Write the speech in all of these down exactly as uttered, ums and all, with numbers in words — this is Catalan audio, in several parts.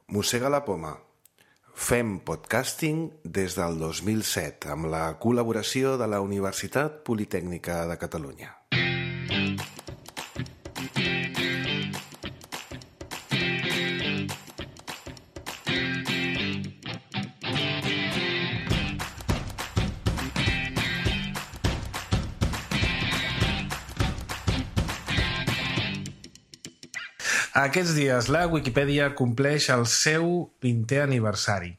Mossega la poma. Fem podcasting des del dos mil set amb la col·laboració de la Universitat Politècnica de Catalunya. Aquests dies la Wikipedia compleix el seu vintè aniversari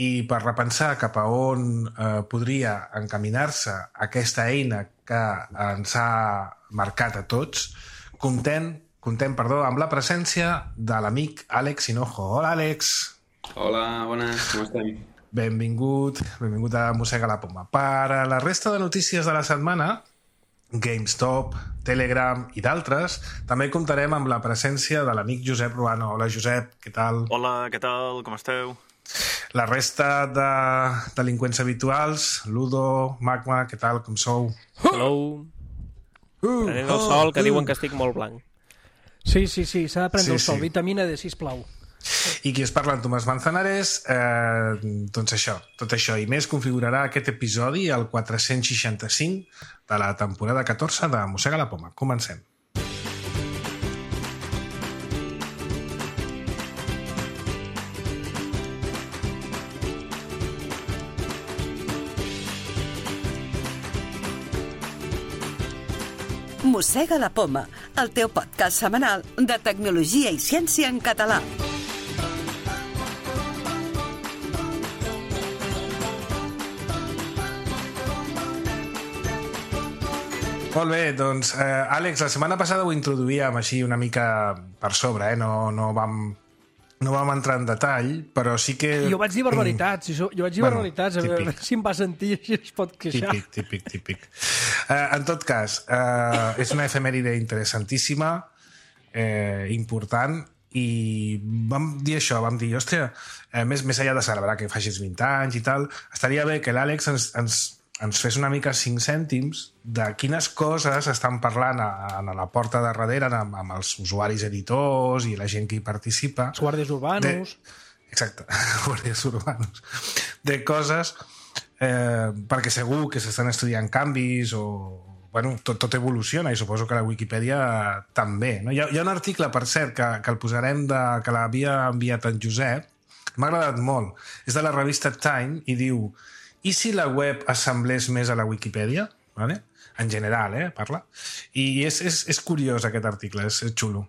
i per repensar cap a on eh, podria encaminar-se aquesta eina que ens ha marcat a tots, contem, contem perdó, amb la presència de l'amic Àlex Hinojo. Hola, Àlex. Hola, bones, com estem? Benvingut, benvingut a Mossega la poma. Per a la resta de notícies de la setmana, GameStop, Telegram i d'altres, també comptarem amb la presència de l'amic Josep Ruano. Hola, Josep, què tal? Hola, què tal? Com esteu? La resta de delinqüents habituals, Ludo, Magma, què tal? Com sou? Hello. Uh, Prenent el sol, que uh. diuen que estic molt blanc. Sí, sí, sí, s'ha de prendre sí, el sol. Sí. Vitamina D, sisplau. I qui es parla en Tomàs Manzanares, eh, doncs això, tot això i més configurarà aquest episodi, el quatre-cents seixanta-cinc de la temporada catorze de Mossega la poma. Comencem. Mossega la poma, el teu podcast setmanal de tecnologia i ciència en català. Molt bé, doncs, eh, Àlex, la setmana passada ho introduíem així una mica per sobre, eh? no, no, vam, no vam entrar en detall, però sí que... Jo vaig dir barbaritats, jo, jo vaig dir Bueno, barbaritats, a veure si em va sentir i es pot queixar. Típic, típic, típic. Eh, en tot cas, eh, és una efemèride interessantíssima, eh, important, i vam dir això, vam dir, hòstia, eh, més, més enllà de celebrar que facis vint anys i tal, estaria bé que l'Àlex ens, ens, ens fes una mica cinc cèntims de quines coses estan parlant a, a la porta de darrere amb, amb els usuaris editors i la gent que hi participa. Els guàrdies urbanos. De, exacte, guàrdies urbanos. De coses, eh, perquè segur que s'estan estudiant canvis o... Bueno, tot, tot evoluciona i suposo que la Wikipedia també. No? Hi, ha, hi ha un article, per cert, que, que el posarem, de, que l'havia enviat en Josep, m'ha agradat molt. És de la revista Time i diu: i si la web assemblés més a la Wikipedia? Vale? En general, eh, parla. I és, és, és curiós aquest article, és, és xulo.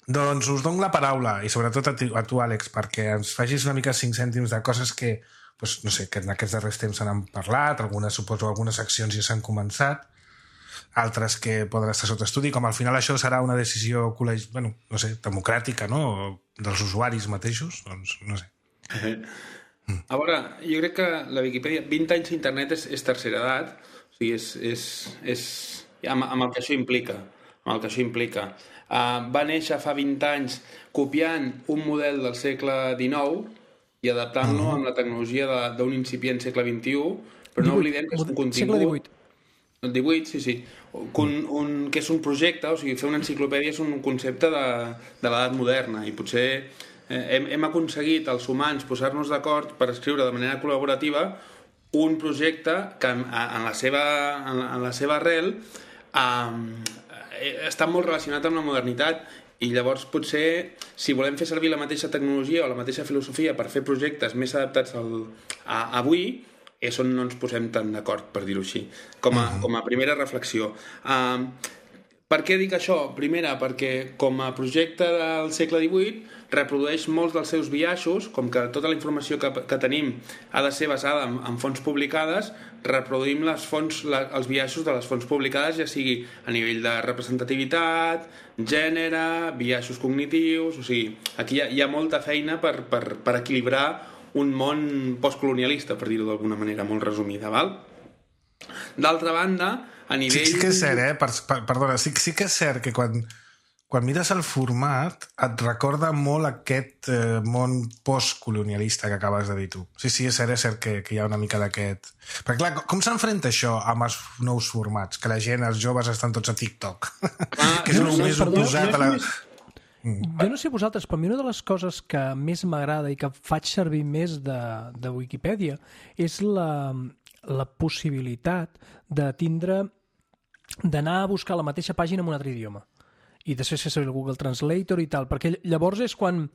Doncs us dono la paraula, i sobretot a tu, a tu, Àlex, perquè ens facis una mica cinc cèntims de coses que, doncs, no sé, que en aquests darrers temps se n'han parlat, algunes, suposo, algunes accions ja s'han començat, altres que poden estar sota estudi, com al final això serà una decisió col·legi... bueno, no sé, democràtica, no?, dels usuaris mateixos, doncs no sé. A veure, jo crec que la Wikipedia, vint anys d'internet és, és tercera edat, o sigui, és, és, és amb, amb el que això implica, amb el que això implica. Uh, va néixer fa vint anys copiant un model del segle dinou i adaptant-lo uh-huh. amb la tecnologia d'un incipient segle vint-i-u, però no oblidem que és un contingut... Segle divuit. El divuit, sí, sí. Un, un, que és un projecte, o sigui, fer una enciclopèdia és un concepte de, de l'edat moderna i potser eh, hem, hem aconseguit els humans posar-nos d'acord per escriure de manera col·laborativa un projecte que en, en, la, seva, en, en la seva arrel eh, està molt relacionat amb la modernitat i llavors potser si volem fer servir la mateixa tecnologia o la mateixa filosofia per fer projectes més adaptats al, a, a avui, és on no ens posem tan d'acord, per dir-ho així, com a, com a primera reflexió. Uh, per què dic això? Primera, perquè com a projecte del segle divuit reprodueix molts dels seus biaixos, com que tota la informació que, que tenim ha de ser basada en, en fonts publicades, reproduïm les fonts, la, els biaixos de les fonts publicades, ja sigui a nivell de representativitat, gènere, biaixos cognitius... O sigui, aquí hi ha, hi ha molta feina per, per, per equilibrar un món postcolonialista, per dir-ho d'alguna manera molt resumida, val? D'altra banda, a nivell... Sí, sí que és cert, eh? Per, per, perdona, sí, sí que és cert que quan, quan mires el format et recorda molt aquest eh, món postcolonialista que acabes de dir tu. Sí, sí, és cert, és cert que, que hi ha una mica d'aquest... Perquè clar, com s'enfrenta això amb els nous formats? Que la gent, els joves, estan tots a TikTok. Ah, que és no, el no, més perdó, oposat no a la... Jo no sé vosaltres, però a mi una de les coses que més m'agrada i que faig servir més de, de Wikipedia és la, la possibilitat de tindre, d'anar a buscar la mateixa pàgina en un altre idioma i després fer servir el Google Translator i tal, perquè llavors és quan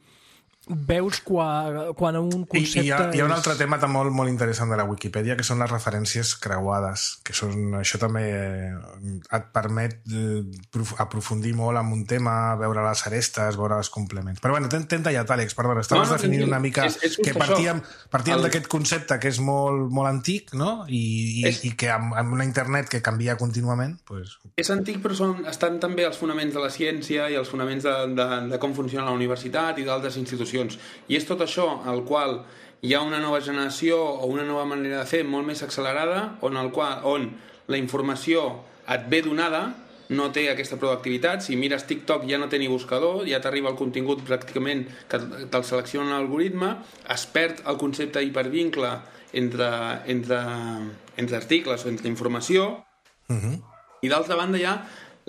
veus quan, quan un concepte... I hi ha, hi ha un és... altre tema també molt, molt interessant de la Wikipedia, que són les referències creuades, que són, això també et permet eh, aprofundir molt en un tema, veure les arestes, veure els complements. Però bueno, t'hem tallat, Àlex, perdona, estaves no, no, definint una mica és, és que partíem, partíem el... d'aquest concepte que és molt, molt antic, no? I, i, és... i que amb, amb una internet que canvia contínuament... Pues... És antic, però són, estan també els fonaments de la ciència i els fonaments de, de, de com funciona la universitat i d'altres institucions. I és tot això al qual hi ha una nova generació o una nova manera de fer molt més accelerada on, el qual, on la informació et ve donada, no té aquesta proactivitat. Si mires TikTok ja no té ni buscador, ja t'arriba el contingut pràcticament que te'l selecciona l'algoritme, es perd el concepte hipervincle entre, entre, entre articles o entre informació. Uh-huh. I d'altra banda ja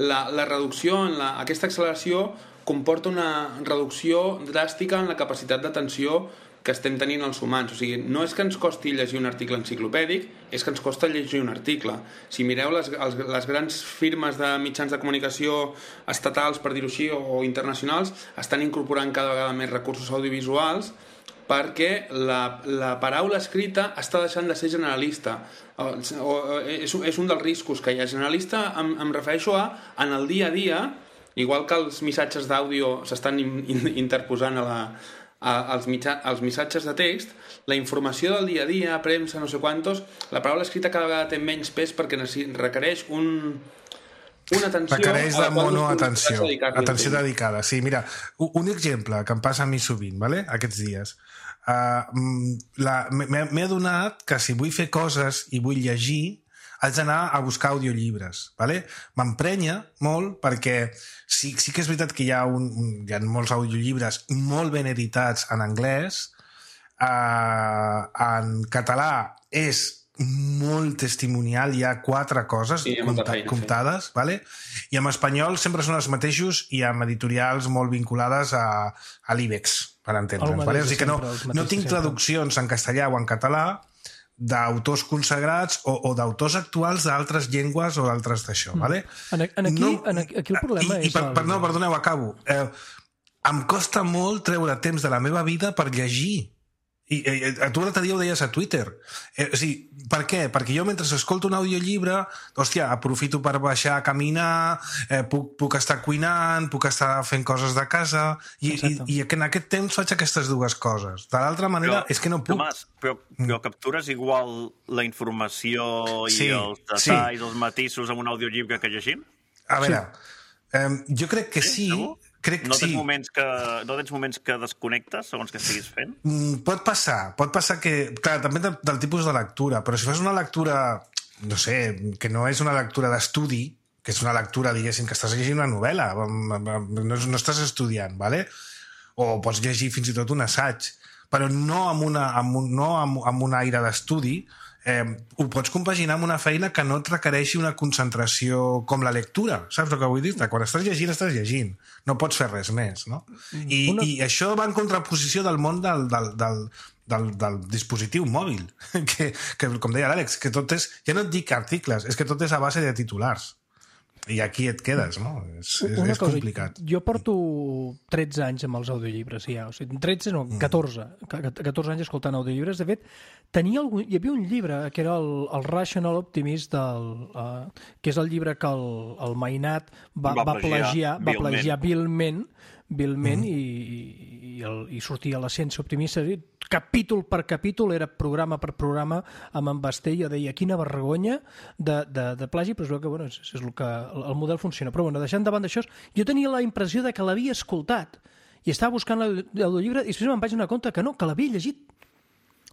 la, la reducció, en la, aquesta acceleració comporta una reducció dràstica en la capacitat d'atenció que estem tenint els humans. O sigui, no és que ens costi llegir un article enciclopèdic, és que ens costa llegir un article. Si mireu les, les, les grans firmes de mitjans de comunicació estatals, per dir-ho així, o internacionals, estan incorporant cada vegada més recursos audiovisuals perquè la, la paraula escrita està deixant de ser generalista. O, o, és, és un dels riscos que hi ha. Generalista em, em refereixo a en el dia a dia, igual que els missatges d'àudio s'estan interposant a la, a, als, mitja, als missatges de text, la informació del dia a dia, premsa, no sé quantos, la paraula escrita cada vegada té menys pes perquè requereix un, una atenció... Requereix de monoatenció, atenció dedicada. Sí, mira, un exemple que em passa a mi sovint, ¿vale? Aquests dies. Uh, M'he adonat que si vull fer coses i vull llegir, haig d'anar a buscar audiollibres, ¿vale? M'emprenya molt perquè sí, sí que és veritat que hi ha, un, un, hi ha molts audiollibres molt ben editats en anglès, uh, en català és molt testimonial, hi ha quatre coses sí, compta, feina, comptades, sí. ¿Vale? I en espanyol sempre són els mateixos i amb editorials molt vinculades a, a l'IBEX, per entendre'ns. ¿Vale? O sigui que no, no tinc traduccions en castellà o en català d'autors consagrats o, o d'autors actuals d'altres llengües o d'altres d'això, mm. ¿Vale? En, en, aquí, no, en aquí, aquí el problema i, és... I per, per, no, perdoneu, acabo. Eh, em costa molt treure temps de la meva vida per llegir. I, i a tu l'altre dia ho deies a Twitter. Eh, o sigui, per què? Perquè jo mentre escolto un audiollibre, hòstia, aprofito per baixar a caminar, eh, puc, puc estar cuinant, puc estar fent coses de casa, i, i, i en aquest temps faig aquestes dues coses. De l'altra manera, però, és que no puc... Tomàs, però, però captures igual la informació i sí, els detalls, sí. Els matisos en un audiollibre que llegim? A veure, sí. eh, jo crec que sí... sí Crec que no, tens sí. moments que, no tens moments que desconnectes segons que estiguis fent? Mm, pot passar, pot passar que... Clar, també del, del tipus de lectura, però si fas una lectura, no sé, que no és una lectura d'estudi, que és una lectura, diguéssim, que estàs llegint una novel·la, no, no estàs estudiant, ¿vale? O pots llegir fins i tot un assaig, però no amb, una, amb, un, no amb, amb un aire d'estudi, eh, ho pots compaginar amb una feina que no et requereixi una concentració com la lectura, saps el que vull dir? Quan estàs llegint, estàs llegint, no pots fer res més, no? I, una... i això va en contraposició del món del, del, del, del, del dispositiu mòbil, que, que com deia l'Àlex, que tot és, ja no et dic articles, és que tot és a base de titulars. I aquí et quedes, no? És, és, és cosa, complicat. Jo porto tretze anys amb els audiollibres, ja. O sigui, tretze, no, catorze. catorze anys escoltant audiollibres. De fet, tenia algun, hi havia un llibre que era el, el Rational Optimist, del, uh, que és el llibre que el, el Mainat va, va, va plagiar, va plagiar vilment, vilment mm. i, i, el, i sortia la ciència optimista. Capítol per capítol, era programa per programa, amb en Basté, jo deia, quina vergonya de, de, de plagi, però és el que, bueno, és, és el que el, el model funciona. Però bueno, deixant davant d'això, jo tenia la impressió de que l'havia escoltat i estava buscant l'audiollibre i després me'n vaig donar compte que no, que l'havia llegit.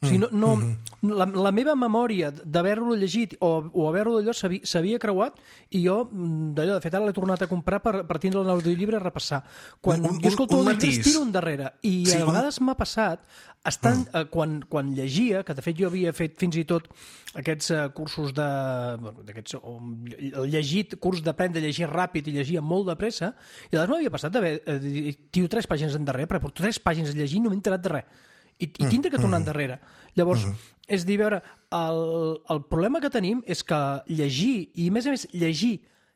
O sigui, no, no, la, la meva memòria d'haver-lo llegit o, o haver-lo d'allò s'havia creuat i jo, d'allò, de fet, ara l'he tornat a comprar per, per tindre l'audiollibre a repassar. Quan un, un, jo escolto un, un llibres, tiro endarrere. I sí, a vegades un... m'ha passat, estant, mm. eh, quan, quan llegia, que de fet jo havia fet fins i tot aquests uh, cursos de... Bueno, d'aquests, um, llegit, curs d'aprendre a llegir ràpid i llegir molt de pressa, i a vegades m'havia passat d'haver... Eh, tio tres pàgines endarrere, però porto tres pàgines a llegir i no m'he enterat de res. I, i tindre que tornar endarrere. Llavors, mm. és dir, veure, el, el problema que tenim és que llegir, i a més a més llegir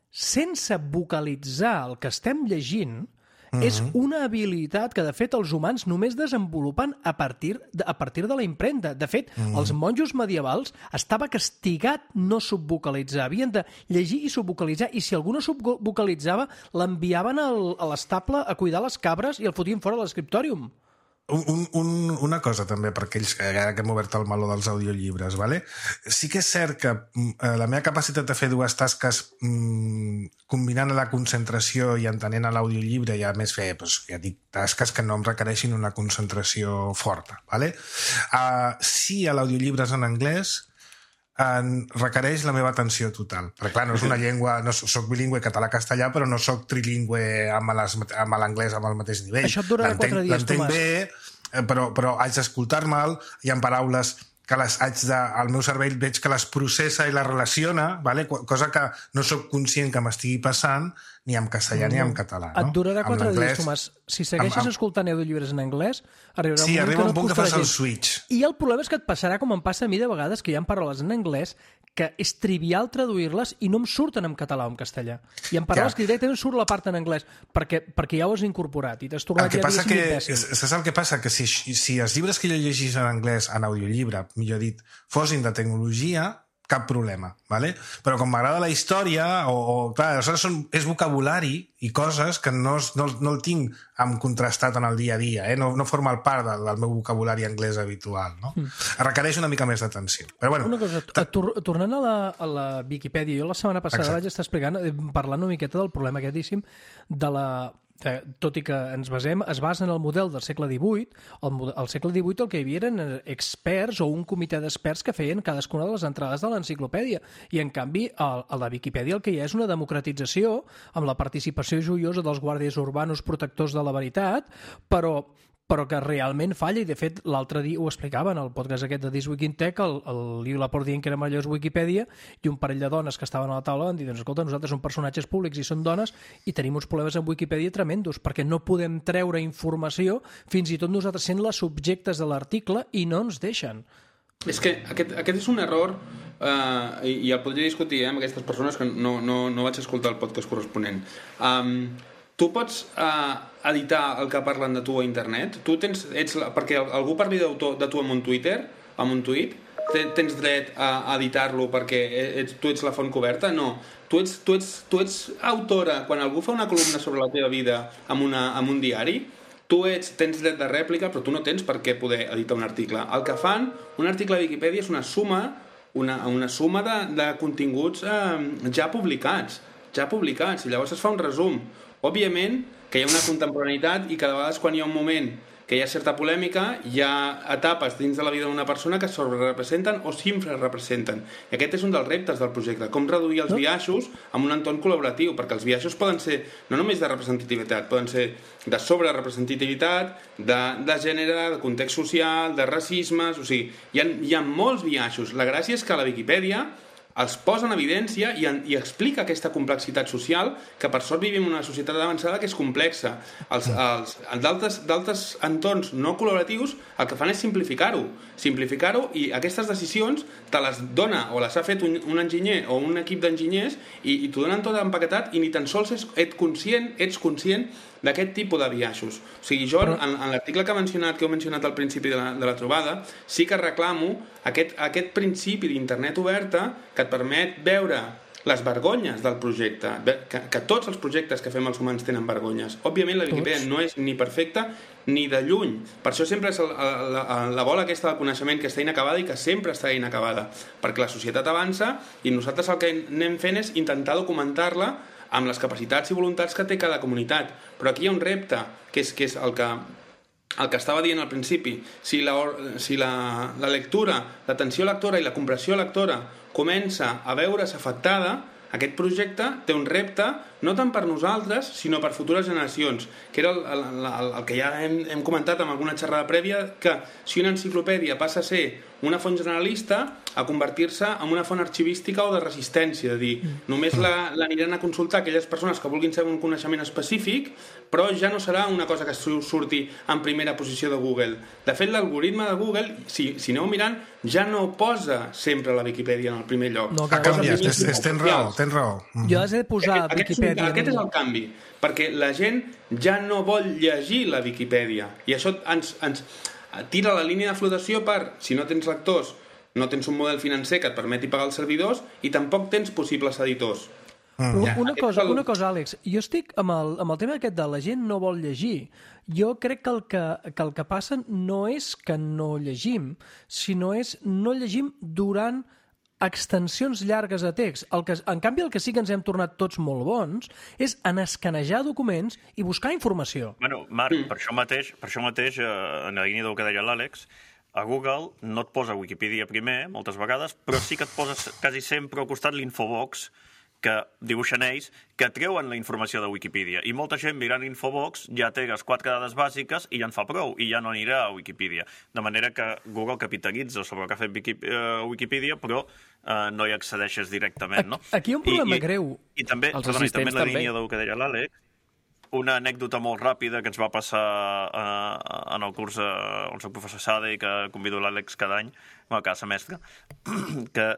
sense vocalitzar el que estem llegint, mm-hmm. és una habilitat que, de fet, els humans només desenvolupen a partir de, a partir de la impremta. De fet, mm-hmm. els monjos medievals estava castigat no subvocalitzar. Havien de llegir i subvocalitzar, i si algú no subvocalitzava, l'enviaven al, a l'estable a cuidar les cabres i el fotien fora de l'escriptòrium. Un, un, una cosa també, per aquells que, que hem obert el meló dels audiollibres, vale? Sí que és cert que eh, la meva capacitat de fer dues tasques mm, combinant la concentració i entenent l'audiollibre i a més fer, doncs, ja dic, tasques que no em requereixin una concentració forta. Vale? Uh, si l'audiollibre és en anglès, en requereix la meva atenció total. Perquè, clar, no és una llengua... No soc bilingüe català-castellà, però no soc trilingüe amb l'anglès amb el mateix nivell. Això et durarà quatre dies, Tomàs. L'entenc bé, però, però haig d'escoltar-me'l, hi ha paraules que les haig de... El meu cervell veig que les processa i les relaciona, vale? Cosa que no sóc conscient que m'estigui passant ni en castellà mm. ni en català. No? Et durarà quatre dies, Tomàs. Si segueixes amb, amb... escoltant audiollibres en anglès, arribarà sí, un moment arriba que un no punt et que fas llegir. el switch. I el problema és que et passarà com em passa a mi de vegades, que hi ha paraules en anglès que és trivial traduir-les i no em surten en català o en castellà. I en paraules que directament surt la part en anglès, perquè, perquè ja ho has incorporat i t'has tornat ja diguéssim imbècil. Saps el que passa? Que si, si els llibres que jo llegís en anglès, en audiollibre, millor dit, fossin de tecnologia, cap problema, ¿vale? Però com m'agrada la història, o, o clar, aleshores són, és vocabulari i coses que no, no, no el tinc amb contrastat en el dia a dia, eh? no, no forma part del, del meu vocabulari anglès habitual, no? Mm. Requereix una mica més d'atenció. Però bueno... Una cosa, tor tornant a la, a la Viquipèdia, jo la setmana passada Exacte. vaig estar explicant, parlant una miqueta del problema aquestíssim de la... Eh, tot i que ens basem, es basa en el model del segle divuit, al el segle divuit el que hi havia eren experts o un comitè d'experts que feien cadascuna de les entrades de l'enciclopèdia, i en canvi a, a la Viquipèdia el que hi ha és una democratització amb la participació joiosa dels guàrdies urbanos protectors de la veritat, però però que realment falla, i de fet l'altre dia ho explicava en el podcast aquest de This Week in Tech, el, el Liu Laporte dient que era millor Wikipedia, i un parell de dones que estaven a la taula van dir, doncs escolta, nosaltres som personatges públics i són dones i tenim uns problemes amb Wikipedia tremendos, perquè no podem treure informació, fins i tot nosaltres sent les subjectes de l'article, i no ens deixen. És que aquest, aquest és un error eh, i, i el podria discutir eh, amb aquestes persones que no, no, no vaig escoltar el podcast corresponent. Um, Tu pots uh, editar el que parlen de tu a internet? Tu tens, ets, perquè algú parli de tu, de tu amb un Twitter, amb un tuit, tens dret a editar-lo perquè ets, tu ets la font coberta? No. Tu ets, tu, ets, tu ets autora. Quan algú fa una columna sobre la teva vida amb, una, amb un diari, tu ets, tens dret de rèplica, però tu no tens per què poder editar un article. El que fan, un article a Viquipèdia és una suma, una, una suma de, de continguts eh, ja publicats, ja publicats, i llavors es fa un resum. Òbviament que hi ha una contemporaneïtat i cada vegada quan hi ha un moment que hi ha certa polèmica, hi ha etapes dins de la vida d'una persona que sobrerepresenten o s'infrarepresenten. I aquest és un dels reptes del projecte, com reduir els biaixos en un entorn col·laboratiu, perquè els biaixos poden ser no només de representativitat, poden ser de sobrerepresentativitat, de, de gènere, de context social, de racismes, o sigui, hi ha, hi ha molts biaixos. La gràcia és que a la Viquipèdia els posa en evidència i, en, i explica aquesta complexitat social, que per sort vivim en una societat avançada que és complexa. Els, els, d'altres entorns no col·laboratius el que fan és simplificar-ho, simplificar-ho i aquestes decisions te les dona o les ha fet un, un enginyer o un equip d'enginyers i, i t'ho donen tot empaquetat i ni tan sols ets, ets conscient, ets conscient d'aquest tipus de biaixos. O sigui, jo, en, en l'article que, mencionat, que heu mencionat al principi de la, de la trobada, sí que reclamo aquest, aquest principi d'internet oberta que et permet veure les vergonyes del projecte, que, que tots els projectes que fem els humans tenen vergonyes. Òbviament la Viquipèdia no és ni perfecta ni de lluny. Per això sempre és la, la, la bola aquesta del coneixement que està inacabada i que sempre està inacabada, perquè la societat avança i nosaltres el que anem fent és intentar documentar-la amb les capacitats i voluntats que té cada comunitat. Però aquí hi ha un repte, que és, que és el que el que estava dient al principi, si la, si la, la lectura, l'atenció lectora i la compressió lectora comença a veure's afectada, aquest projecte té un repte no tant per nosaltres, sinó per futures generacions, que era el, el, el, el que ja hem, hem comentat en alguna xerrada prèvia, que si una enciclopèdia passa a ser una font generalista a convertir-se en una font arxivística o de resistència, de dir, només la, l'aniran a consultar aquelles persones que vulguin saber un coneixement específic, però ja no serà una cosa que surti en primera posició de Google. De fet, l'algoritme de Google, si, si aneu mirant, ja no posa sempre la Viquipèdia en el primer lloc. No, ha canviat, és, és, tens raó, tens raó. Jo has de posar aquest, Viquipèdia... Aquest, aquest és el canvi, perquè la gent ja no vol llegir la Viquipèdia, i això ens, ens tira la línia de flotació per, si no tens lectors, no tens un model financer que et permeti pagar els servidors i tampoc tens possibles editors. Mm. Ja, una, cosa, el... una cosa, Àlex, jo estic amb el, amb el tema aquest de la gent no vol llegir. Jo crec que el que, que el que passa no és que no llegim, sinó és no llegim durant extensions llargues de text. El que, en canvi, el que sí que ens hem tornat tots molt bons és en escanejar documents i buscar informació. Bueno, Marc, mm. per això mateix, per això mateix eh, en la línia del que deia l'Àlex, a Google no et posa Wikipedia primer, moltes vegades, però sí que et posa quasi sempre al costat l'Infobox, que dibuixen ells, que treuen la informació de Wikipedia. I molta gent mirant Infobox ja té les quatre dades bàsiques i ja en fa prou, i ja no anirà a Wikipedia. De manera que Google capitalitza sobre el que ha fet Wikipedia, però eh, no hi accedeixes directament, no? Aquí hi ha un problema I, i, greu. I també, perdona, i també en la línia del que deia l'Àlex, una anècdota molt ràpida que ens va passar eh, en el curs eh, on soc professor Sade i que convido l'Àlex cada any, bueno, cada semestre, que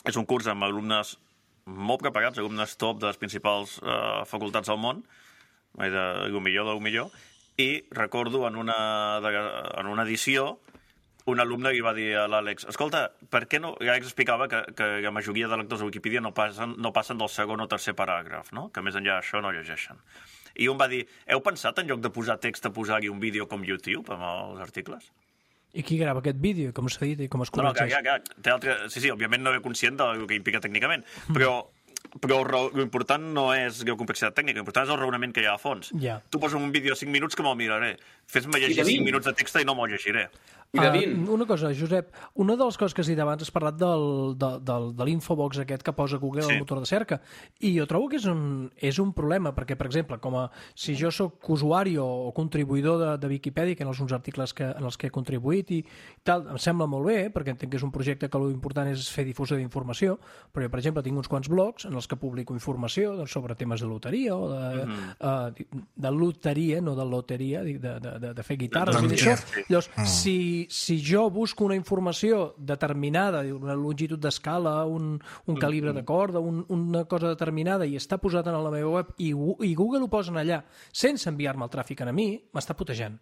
és un curs amb alumnes molt preparats, alumnes top de les principals eh, facultats del món, de, del millor del millor, i recordo en una, de, en una edició un alumne li va dir a l'Àlex, escolta, per què no... L'Àlex explicava que, que la majoria de lectors de Wikipedia no passen, no passen del segon o tercer paràgraf, no? Que més enllà d'això no llegeixen. I un va dir, heu pensat en lloc de posar text a posar-hi un vídeo com YouTube amb els articles? I qui grava aquest vídeo, com s'ha dit i com es corregeix? No, no, que, que, té altre... Sí, sí, òbviament no és conscient del que implica tècnicament, però, però l'important no és la complexitat tècnica, l'important és el raonament que hi ha a fons. Ja. Tu poses un vídeo de cinc minuts que me'l miraré. Fes-me llegir cinc minuts de text i no me'l llegiré. Uh, una cosa, Josep, una de les coses que has dit abans has parlat del, de, del, de l'Infobox aquest que posa Google al sí. motor de cerca, i jo trobo que és un, és un problema, perquè, per exemple, com a, si jo sóc usuari o, o contribuïdor de, de Viquipèdia, que en els uns articles que, en els que he contribuït i tal, em sembla molt bé, perquè entenc que és un projecte que l'important és fer difusió d'informació, però jo, per exemple, tinc uns quants blogs en els que publico informació doncs, sobre temes de loteria o de, mm-hmm. uh, de loteria, no de loteria, de, de, de, de fer guitarres i d'això. Llavors, mm. si si jo busco una informació determinada, una longitud d'escala, un, un calibre de corda, un, una cosa determinada i està posat en la meva web i, i Google ho posen allà sense enviar-me el tràfic a mi, m'està putejant.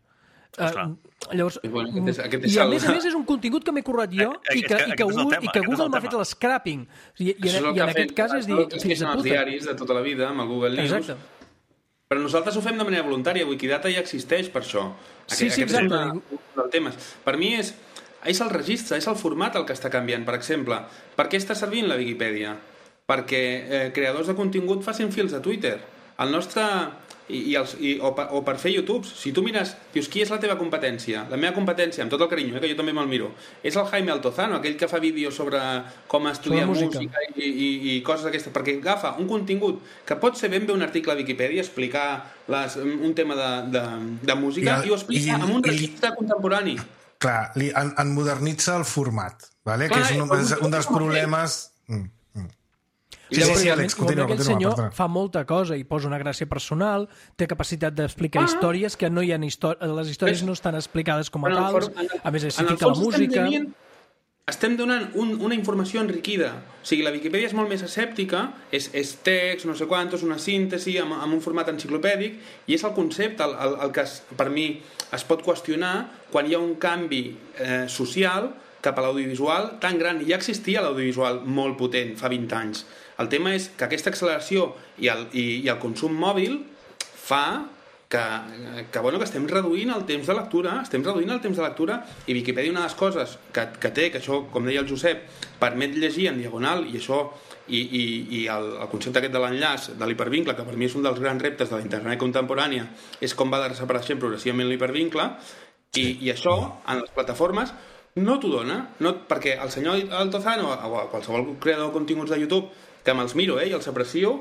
Uh, llavors, bueno, aquest és, aquest és i a més a més és un contingut que m'he currat jo i que, i que Google, i que Google m'ha fet l'escrapping i, i, i en aquest fet, cas és dir fills de puta. Els diaris de tota la vida amb el Google News. Exacte. Però nosaltres ho fem de manera voluntària. Wikidata ja existeix per això. Sí, sí, exacte. El tema. Per mi és, és el registre, és el format el que està canviant. Per exemple, per què està servint la Viquipèdia? Perquè eh, creadors de contingut facin fils a Twitter. El nostre... I, i els, i, o, per, o per fer YouTube. Si tu mires, dius, qui és la teva competència? La meva competència, amb tot el carinyo, eh, que jo també me'l miro, és el Jaime Altozano, aquell que fa vídeos sobre com estudiar música, música i, i, i coses d'aquestes, perquè agafa un contingut que pot ser ben bé un article a Viquipèdia, explicar les, un tema de, de, de música, i, el, i ho explica i, amb un registre i, contemporani. Clar, li, en, en modernitza el format, vale? Clar, que és un, un, un dels problemes... Mm. Sí, sí, sí, Àlex, continua, continua. Aquest senyor continua. Fa molta cosa i posa una gràcia personal, té capacitat d'explicar ah. històries que no hi ha històries, les històries no estan explicades com a tals, a més s'hi fica la música... Estem, estem donant un, una informació enriquida. O sigui, la Viquipèdia és molt més escèptica, és, és text, no sé quantos, una síntesi amb, amb un format enciclopèdic, i és el concepte el, el, el que es, per mi es pot qüestionar quan hi ha un canvi eh, social cap a l'audiovisual tan gran. Ja existia l'audiovisual molt potent fa vint anys. El tema és que aquesta acceleració i el, i, i el consum mòbil fa que, que, bueno, que estem reduint el temps de lectura, estem reduint el temps de lectura, i Wikipedia una de les coses que, que té, que això, com deia el Josep, permet llegir en diagonal, i això i, i, i el, el concepte aquest de l'enllaç, de l'hipervincle, que per mi és un dels grans reptes de la internet contemporània, és com va desapareixent progressivament l'hipervincle, i, i això, en les plataformes, no t'ho dona, no, perquè el senyor Altozano o qualsevol creador de continguts de YouTube, que me'ls miro eh, i els aprecio,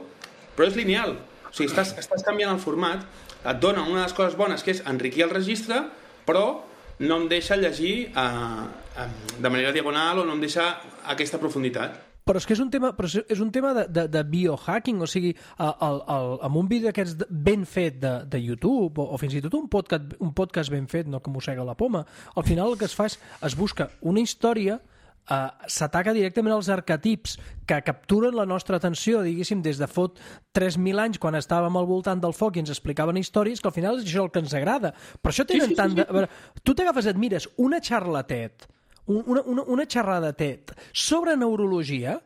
però és lineal, o sigui, estàs, estàs canviant el format, et dona una de les coses bones, que és enriquir el registre, però no em deixa llegir eh, de manera diagonal o no em deixa aquesta profunditat. Però és que és un tema, però és un tema de, de, de biohacking, o sigui, el, el, el, amb un vídeo d'aquests ben fet de, de YouTube, o, o fins i tot un podcast, un podcast ben fet, no que mossega la poma, al final el que es fa és, es busca una història, Uh, s'ataca directament als arquetips que capturen la nostra atenció, diguéssim, des de fot tres mil anys, quan estàvem al voltant del foc i ens explicaven històries, que al final és això el que ens agrada. Per això tenen sí, sí, tant de... A veure, tu t'agafes, et mires una xarlatet, una, una, una xerrada tet sobre neurologia,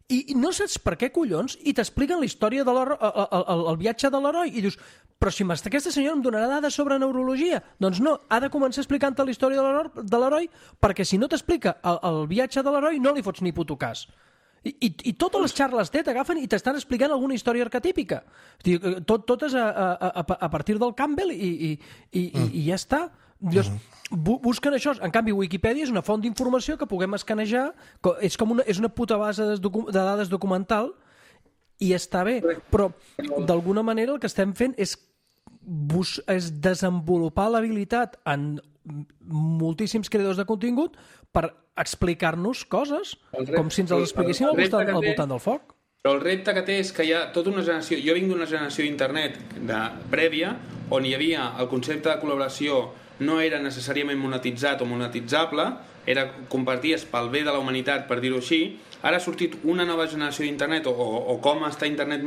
i no saps per què collons, i t'expliquen la història de l'heroi, el, el, el viatge de l'heroi, i dius, però si aquesta senyora em donarà dades sobre neurologia, doncs no, ha de començar explicant-te la història de l'heroi, perquè si no t'explica el, el viatge de l'heroi no li fots ni puto cas. I, i, i totes les xarles té t'agafen i t'estan explicant alguna història arquetípica. Tot, totes a, a, a, a partir del Campbell i, i, i, i, i ja està. Llavors, bu busquen això. En canvi, Wikipedia és una font d'informació que puguem escanejar, és com una, és una puta base de, docu de dades documental, i està bé, però d'alguna manera el que estem fent és, bus és desenvolupar l'habilitat en moltíssims creadors de contingut per explicar-nos coses, com si ens les expliquéssim al voltant, al voltant del foc. Però el repte que té és que hi ha tota una generació... Jo vinc d'una generació d'internet prèvia, on hi havia el concepte de col·laboració no era necessàriament monetitzat o monetitzable, era comparties pel bé de la humanitat, per dir-ho així. Ara ha sortit una nova generació d'internet, o, o, o com està internet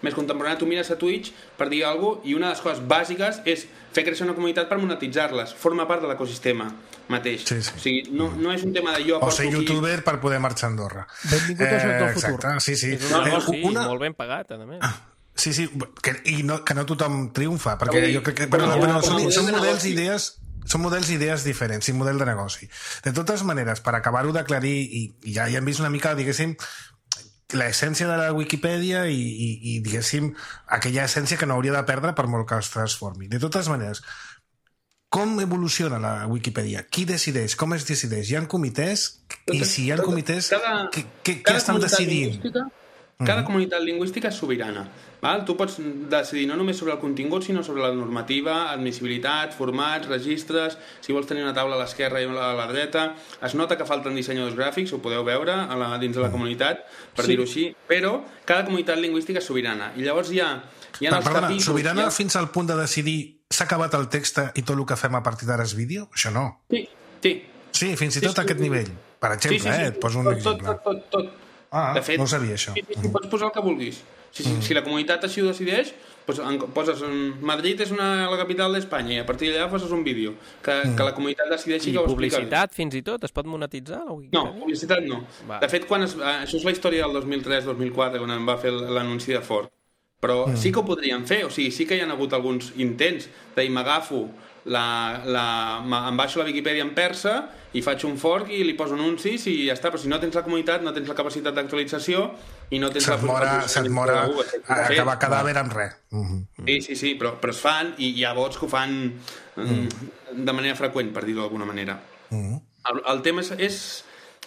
més contemporani. Tu mires a Twitch per dir alguna cosa, i una de les coses bàsiques és fer créixer una comunitat per monetitzar-les. Forma part de l'ecosistema mateix. Sí, sí. O sigui, no, no és un tema de jo... O ser youtuber aquí per poder marxar a Andorra. Benvingut al joc del futur. Exacte, sí, sí. És un negoci eh, una... molt ben pagat, a més. Sí, sí, que, i no, que no tothom triomfa, perquè jo crec que... Però, però, però són, són models i idees... Són models i idees diferents, i model de negoci. De totes maneres, per acabar-ho d'aclarir, i, i ja, ja hem vist una mica, diguéssim, l'essència de la Wikipedia i, i, i, diguéssim, aquella essència que no hauria de perdre per molt que es transformi. De totes maneres, com evoluciona la Wikipedia? Qui decideix? Com es decideix? Hi ha comitès? I si hi ha comitès, cada, què, què, què estan decidint? Cada comunitat lingüística és sobirana. Val? Tu pots decidir no només sobre el contingut, sinó sobre la normativa, admissibilitat, formats, registres, si vols tenir una taula a l'esquerra i a la dreta. Es nota que falten dissenyadors gràfics, ho podeu veure a la, dins de la comunitat, per sí. dir-ho així, però cada comunitat lingüística és sobirana. I llavors hi ha, hi ha els perdona, capítols... Sobirana ha... fins al punt de decidir s'ha acabat el text i tot el que fem a partir d'ara és vídeo? Això no. Sí, sí. Sí, fins i tot sí, a aquest sí, nivell. Per exemple, sí, sí, sí. eh? Et poso un tot, exemple. Tot, tot, tot. Ah, de fet, no sabia això. Sí, sí, sí, pots posar el que vulguis. Si, mm. si la comunitat així ho decideix, doncs poses Madrid és una, la capital d'Espanya i a partir d'allà poses un vídeo que, mm. que la comunitat decideixi I que ho explica. I publicitat fins i tot? Es pot monetitzar? La no, publicitat no. Va. De fet, quan es, això és la història del dos mil tres dos mil quatre, quan em va fer l'anunci de Ford. Però mm. sí que ho podríem fer, o sigui, sí que hi ha hagut alguns intents de m'agafo la, la, em baixo la Viquipèdia en persa i faig un fork i li poso anuncis i ja està, però si no tens la comunitat, no tens la capacitat d'actualització i no tens se't la... Mora, se't mora acabar cadàver amb res. Mm-hmm. Sí, sí, sí, però, però es fan i hi ha vots que ho fan mm. de manera freqüent, per dir-ho d'alguna manera. Mm. El, el tema és, és,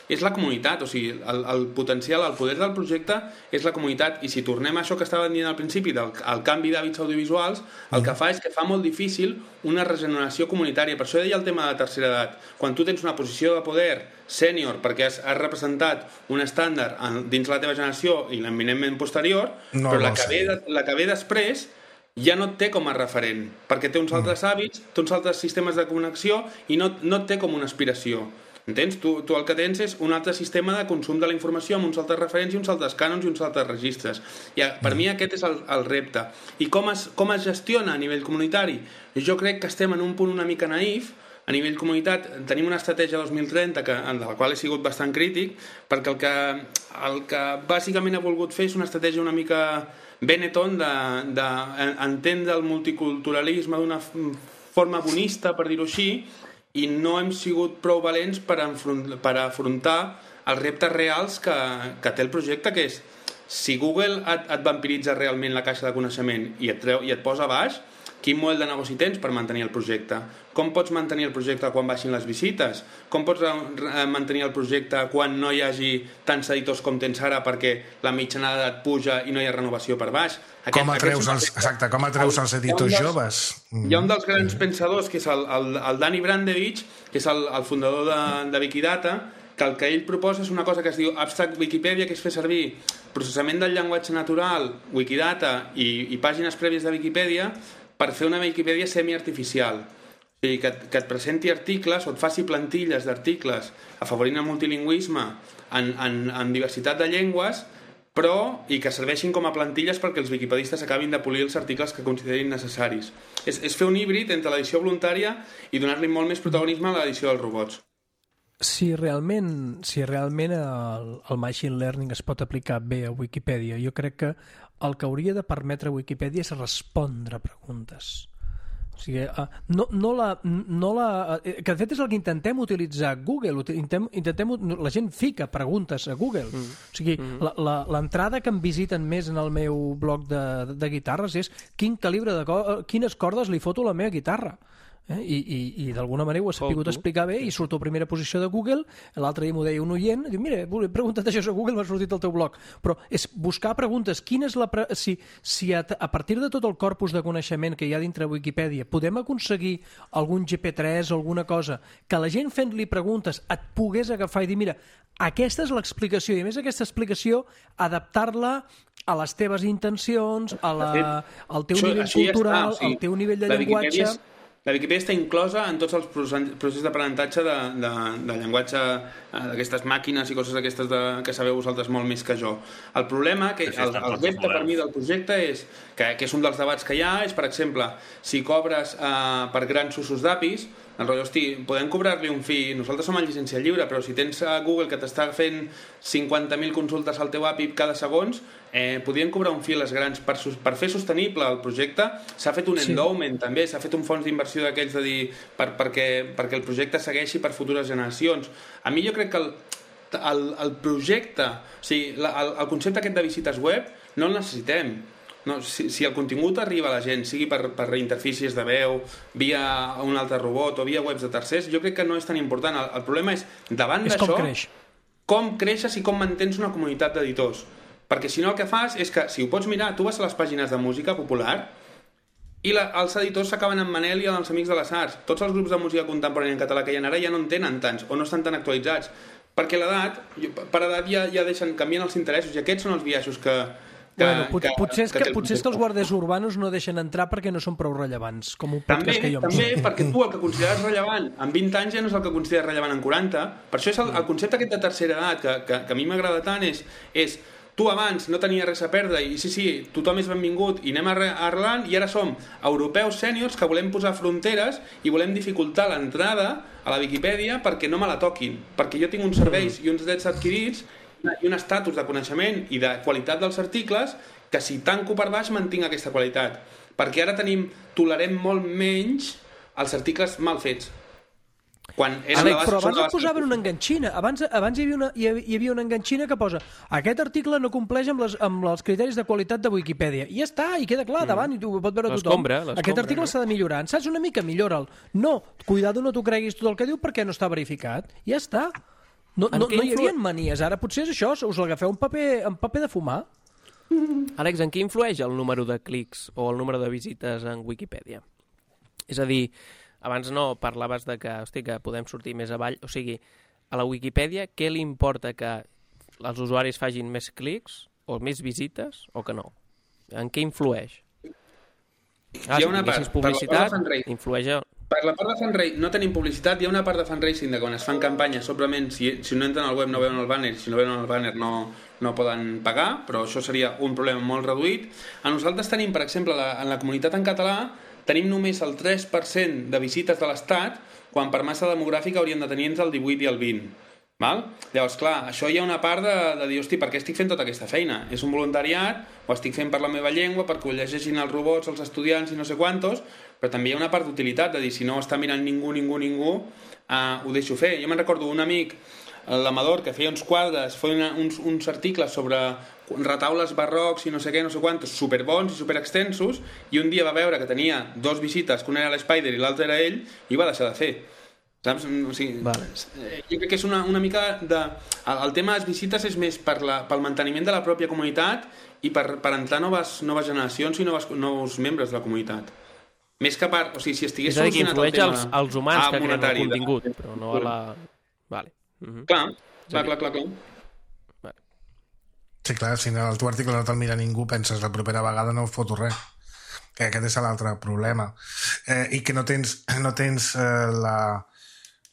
és la comunitat, o sigui, el, el potencial, el poder del projecte és la comunitat, i si tornem a això que estava dient al principi, del el canvi d'hàbits audiovisuals, el que fa és que fa molt difícil una regeneració comunitària. Per això deia el tema de la tercera edat. Quan tu tens una posició de poder sènior perquè has, has representat un estàndard en, dins la teva generació i l'eminentment posterior, no, però la que, ve de, la que ve després ja no et té com a referent, perquè té uns altres hàbits, té uns altres sistemes de connexió i no, no et té com una aspiració. Entens? Tu, tu el que tens és un altre sistema de consum de la informació amb uns altres referents i uns altres cànons i uns altres registres. I per mm. mi aquest és el, el repte. I com es, com es gestiona a nivell comunitari? Jo crec que estem en un punt una mica naïf a nivell comunitat tenim una estratègia dos mil trenta que, de la qual he sigut bastant crític, perquè el que, el que bàsicament he volgut fer és una estratègia una mica Benetton d'entendre de, el multiculturalisme d'una forma bonista, per dir-ho així, i no hem sigut prou valents per, enfront, per afrontar els reptes reals que, que té el projecte, que és si Google et, et vampiritza realment la caixa de coneixement i et, treu, i et posa baix, quin model de negoci tens per mantenir el projecte? Com pots mantenir el projecte quan baixin les visites? Com pots mantenir el projecte quan no hi hagi tants editors com tens ara perquè la mitjana d'edat puja i no hi ha renovació per baix? Aquest, com atreus els, exacte, com atreus els editors dels, joves? Hi ha un dels grans pensadors, que és el, el, el Dani Brandevich, que és el, el fundador de, de Wikidata, que el que ell proposa és una cosa que es diu Abstract Wikipedia, que és fer servir processament del llenguatge natural, Wikidata i, i pàgines prèvies de Wikipedia per fer una Wikipedia semi-artificial. O sigui, que, que et presenti articles o et faci plantilles d'articles afavorint el multilingüisme en, en, en diversitat de llengües, però i que serveixin com a plantilles perquè els wikipedistes acabin de polir els articles que considerin necessaris. És, és fer un híbrid entre l'edició voluntària i donar-li molt més protagonisme a l'edició dels robots. Si realment, si realment el, el machine learning es pot aplicar bé a Wikipedia, jo crec que el que hauria de permetre Wikipedia és respondre preguntes. O sigui, no, no la, no la, que de fet és el que intentem utilitzar Google. Intentem, intentem, la gent fica preguntes a Google. Mm. O sigui, mm. l'entrada que em visiten més en el meu blog de, de guitarres és quin calibre de, quines cordes li foto a la meva guitarra. Eh? I, i, i d'alguna manera ho ha sabut explicar bé i surto a primera posició de Google. L'altre dia m'ho deia un oient, diu, mira, he preguntat això a Google, m'ha sortit el teu blog. Però és buscar preguntes, quina és la pre... si, si a, a partir de tot el corpus de coneixement que hi ha dintre Wikipedia podem aconseguir algun G P tres o alguna cosa que la gent fent-li preguntes et pogués agafar i dir, mira, aquesta és l'explicació, i a més aquesta explicació adaptar-la a les teves intencions, a la, al teu nivell cultural, al teu nivell de llenguatge. La Wikipedia està inclosa en tots els processos d'aprenentatge de, de, de llenguatge d'aquestes màquines i coses d'aquestes que sabeu vosaltres molt més que jo. El problema, que el, el repte per mi del projecte és, que, que és un dels debats que hi ha, és, per exemple, si cobres eh, per grans usos d'A P Is, el rotllo, hosti, podem cobrar-li un fi, nosaltres som a llicència lliure, però si tens a Google que t'està fent cinquanta mil consultes al teu A P I cada segons, eh, podríem cobrar un fi a les grans per, per fer sostenible el projecte. S'ha fet un endowment, sí. També, s'ha fet un fons d'inversió d'aquells de dir per, perquè, perquè el projecte segueixi per futures generacions. A mi jo crec que el, el, el projecte, o sigui, la, el, el concepte aquest de visites web no el necessitem. No, si, si el contingut arriba a la gent, sigui per, per interfícies de veu, via un altre robot o via webs de tercers, jo crec que no és tan important. El, el problema és, davant d'això, com, creix. com creixes i com mantens una comunitat d'editors. Perquè si no el que fas és que, si ho pots mirar, tu vas a les pàgines de música popular i la, els editors s'acaben amb Manel i els Amics de les Arts. Tots els grups de música contemporània en català que hi ha ara ja no en tenen tants o no estan tan actualitzats. Perquè l'edat, per edat ja, ja deixen, canvien els interessos i aquests són els biaixos que... Que, bueno, pot, que, potser és que, que, potser és que els guàrdies urbanos no deixen entrar perquè no són prou rellevants, com un també, podcast que jo em també, perquè tu el que consideres rellevant en vint anys ja no és el que consideres rellevant en quaranta. Per això és el, el concepte aquest de tercera edat que, que, que a mi m'agrada tant és, és tu abans no tenies res a perdre i sí, sí, tothom és benvingut i anem arrelant i ara som europeus sèniors que volem posar fronteres i volem dificultar l'entrada a la Viquipèdia perquè no me la toquin, perquè jo tinc uns serveis i uns drets adquirits i un estatus de coneixement i de qualitat dels articles que si tanco per baix mantinc aquesta qualitat, perquè ara tenim tolerem molt menys els articles mal fets. Quan Àlex, però abans et posaven una enganxina. Abans, abans hi, havia una, hi havia una enganxina que posa aquest article no compleix amb, les, amb els criteris de qualitat de Wikipedia. I ja està, i queda clar, mm. davant, i ho pot veure tothom. Aquest article no? s'ha de millorar. En saps una mica? Millora'l. No, cuidado, no t'ho creguis tot el que diu perquè no està verificat. Ja està. No, no, no hi havia manies. Ara potser és això, us l'agafeu en paper, en paper de fumar. Àlex, en què influeix el número de clics o el número de visites en Wikipedia? És a dir, abans no parlaves de que, hosti, que podem sortir més avall. O sigui, a la Wikipedia, què li importa que els usuaris facin més clics o més visites o que no? En què influeix? Ah, hi ha una si part, publicitat, influeix... Per la part de fundraising no tenim publicitat, hi ha una part de fundraising de quan es fan campanyes, simplement si, si no entren al web no veuen el banner, si no veuen el banner no, no poden pagar, però això seria un problema molt reduït. A nosaltres tenim, per exemple, la, en la comunitat en català tenim només el tres per cent de visites de l'Estat quan per massa demogràfica hauríem de tenir entre el divuit i el vint. Val? Llavors, clar, això hi ha una part de, de dir, hosti, per què estic fent tota aquesta feina? És un voluntariat, ho estic fent per la meva llengua, perquè ho llegeixin els robots, els estudiants i no sé quantos, però també hi ha una part d'utilitat, de dir, si no ho està mirant ningú, ningú, ningú, uh, ho deixo fer. Jo me'n recordo un amic, l'Amador, que feia uns quadres, feia uns, uns articles sobre retaules barrocs i no sé què, no sé quantos, superbons i superextensos, i un dia va veure que tenia dos visites, que una era l'Spider i l'altre era ell, i va deixar de fer. Saps? O sigui, vale. Jo crec que és una, una mica de... El, el tema de les visites és més per la, pel manteniment de la pròpia comunitat i per, per entrar noves, noves generacions i noves, nous membres de la comunitat. Més que per... O sigui, si estigués solucionat el tema... És a dir, que influeix als, als humans que creen el contingut, però no a la... Vale. Uh-huh. Clar, clar, clar, clar, clar. Vale. Sí, clar, si el teu article no te'l mira ningú, penses la propera vegada no foto res. Que aquest és l'altre problema. Eh, I que no tens, no tens eh, la...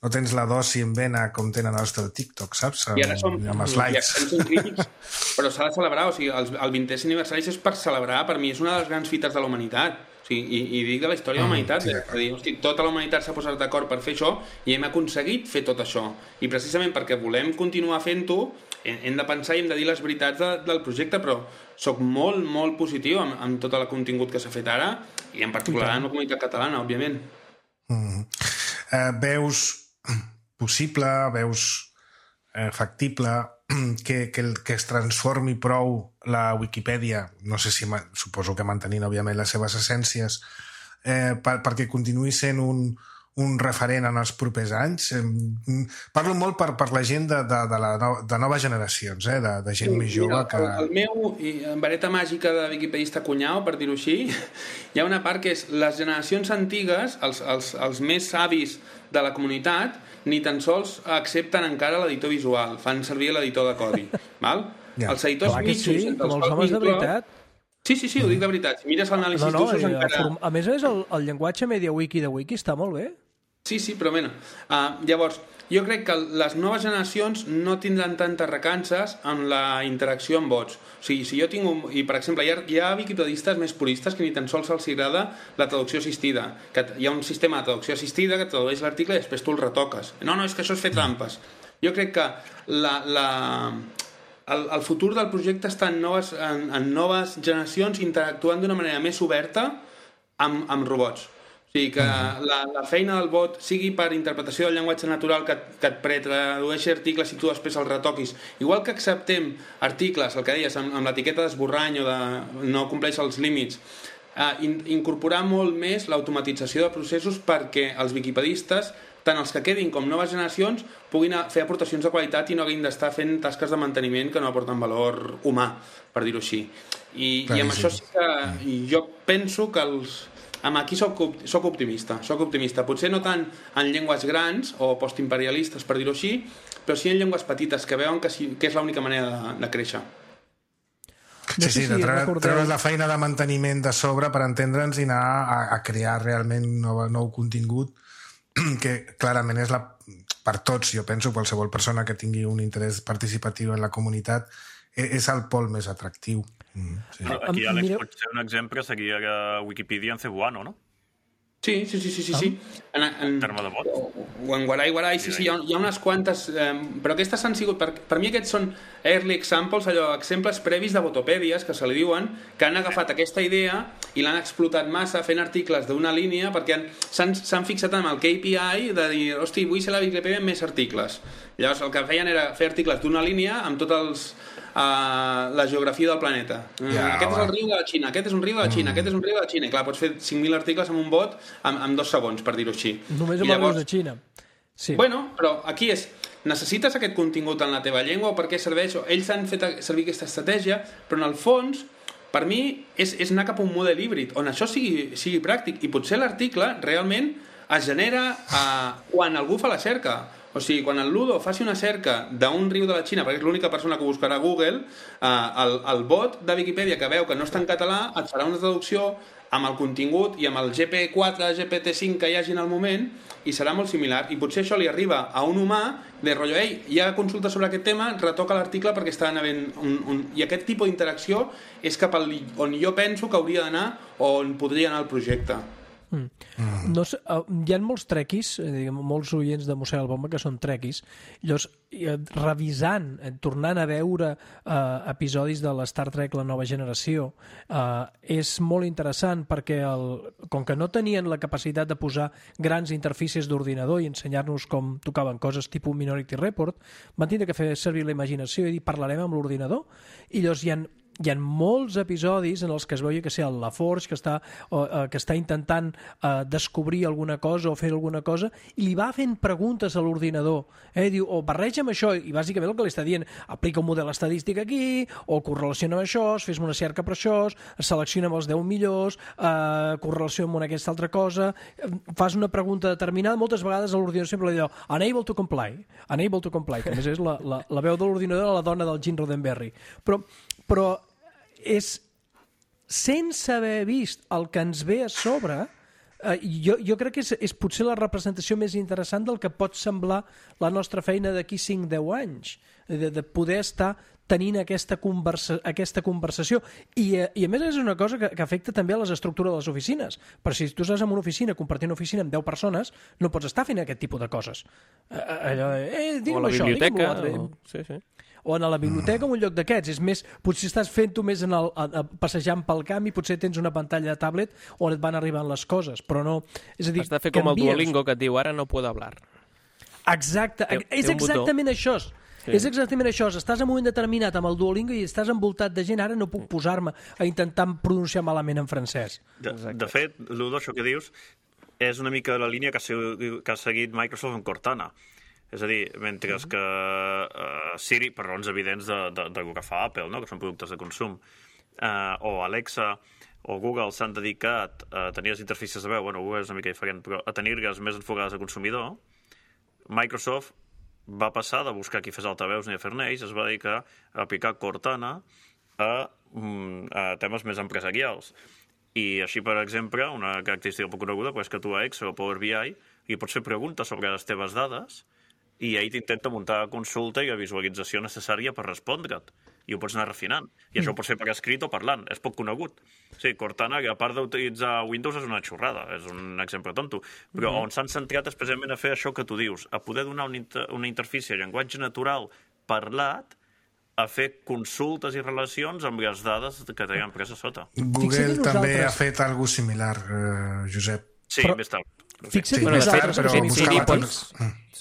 no tens la dosi en vena com tenen els del TikTok, saps? I ara som, amb els likes. Som crítics, però s'ha de celebrar, o sigui, el, el vintè aniversari és per celebrar, per mi és una de les grans fites de la humanitat, o sigui, i, i dic de la història de la humanitat, mm, sí, de dir, hosti, tota la humanitat s'ha posat d'acord per fer això i hem aconseguit fer tot això, i precisament perquè volem continuar fent-ho hem de pensar i hem de dir les veritats de, del projecte, però soc molt, molt positiu amb, amb tot el contingut que s'ha fet ara i en particular en la comunitat catalana, òbviament. Mm. Uh, veus possible, veus eh, factible que, que, que es transformi prou la Wikipedia, no sé si suposo que mantenint òbviament les seves essències, eh, per, perquè continuï sent un, un referent en els propers anys. Eh, parlo molt per, per la gent de, de, de, la no, de noves generacions, eh, de, de gent sí, més jove. Mira, que... El, el meu vareta màgica de wikipedista cunyau, per dir-ho així, hi ha una part que és les generacions antigues, els, els, els més savis de la comunitat, ni tan sols accepten encara l'editor visual, fan servir l'editor de codi. Val? Ja. Els editors mitjos... Sí, com els homes de veritat. Sí, sí, sí, ho dic de veritat. Si mires l'anàlisi no, no, d'usos encara... Form... A més a més, el, el llenguatge MediaWiki de Wiki està molt bé. Sí, sí, però bueno. Uh, llavors, jo crec que les noves generacions no tindran tantes recances en la interacció amb bots. O sigui, si jo tinc un... I, per exemple, hi ha, hi ha wikipedistes més puristes que ni tan sols els agrada la traducció assistida. Que hi ha un sistema de traducció assistida que tradueix l'article i després tu el retoques. No, no, és que això és fer trampes. Jo crec que la... la... El, el futur del projecte està en noves, en, en noves generacions interactuant d'una manera més oberta amb, amb robots. O sigui, que la, la feina del bot sigui per interpretació del llenguatge natural que, que et pretradueixi articles i tu després els retoquis. Igual que acceptem articles, el que deies, amb, amb l'etiqueta d'esborrany o de no compleix els límits, eh, in, incorporar molt més l'automatització de processos perquè els wikipedistes, tant els que quedin com noves generacions, puguin fer aportacions de qualitat i no haguin d'estar fent tasques de manteniment que no aporten valor humà, per dir-ho així. I, i amb això sí que jo penso que els... Amb aquí soc, soc optimista, soc optimista. Potser no tant en llengües grans o postimperialistes, per dir-ho així, però sí en llengües petites que veuen que, sí, que és l'única manera de, de créixer. Sí, sí, de treure, treure la feina de manteniment de sobre per entendre'ns i anar a, a crear realment nou, nou contingut que clarament és la, per tots, jo penso, qualsevol persona que tingui un interès participatiu en la comunitat és el pol més atractiu. Mm, sí. Aquí, Àlex, Mireu... pot ser un exemple seria Wikipedia en cebuano, no? Sí, sí, sí, sí, sí, sí. En, en, en terme de vot. O en Guarai, Guarai, sí, sí, hi ha, hi ha unes quantes... Eh, però aquestes han sigut... Per, per mi aquests són early examples, allò, exemples previs de botopèdies, que se li diuen, que han agafat aquesta idea i l'han explotat massa fent articles d'una línia perquè s'han fixat en el K P I de dir, hosti, vull ser la Wikipedia amb més articles. Llavors el que feien era fer articles d'una línia amb tots els... Uh, la geografia del planeta. Ja, aquest va. És el riu de la Xina, aquest és un riu de la Xina, mm. aquest és un riu de la Xina. I clar, pots fer cinc mil articles amb un bot en, en dos segons, per dir-ho així. Només amb llavors... el riu de Xina. Sí. Bueno, però aquí és... Necessites aquest contingut en la teva llengua o per què serveix? Ells han fet servir aquesta estratègia, però en el fons, per mi, és, és anar cap a un model híbrid, on això sigui, sigui pràctic. I potser l'article realment es genera uh, quan algú fa la cerca. O sigui, quan el Ludo faci una cerca d'un riu de la Xina, perquè és l'única persona que buscarà a Google, eh, el, el bot de Wikipedia que veu que no està en català et farà una traducció amb el contingut i amb el G P quatre, G P T cinc que hi hagi en el moment i serà molt similar. I potser això li arriba a un humà de rotllo, ei, hi ha consulta sobre aquest tema, retoca l'article perquè està havent un, un... I aquest tipus d'interacció és cap al on jo penso que hauria d'anar o on podria anar el projecte. Mm. Mm. No sé, uh, hi ha molts trequis, eh, molts oients de Mossèn Albomba que són trequis, llavors eh, revisant, eh, tornant a veure eh, episodis de la Star Trek La Nova Generació, eh, és molt interessant perquè el, com que no tenien la capacitat de posar grans interfícies d'ordinador i ensenyar-nos com tocaven coses tipus Minority Report, van tindre que fer servir la imaginació i dir parlarem amb l'ordinador, i llavors hi ha hi ha molts episodis en els que es veu que sé, el LaForge que està, o, uh, que està intentant uh, descobrir alguna cosa o fer alguna cosa i li va fent preguntes a l'ordinador, eh? Diu, o barreja amb això, i bàsicament el que li està dient aplica un model estadístic aquí, o correlaciona amb això, fes-me una cerca per això, selecciona amb els deu millors, uh, correlaciona amb aquesta altra cosa, fas una pregunta determinada, moltes vegades a l'ordinador sempre li diu unable to comply, unable to comply, que a més és la, la, la veu de l'ordinador, la dona del Gene Roddenberry, però però és sense haver vist el que ens ve a sobre, eh, jo, jo crec que és, és potser la representació més interessant del que pot semblar la nostra feina d'aquí cinc a deu anys, de, de poder estar tenint aquesta, conversa, aquesta conversació. I, I a més és una cosa que, que afecta també a les estructures de les oficines. Però si tu estàs en una oficina, compartint una oficina amb deu persones, no pots estar fent aquest tipus de coses. Allò, eh, digue'm això, digue'm l'altre. O... Sí, sí. O a la biblioteca o en un lloc d'aquests. És més, potser estàs fent-ho més en el, a, a, passejant pel camp i potser tens una pantalla de tablet on et van arribant les coses, però no... És a dir, has de fer com el Duolingo que et diu ara no puedo hablar. Exacte, té, és té exactament botó. Això. Sí. És exactament això, estàs en un moment determinat amb el Duolingo i estàs envoltat de gent, ara no puc posar-me a intentar pronunciar malament en francès. De, de fet, Ludo, això que dius és una mica la línia que ha, que ha seguit Microsoft amb Cortana. És a dir, mentre que uh, Siri, per raons evidents de, de, de que fa Apple, no? Que són productes de consum, uh, o Alexa o Google s'han dedicat a tenir les interfícies de veu, bueno, Google és una mica diferent, però a tenir-les més enfocades al consumidor, Microsoft va passar de buscar qui fes altaveus ni a fer-ne ells, es va dedicar a aplicar Cortana a, a temes més empresarials. I així, per exemple, una característica poc coneguda és que tu a Excel o Power B I li pots fer preguntes sobre les teves dades i ell t'intenta muntar la consulta i la visualització necessària per respondre't. I ho pots anar refinant. I això ho pots fer per escrit o parlant. És poc conegut. Sí, Cortana, a part d'utilitzar Windows, és una xorrada. És un exemple tonto. Però mm-hmm. on s'han centrat és precisament a fer això que tu dius, a poder donar una, inter una interfície, llenguatge natural, parlat, a fer consultes i relacions amb les dades que té l'empresa sota. Google també ha fet alguna cosa similar, eh, Josep. Sí, però... més tard. Fixa't, sí, bueno, més tard, però buscava pots...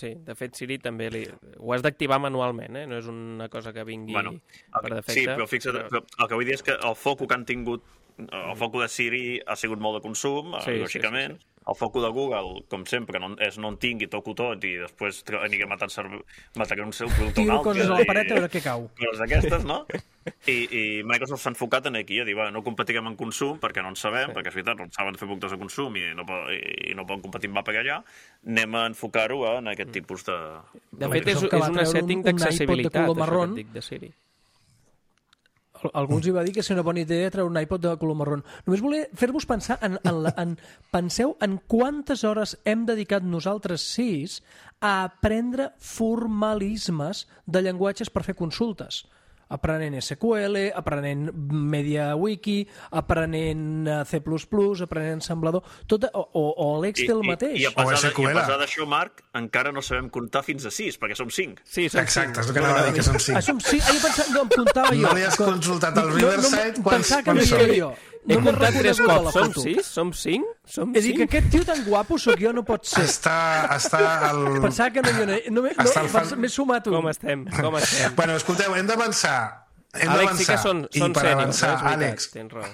Sí, de fet, Siri també li... ho has d'activar manualment, eh? No és una cosa que vingui bueno, per defecte. Sí, però fixa't, però el que vull dir és que el foco que han tingut, el foco de Siri ha sigut molt de consum, sí, lògicament. Sí, sí, sí. El foco de Google, com sempre, no, és no en tingui, toco tot i després aniré matant mataré un seu producte o un altre. Tiro coses a la paret a veure què cau. Coses d'aquestes, no? I, i Microsoft s'ha enfocat en aquí, a dir, va, no competirem en consum perquè no en sabem, sí. perquè és veritat, no saben fer productes de consum i no, i no poden competir amb va per allà, anem a enfocar-ho en aquest tipus de... De fet, és, és una setting d'accessibilitat, això que et dic de Siri. Alguns hi va dir que és una bona idea treure un iPod de color marró. Només volia fer-vos pensar en, en, la, en penseu en quantes hores hem dedicat nosaltres sis a aprendre formalismes de llenguatges per fer consultes. Aprenent S Q L, aprenent MediaWiki, aprenent C plus plus, aprenent ensamblador, tot, o, o, o l'Excel mateix. I, i, i a pesar d'això, Marc, encara no sabem comptar fins a sis, perquè som cinc. Sí, som Exacte, cinc. és el que anava a dir, que som cinc. Ah, som cinc? Ah, jo pensava, no, em comptava jo. No li has consultat al Riverside? No, no, pensava que no hi era jo. He no comptat tres cops. Som sis? Som cinc? Som és a dir, que aquest tio tan guapo sóc jo, no pot ser. Està, està al... Pensava que no hi era... No, no, no, fan... m'he sumat un. Com estem? Com estem? Bueno, escolteu, hem d'avançar. Hem Àlex, sí que són, són sèniors, avançar, eh? Àlex, tens raó.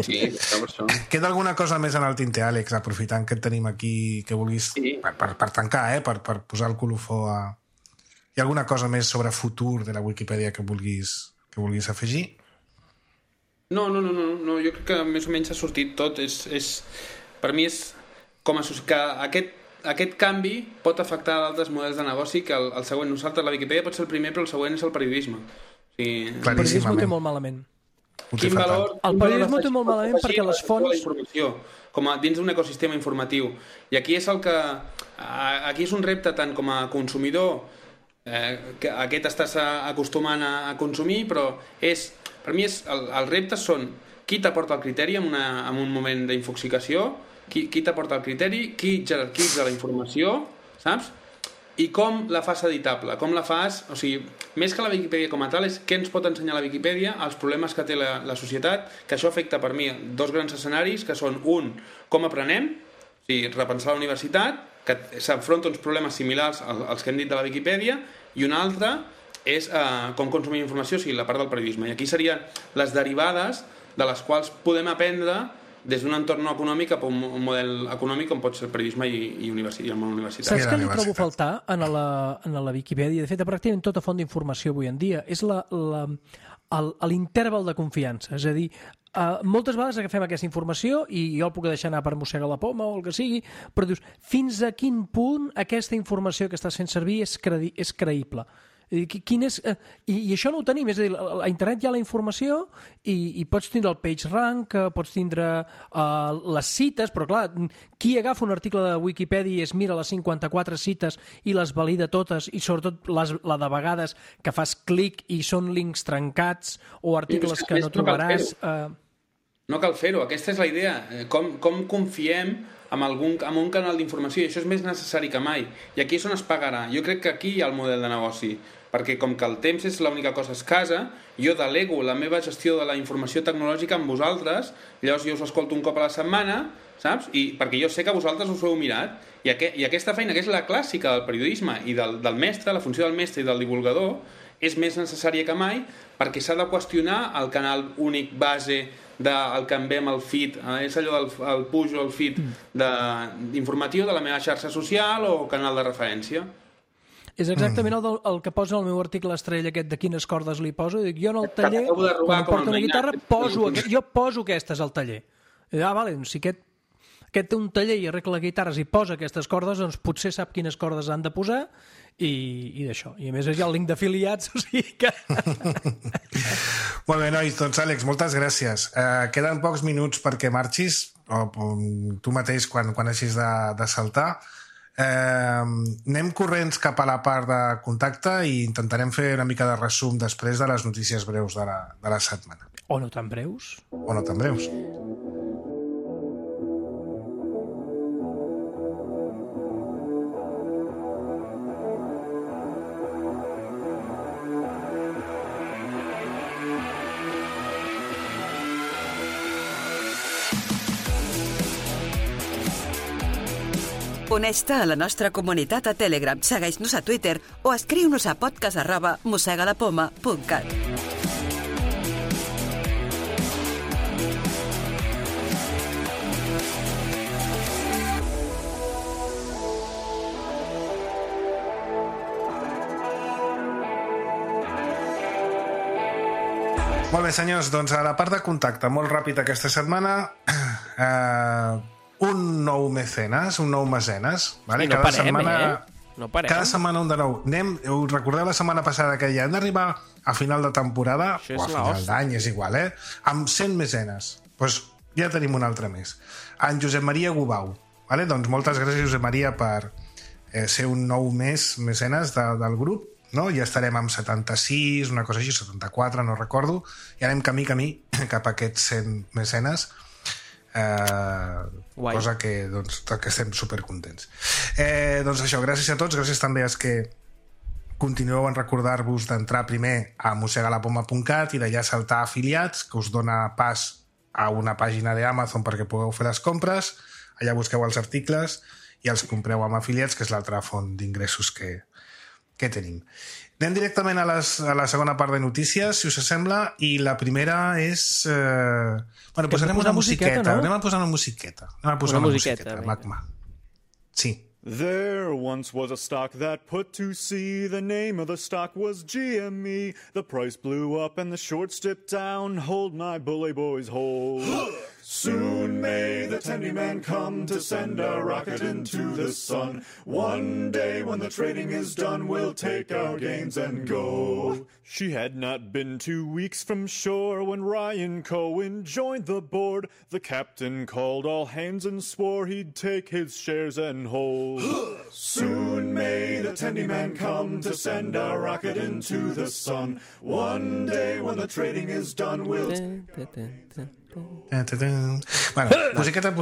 Sí, està per això. Queda alguna cosa més en el tinter, Àlex, aprofitant que et tenim aquí, que vulguis, sí. per, per, per tancar, eh? per, per posar el colofó a... Hi ha alguna cosa més sobre futur de la Wikipedia que vulguis, que vulguis afegir? No, no, no, no, no, jo crec que més o menys ha sortit tot. És, és, per mi és com a que aquest, aquest canvi pot afectar altres models de negoci que el, el següent. Nosaltres, la Wikipedia pot ser el primer, però el següent és el periodisme. O sigui, el periodisme ho té molt malament. Quin valor, el periodisme ho té molt malament perquè les fonts... com a dins d'un ecosistema informatiu. I aquí és el que... Aquí és un repte tant com a consumidor, eh, que aquest estàs acostumant a, a consumir, però és... Per mi és, el, els reptes són qui t'aporta el criteri en, una, en un moment d'infoxicació, qui, qui t'aporta el criteri, qui jerarquitza la informació, saps? I com la fas editable, com la fas... O sigui, més que la Viquipèdia com a tal, és què ens pot ensenyar la Viquipèdia, els problemes que té la, la societat, que això afecta per mi dos grans escenaris, que són un, com aprenem, o sigui, repensar la universitat, que s'afronta uns problemes similars als que hem dit de la Viquipèdia, i un altre és eh, com consumir informació, o sigui, la part del periodisme. I aquí serien les derivades de les quals podem aprendre des d'un entorn econòmic cap a un model econòmic com pot ser el periodisme i, i, universi i el món universitari. Saps què li trobo a faltar en la, en la Viquipèdia? De fet, a pràcticament tota font d'informació avui en dia és l'interval de confiança. És a dir, uh, moltes vegades agafem aquesta informació i jo el puc deixar anar per mossegar la poma o el que sigui, però dius, fins a quin punt aquesta informació que estàs fent servir és, credi és creïble? Quin és, eh, i, i això no ho tenim, és a dir, a internet hi ha la informació i, i pots tindre el page rank, pots tindre uh, les cites, però clar, qui agafa un article de Wikipedia i es mira les cinquanta-quatre cites i les valida totes, i sobretot les, la de vegades que fas clic i són links trencats o articles que no trobaràs... Uh... No cal fer-ho, aquesta és la idea. Com, com confiem en, algun, en un canal d'informació, i això és més necessari que mai. I aquí és on es pagarà. Jo crec que aquí hi ha el model de negoci, perquè com que el temps és l'única cosa escassa, jo delego la meva gestió de la informació tecnològica amb vosaltres, llavors jo us escolto un cop a la setmana, saps? I perquè jo sé que vosaltres us ho heu mirat, i, aqu i aquesta feina, que és la clàssica del periodisme i del, del mestre, la funció del mestre i del divulgador, és més necessària que mai, perquè s'ha de qüestionar el canal únic base del que enviem el feed, eh? És allò del el push o el feed informatiu de la meva xarxa social o canal de referència. És exactament el, del, el que posa en el meu article estrella aquest de quines cordes li poso. Dic, jo en el taller, quan em porto una guitarra, poso, jo poso aquestes al taller. I, ah, vale, si aquest, aquest té un taller i arregla guitarres i posa aquestes cordes, doncs potser sap quines cordes han de posar i, i d'això. I a més hi ha el link d'afiliats, o sigui que... Molt bé, nois, doncs Àlex, moltes gràcies. Uh, queden pocs minuts perquè marxis, o, o tu mateix quan, quan hagis de, de saltar. Eh, anem corrents cap a la part de contacte i intentarem fer una mica de resum després de les notícies breus de la, de la setmana. O no tan breus. O no tan breus. Uneix-te a la nostra comunitat a Telegram, segueix-nos a Twitter o escriu-nos a podcast arroba mossegalapoma punt cat. Molt bé, senyors, doncs a la part de contacte, molt ràpid aquesta setmana, eh, un nou mecenes, un nou mecenes, vale? I no cada parem, setmana, eh? No parem. Cada setmana un de nou. Anem, us recordeu la setmana passada que ja hem d'arribar a final de temporada, Això o a és la final hòstia. d'any, és igual, eh? Amb cent mecenes. Doncs ja tenim un altre més. En Josep Maria Gubau. Vale? Doncs moltes gràcies, Josep Maria, per eh, ser un nou mes mecenes de, del grup. No? Ja estarem amb setanta-sis, una cosa així, setanta-quatre, no recordo, i anem camí, camí cap a aquests cent mecenes, eh, cosa que, doncs, que estem supercontents. Eh, doncs això, gràcies a tots, gràcies també als que continueu en recordar-vos d'entrar primer a mossegalapoma punt cat i d'allà saltar a afiliats, que us dona pas a una pàgina d'Amazon perquè pugueu fer les compres, allà busqueu els articles i els compreu amb afiliats, que és l'altra font d'ingressos que que tenim. Anem directament a, les, a la segona part de notícies, si us sembla, i la primera és... Eh... Bueno, posarem una musiqueta, no? Anem a posar una musiqueta. Anem a posar una, una musiqueta, musiqueta Magma. Sí. There once was a stock that put to sea. The name of the stock was G M E. The price blew up and the shorts dipped down. Hold my bully boys, hold. Soon may the tendy man come to send a rocket into the sun. One day when the trading is done, we'll take our gains and go. She had not been two weeks from shore when Ryan Cohen joined the board. The captain called all hands and swore he'd take his shares and hold. Soon may the tendy man come to send a rocket into the sun. One day when the trading is done, we'll take our gains. Bueno, musiqueta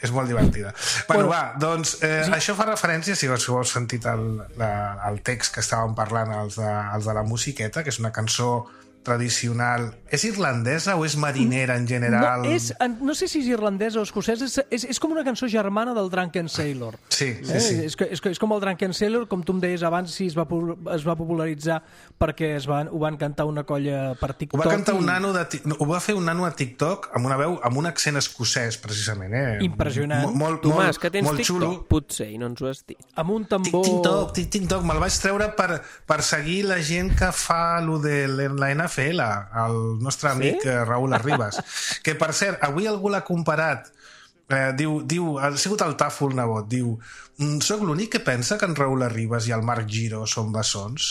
és molt divertida. Bueno, va, doncs eh, sí. Això fa referència, si us heu sentit el, la, el text que estàvem parlant, els de, els de la musiqueta, que és una cançó tradicional. És irlandesa o és marinera en general? No, és, no sé si és irlandesa o escocesa, és, és, és com una cançó germana del Drunken Sailor. Sí, sí, eh? sí. És, és, és com el Drunken Sailor, com tu em deies abans, si es va, es va popularitzar perquè es van, ho van cantar una colla per TikTok. Ho va cantar i... un nano de, ho va fer un nano a TikTok amb una veu, amb un accent escocès, precisament. Eh? Impressionant. Molt, molt, Tomàs, molt, que tens molt TikTok, xulo. potser, i no ens ho has dit. Amb un tambor... TikTok, TikTok, me'l vaig treure per, per seguir la gent que fa allò de la N F L, el nostre amic sí? Raúl Arribas, que per cert, avui algú l'ha comparat, eh, diu, diu, ha sigut el Tàfol Nebot, diu, soc l'únic que pensa que en Raúl Arribas i el Marc Giró són bessons?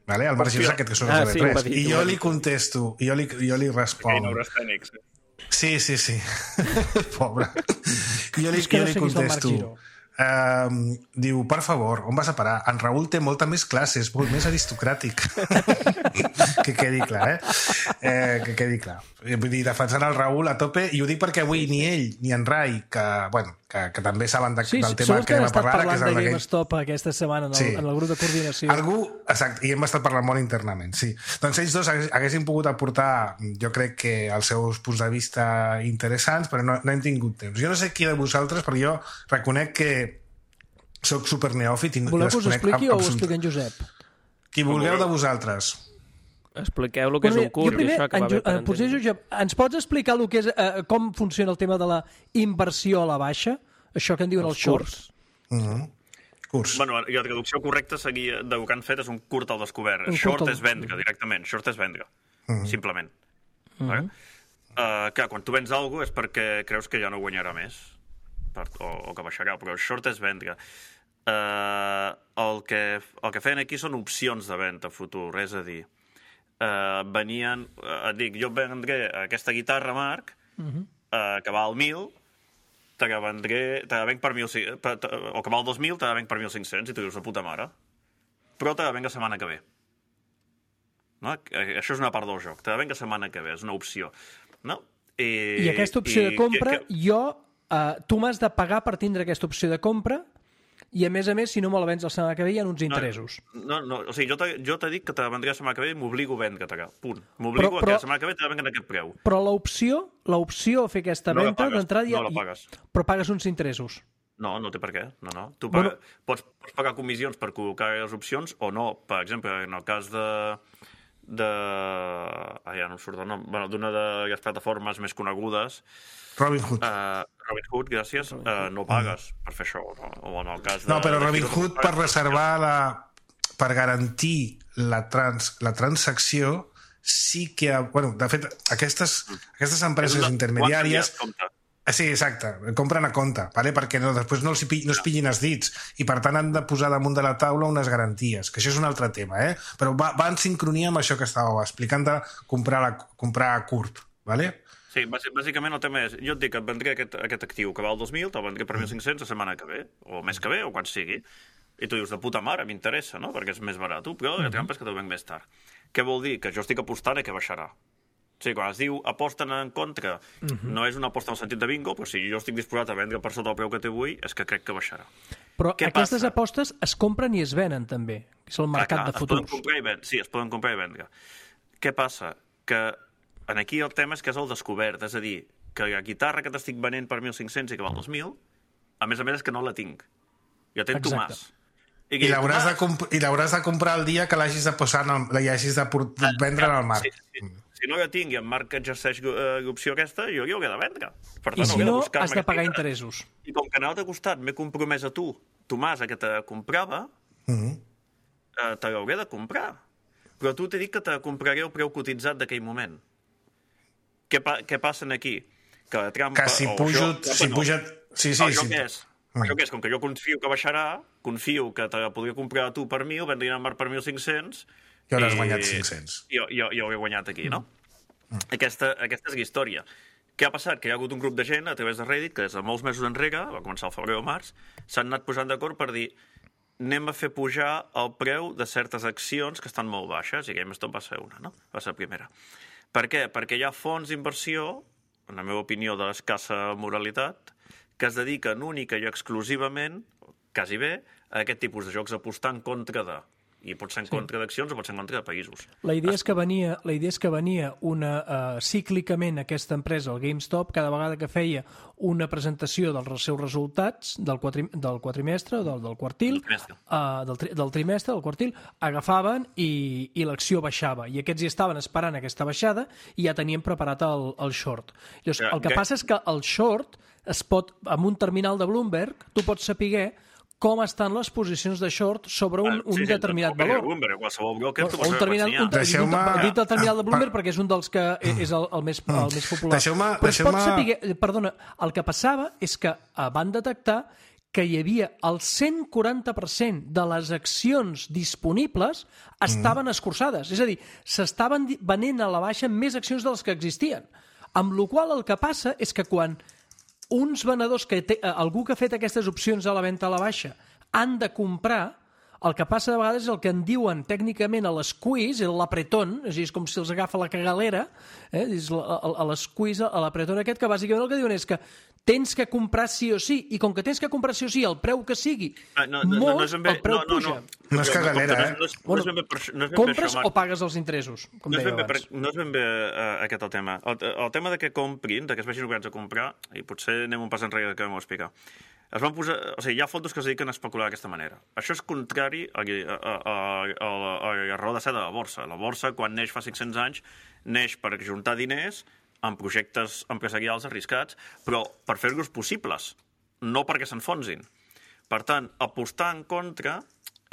Vale? El Marc Giró és aquest que són ah, els sí, T V tres. dir, I jo li contesto, i jo li, jo li responc. Sí, sí, sí. Pobre. I jo li, jo li contesto. Uh, diu, per favor, on vas a parar? En Raül té molta més classe, és molt més aristocràtic. Que quedi clar, eh? eh? Que quedi clar. Vull dir, defensant el Raül a tope, i ho dic perquè avui ni ell ni en Rai, que, bueno, que, que també saben de, sí, del tema que anem a parlar, parlant que és el de GameStop aquesta setmana en el, sí. en el grup de coordinació. Algú, exacte, i hem estat parlant molt internament, sí. Doncs ells dos haguessin pogut aportar, jo crec que els seus punts de vista interessants, però no, no hem tingut temps. Jo no sé qui de vosaltres, però jo reconec que soc super neòfit i voleu que us expliqui o ho expliqui en Josep? Qui vulgueu de vosaltres. Expliqueu el que és un curt i això que va bé per entendre. Josep, ens pots explicar el que és, eh, com funciona el tema de la inversió a la baixa? Això que en diuen els, els shorts? Mm-hmm. Curs. Bueno, i la traducció correcta seria, del que han fet és un curt al descobert. Un Short al... és vendre, directament. Short és vendre, mm-hmm. simplement. Mm-hmm. Vale? Uh, clar, quan tu vens alguna cosa és perquè creus que ja no guanyarà més, per, o, o que baixarà, però short és vendre. Uh, el, que, el que feien aquí són opcions de venda futur, és a dir, uh, venien, uh, et dic, jo vendré aquesta guitarra, Marc, uh-huh. uh, que val mil, te la vendré, te la venc per mil, per, te, o que val dos mil, te la venc per mil cinc-cents, i tu dius, de puta mare, però te la venc la setmana que ve. No? Això és una part del joc, te la venc la setmana que ve, és una opció. No? I, I aquesta opció i, de compra, que, que... jo, uh, tu m'has de pagar per tindre aquesta opció de compra, i a més a més, si no me la vens la setmana que ve, hi ha uns interessos. No, no, no o sigui, jo t'he jo dit que te la vendré la setmana que ve i m'obligo a vendre-te, punt. M'obligo a que la setmana que ve te la venga en aquest preu. Però l'opció, l'opció a fer aquesta no venda d'entrada... No la pagues. Però pagues uns interessos. No, no té per què. No, no. Tu paga, bueno, pots, pots pagar comissions per col·locar les opcions o no. Per exemple, en el cas de... de... Ah, ja no em surt el nom. Bueno, d'una de les plataformes més conegudes... Robinhood. Uh, Robinhood, gràcies. Uh, no pagues mm. per fer això. No? O en el cas de, no, però Robinhood per reservar la... per garantir la, trans, la transacció sí que... Bueno, de fet, aquestes, aquestes empreses una, intermediàries... Sí, exacte, compren a compte, vale? Perquè no, després no, els, no es pillin els dits i per tant han de posar damunt de la taula unes garanties, que això és un altre tema, eh? Però va, va en sincronia amb això que estàveu explicant de comprar, la, comprar a curt, vale? Sí, bàsicament el tema és, jo et dic que et vendré aquest, aquest actiu que val dos mil, te'l vendré per mil cinc-cents la setmana que ve, o més que ve, o quan sigui, i tu dius, de puta mare, m'interessa, no?, perquè és més barat, però la trampa és que te'l venc més tard. Què vol dir? Que jo estic apostant i que baixarà. O sigui, quan es diu aposten en contra, no és una aposta en el sentit de bingo, però si jo estic disposat a vendre per sota el preu que té avui, és que crec que baixarà. Però Què aquestes passa? Apostes es compren i es venen, també, que és el mercat clar, clar, de futurs. Es poden comprar i vendre. Sí, es poden comprar i vendre. Què passa? Que aquí el tema és que és el descobert, és a dir, que la guitarra que t'estic venent per mil cinc-cents i que val dos mil, a més a més és que no la tinc. Jo tenc Tomàs. I, I l'hauràs de, comp de comprar el dia que l'hagis de posar, el, l'hagis de vendre en el Marc. Sí, sí. Si no la tinc i en Marc exerceix l'opció aquesta, jo l'hauré de vendre. Per tant, I si no, has de pagar interessos. I com que en l'altre costat m'he compromès a tu, Tomàs, a que te comprava, mm-hmm. eh, te l'hauré de comprar. Però tu t'he dit que te compraré el preu cotitzat d'aquell moment. Què, pa què passa aquí? Que la trampa... Que si pujo... Això, si no. puja... Sí, sí, això sí. què és? Mm. Això què és? Com que jo confio que baixarà, confio que te la podria comprar a tu per mil, vendrien al Marc per mil cinc-cents... I hauràs guanyat cinc-cents. Jo, jo, jo ho he guanyat aquí, no? Mm. Aquesta, aquesta és la història. Què ha passat? Que hi ha hagut un grup de gent a través de Reddit que des de molts mesos enrere, va començar el febrer o març, s'han anat posant d'acord per dir anem a fer pujar el preu de certes accions que estan molt baixes, i GameStop va ser una, no? Va ser la primera. Per què? Perquè hi ha fons d'inversió en la meva opinió, d'escassa moralitat, que es dediquen única i exclusivament, quasi bé, a aquest tipus de jocs, apostar en contra de... I pot ser en sí. contra d'accions o pot ser en contra de països. La idea és que venia, la idea és que venia una, uh, cíclicament aquesta empresa, el GameStop, cada vegada que feia una presentació dels seus resultats del, quatri, del quatrimestre, del, del quartil, del trimestre. Uh, del, tri, del trimestre, del quartil, agafaven i, i l'acció baixava. I aquests hi estaven esperant aquesta baixada i ja tenien preparat el, el short. Llavors, el que okay. passa és que el short es pot, amb un terminal de Bloomberg, tu pots saber com estan les posicions de short sobre un, un sí, sí, determinat valor. Bloomberg, qualsevol broker, o un terminal, un, deixeu-me... dit el terminal de Bloomberg perquè és un dels que és el, el, més, el més popular. Deixeu-me... Però es pot deixeu-me... saber... Perdona, el que passava és que van detectar que hi havia el cent quaranta per cent de les accions disponibles estaven mm. escurçades. És a dir, s'estaven venent a la baixa més accions de les que existien. Amb la qual el que passa és que quan uns venedors, que té, algú que ha fet aquestes opcions a la venda a la baixa, han de comprar, el que passa de vegades és el que en diuen tècnicament a l'esqueeze, l'apretón, és, és com si els agafa la cagalera, eh? És a l'esqueeze, a l'apretón aquest, que bàsicament el que diuen és que tens que comprar sí o sí, i com que tens que comprar sí o sí, el preu que sigui, ah, no, no, molt, no, no bé, el preu no, no, puja. No, no és cagalera, eh? No és, no és ben bé per, no és ben compres bé o pagues els interessos, com no deia ben abans. Per, no és ben bé uh, aquest el tema. El, el tema de que comprin, de que es vegin obligats a comprar, i potser anem un pas enrere que m'ho explica. Es van posar, o sigui, hi ha fondos que es dediquen a especular d'aquesta manera. Això és contrari a, a, a, a, a la raó de ser de la borsa. La borsa, quan neix fa cinc-cents anys, neix per juntar diners en projectes empresarials arriscats, però per fer-los possibles, no perquè s'enfonsin. Per tant, apostar en contra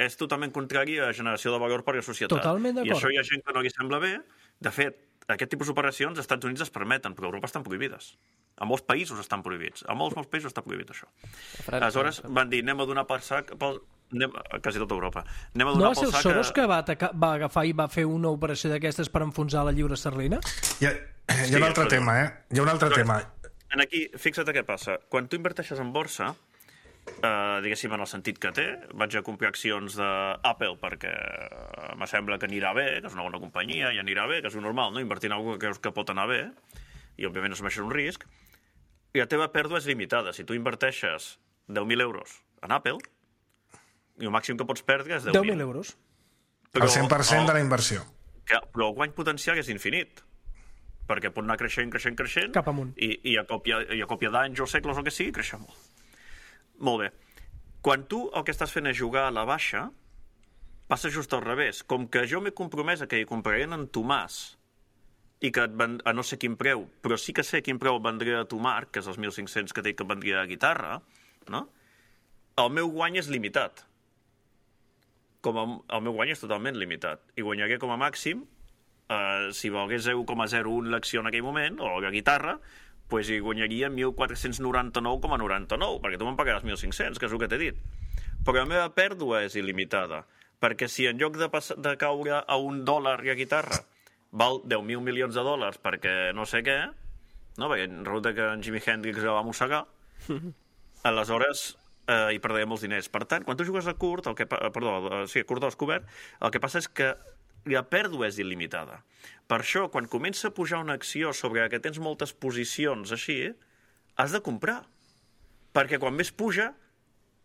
és totalment contrari a la generació de valor per a la societat. Totalment d'acord. I això hi ha gent que no li sembla bé. De fet, aquest tipus d'operacions als Estats Units es permeten, però a Europa estan prohibides. A molts països estan prohibits. A molts, molts països està prohibit això. Aleshores van dir, anem a donar per sac... Pel... Anem... Quasi tota Europa. Anem a donar no va ser el sac Soros a... que va, atacar, va agafar i va fer una operació d'aquestes per enfonsar la lliura esterlina? Hi ha, hi ha sí, un altre tema, eh? Hi ha un altre tema. En aquí, fixa't què passa. Quan tu inverteixes en borsa, eh, diguéssim, en el sentit que té, vaig a comprar accions d'Apple perquè me sembla que anirà bé, que és una bona companyia, i anirà bé, que és un normal, no? Invertir en alguna que creus que pot anar bé, i òbviament assumeixes un risc, i la teva pèrdua és limitada. Si tu inverteixes deu mil euros en Apple, i el màxim que pots perdre és deu mil euros. Però, el cent per cent de la inversió. Que, però el guany potencial és infinit, perquè pot anar creixent, creixent, creixent, cap amunt. I, i a còpia, i a còpia d'anys o segles o que sigui, creixer molt. Molt bé. Quan tu el que estàs fent és jugar a la baixa, passa just al revés. Com que jo m'he compromès a que hi compraré en Tomàs, i que et ven, a no sé quin preu, però sí que sé quin preu vendré a tu, Marc, que és els mil cinc-cents que t'he que vendria a guitarra, no? El meu guany és limitat. Com a, el meu guany és totalment limitat. I guanyaré com a màxim, eh, si valgués zero coma zero un l'acció en aquell moment, o la guitarra, pues hi guanyaria mil quatre-cents noranta-nou coma noranta-nou, perquè tu me'n pagaràs mil cinc-cents, que és el que t'he dit. Però la meva pèrdua és il·limitada, perquè si en lloc de, de caure a un dòlar la guitarra val deu mil milions de dòlars perquè no sé què, no? Perquè resulta que en Jimi Hendrix la va mossegar, aleshores eh, hi perdré molts diners. Per tant, quan tu jugues a curt, el que, perdó, sí, a curt o descobert, el que passa és que la pèrdua és il·limitada. Per això, quan comença a pujar una acció sobre que tens moltes posicions així, has de comprar. Perquè quan més puja,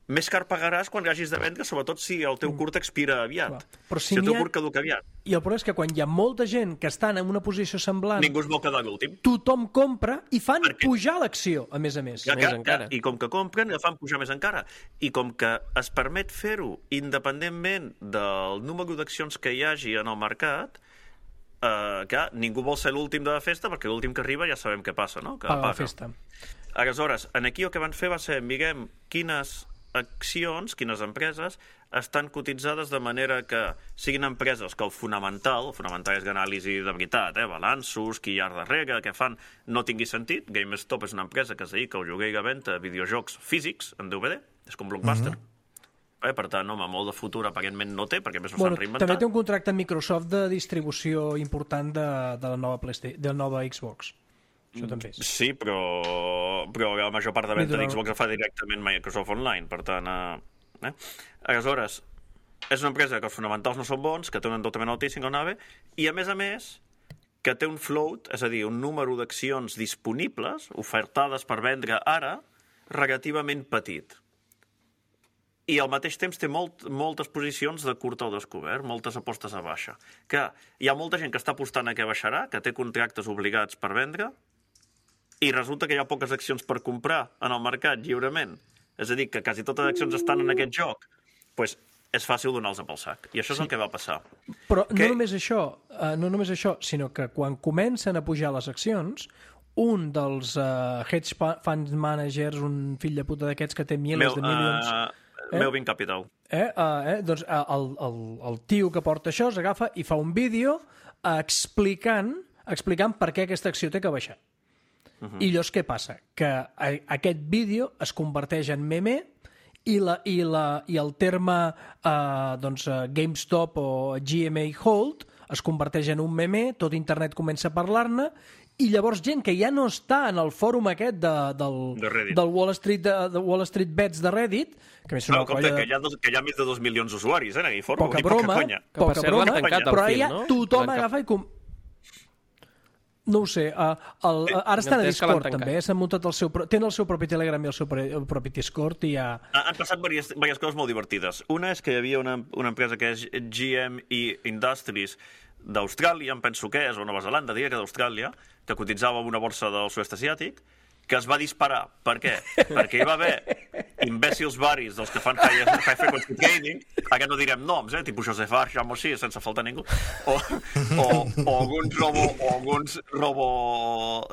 més car pagaràs quan hagis de vendre, sobretot si el teu curt expira aviat. Però si, si el teu curt caduca aviat. I el problema és que quan hi ha molta gent que estan en una posició semblant... Ningú es vol quedar l'últim. Tothom compra i fan Perquè... pujar l'acció, a més a més. Ja, més que, encara. I com que compren, la fan pujar més encara. I com que es permet fer-ho independentment del número d'accions que hi hagi en el mercat, eh, que ningú vol ser l'últim de la festa, perquè l'últim que arriba ja sabem què passa, no? Que Paga la festa. Aleshores, en aquí el que van fer va ser, mirem quines accions, quines empreses estan cotitzades de manera que siguin empreses que el fonamental, el fonamental és anàlisi de veritat, eh? balanços, qui hi ha darrere, què fan, no tingui sentit. GameStop és una empresa que es dedica al lloguer i la venda de videojocs físics en D V D, és com Blockbuster. Mm-hmm. eh? Per tant, home, molt de futur aparentment no té, perquè més no bueno, s'han reinventat. També té un contracte amb Microsoft de distribució important de, de la nova PlayStation, de la nova Xbox. Això també és. Sí, però, però la major part de venda d'Xbox la fa directament Microsoft Online, per tant... Eh? Aleshores, és una empresa que els fonamentals no són bons, que té un endeutament altíssim, que no anava, i a més a més, que té un float, és a dir, un número d'accions disponibles, ofertades per vendre ara, relativament petit. I al mateix temps té molt, moltes posicions de curta o descobert, moltes apostes a baixa. Que hi ha molta gent que està apostant a què baixarà, que té contractes obligats per vendre, i resulta que hi ha poques accions per comprar en el mercat lliurement. És a dir, que quasi totes les accions estan en aquest joc. Doncs pues, és fàcil donar-los pel sac. I això és sí. el que va passar. Però que... no només això, uh, no només això, sinó que quan comencen a pujar les accions, un dels uh, hedge fund managers, un fill de puta d'aquests que té milers Meu, de milions... Uh, eh? Melvin Capital. Eh? Uh, eh? Doncs uh, el, el, el tio que porta això s'agafa i fa un vídeo explicant, explicant per què aquesta acció té que baixar. Uh -huh. I llavors què passa? Que a, aquest vídeo es converteix en meme i, la, i, la, i el terme uh, doncs, uh, GameStop o G M A Hold es converteix en un meme, tot internet comença a parlar-ne, i llavors gent que ja no està en el fòrum aquest de, del, de del Wall Street, de, de Wall Street Bets de Reddit, que més no, compte, de... que, hi ha dos, que hi ha més de dos milions d'usuaris, eh, en aquell fòrum. Poca broma, poca conya. poca per broma, tancat però fil, ja no? tothom agafa i... Com... No ho sé, uh, el, uh, ara estan a Discord també, s'han muntat el seu, tenen el seu propi Telegram i el seu el propi Discord i ja... Han passat diverses, diverses coses molt divertides. Una és que hi havia una, una empresa que és G M E Industries d'Austràlia, em penso que és, o Nova Zelanda, diria que d'Austràlia, que cotitzava en una borsa del sud-est asiàtic, que es va disparar. Per què? Perquè hi va haver imbècils varis dels que fan high, high frequency trading, ara no direm noms, eh? Tipus Joseph Arsham o així, sense faltar ningú, o, o, o alguns robo, o alguns robo,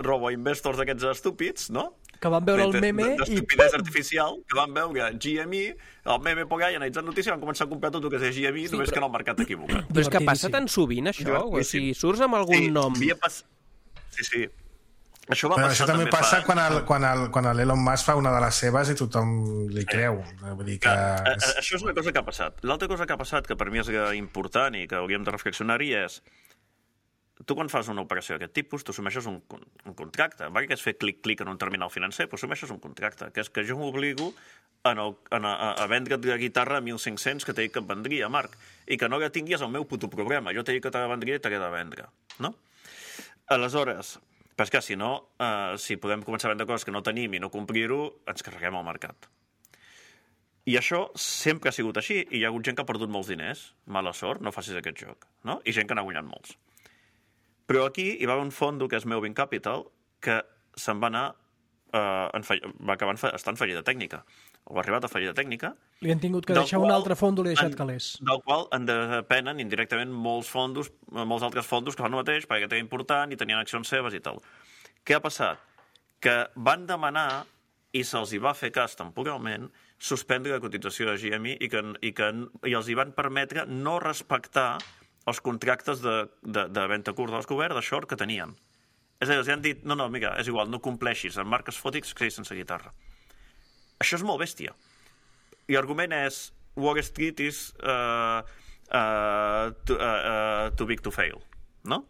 robo investors d'aquests estúpids, no? Que van veure el meme d'estupidesa artificial, que van veure G M E, el meme por allà, analitzant notícies, van començar a comprar tot el que és G M E, sí, només però... que en el mercat equivocat. Però és que passa tan sovint, això? O sigui, surts amb algun sí, nom... Pas... Sí, sí. Això va Però passar això també, també fa... passa quan, el, quan, el, quan l'Elon Musk fa una de les seves i tothom li creu. Vull dir que... que... Això és una cosa que ha passat. L'altra cosa que ha passat, que per mi és important i que hauríem de reflexionar-hi, és tu quan fas una operació d'aquest tipus, tu assumeixes un, un contracte. Va que és fer clic-clic en un terminal financer, però assumeixes un contracte, que és que jo m'obligo a, a, a vendre't la guitarra a mil cinc-cents que t'he dit que et vendria, Marc, i que no la tinguis al meu puto programa. Jo t'he dit que te la vendria i t'he de vendre. No? Aleshores... Però és que, si no, eh, si podem començar a vendre coses que no tenim i no complir-ho, ens carreguem al mercat. I això sempre ha sigut així, i hi ha hagut gent que ha perdut molts diners. Mala sort, no facis aquest joc. No? I gent que n'ha guanyat molts. Però aquí hi va haver un fondo, que és Melvin Capital, que se'n va anar, eh, en fall... va acabar estant fallida tècnica. O ha arribat a fallida tècnica. Li han tingut que deixar qual, un altre fondo, li ha deixat calés. Del qual en depenen indirectament molts fondos, molts altres fondos que fan el mateix, perquè era important i tenien accions seves i tal. Què ha passat? Que van demanar, i se'ls hi va fer cas temporalment, suspendre la cotització de G M E i, que, i, que, i els hi van permetre no respectar els contractes de, de, de venda curta dels coberts, de short, que tenien. És a dir, els han dit, no, no, mira, és igual, no compleixis, en marques fòtics que sense guitarra. Això és molt bèstia. I l'argument és Wall Street is uh, uh, too, uh, too big to fail, no?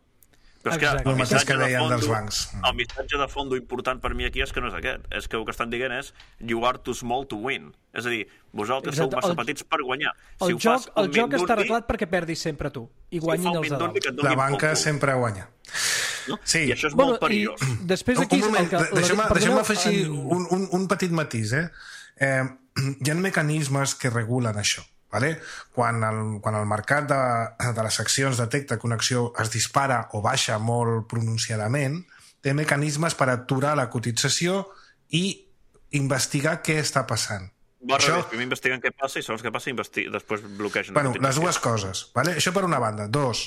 Però és que el missatge, que de fondo, dels bancs. el missatge de fondo important per mi aquí és que no és aquest. És que el que estan dient és you are too small to win. És a dir, vosaltres Exacte. sou massa el, petits per guanyar. El si joc, el joc està arreglat perquè perdis sempre tu i guanyin si els de dalt. La banca sempre guanya. No? Sí. I això és bueno, molt perillós. Després aquí... Un moment, que, deixeu-me deixeu afegir en... un, un, un petit matís. Eh? Eh, hi ha mecanismes que regulen això. Vale? Quan, el, quan el mercat de, de les accions detecta que una acció es dispara o baixa molt pronunciadament, té mecanismes per aturar la cotització i investigar què està passant. Va, això... revés, primer investiguen què passa i segons què passa investi... després bloquegen. Bueno, les dues coses. Vale? Això per una banda. Dos,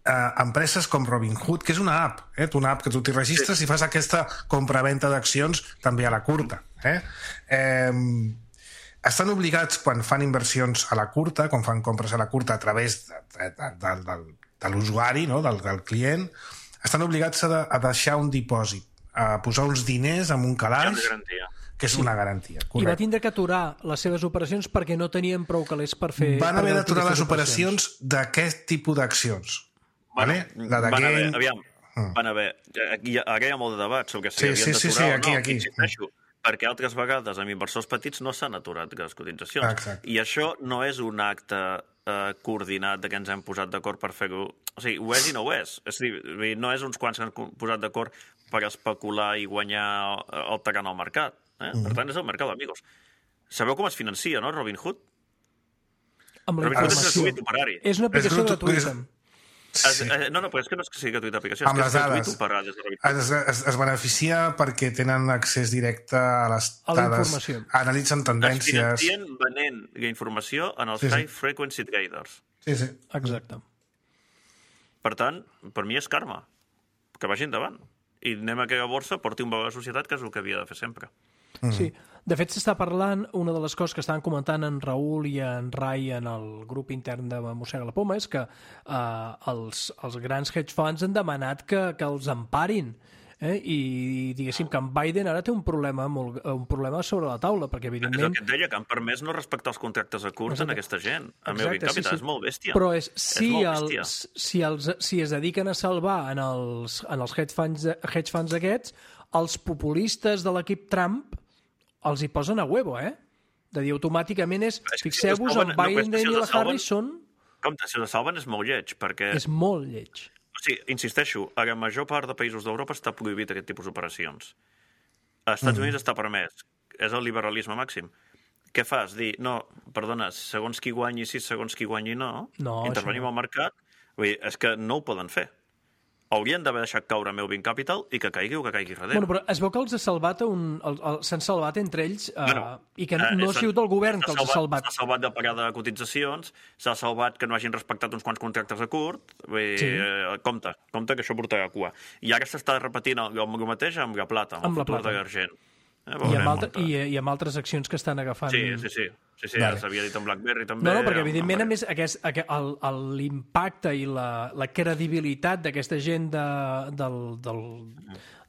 eh, empreses com Robinhood, que és una app, eh? una app que tu t'hi registres sí. i fas aquesta compra-venta d'accions també a la curta. Eh? Eh, estan obligats, quan fan inversions a la curta, quan fan compres a la curta a través de, de, de, de, de l'usuari, no? del, del client, estan obligats a, de, a deixar un dipòsit, a posar uns diners en un calaix, que és sí. una garantia. Correcte. I va tindre que aturar les seves operacions perquè no tenien prou calés per fer... Van haver d'aturar les operacions d'aquest tipus d'accions. Bueno, vale? La de van game... haver, aviam, mm. van haver... Aquí, ara hi ha molt de debat sobre si sí, havien sí, d'aturar sí, sí, aquí, o no. Aquí. Insisteixo, perquè altres vegades amb inversors petits no s'han aturat les cotitzacions. Exacte. I això no és un acte eh, coordinat de què ens hem posat d'acord per fer-ho. O sigui, ho és i no ho és. És a dir, no és uns quants que han posat d'acord per especular i guanyar el terreny al mercat. Eh? Mm. Per tant, és el mercat, amigos. Sabeu com es financia, no, Robin Hood? Amb la Robin Hood és informació. gratuït operari. És una aplicació gratuïta. Es, eh, no, no, però és que no és que sigui gratuïta aplicació, és Amb que les és gratuït dades. operar des de Robin Hood. Es, es, es beneficia perquè tenen accés directe a les A la dades, informació. analitzen Es tendències... financien venent la informació en els Sí, sí. high frequency traders. Sí, sí. Exacte. Per tant, per mi és karma. Que vagi endavant. I anem a que la borsa porti un valor a la societat, que és el que havia de fer sempre. Mm. Sí. De fet, s'està parlant, una de les coses que estaven comentant en Raül i en Rai en el grup intern de Mossega la Poma és que eh, els, els grans hedge funds han demanat que, que els emparin. Eh? I diguéssim que en Biden ara té un problema, molt, un problema sobre la taula, perquè És el evidentment... que et deia, que han permès no respectar els contractes a curs en aquesta gent. El meu Exacte, Capital sí, sí. és molt bèstia. Però és, si, és molt el, bèstia. si, els, si es dediquen a salvar en els, en els hedge, funds, hedge funds aquests, els populistes de l'equip Trump els hi posen a huevo, eh? De dir, automàticament és... És que si Fixeu-vos, els salven- el no, però és Biden que si i els la salven- Harris són... Compte, si la salven és molt lleig, perquè... És molt lleig. O sigui, insisteixo, a la major part de països d'Europa està prohibit aquest tipus d'operacions. A Estats Units està permès. És el liberalisme màxim. Què fas? Dir, no, perdona, segons qui guanyi sí, segons qui guanyi no, No, intervenim això no. al mercat. Vull dir, és que no ho poden fer. Haurien d'haver deixat caure Melvin Capital i que caigui o que caigui darrere. Bueno, però es veu que els ha salvat un... el- el- s'han salvat entre ells eh, Bueno, i que no, eh, no ha s'ha- sigut el govern que els ha salvat. S'ha salvat de pagar de cotitzacions, s'ha salvat que no hagin respectat uns quants contractes a curt. Vull dir, Sí. eh, compte, compte que això portarà a cua. I ara s'està repetint el, el mateix amb la plata, amb, Amb la el futur plata. de l'argent. Eh, I veurem amb, altre, on- i, I amb altres accions que estan agafant... Sí, sí, sí. Sí, sí, Vale. ja s'havia dit amb BlackBerry també. No, no, perquè amb- evidentment, a amb- més, aquest, aquest, el- el- l'impacte i la, la credibilitat d'aquesta gent de, del, del,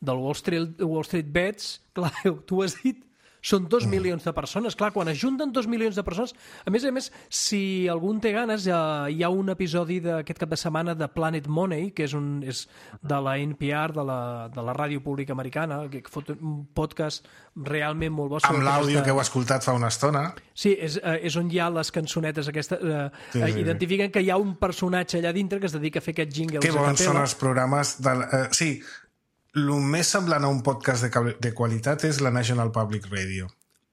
del Wall Street, Wall Street Bets, clar, tu has dit, són dos milions de persones. Clar, quan es junten dos milions de persones... A més a més, si algun té ganes, hi ha, hi ha un episodi d'aquest cap de setmana de Planet Money, que és, un, és de la N P R, de la, de la ràdio pública americana, que fot un podcast realment molt bo. Amb l'àudio que heu escoltat fa una estona. Sí, és, eh, és on hi ha les cançonetes aquestes, eh, Sí, eh, sí, sí. identifiquen que hi ha un personatge allà dintre que es dedica a fer aquests jingles Que a bons són capella. els programes... De, eh, sí, el més semblant a un podcast de, cable- de qualitat és la National Public Radio.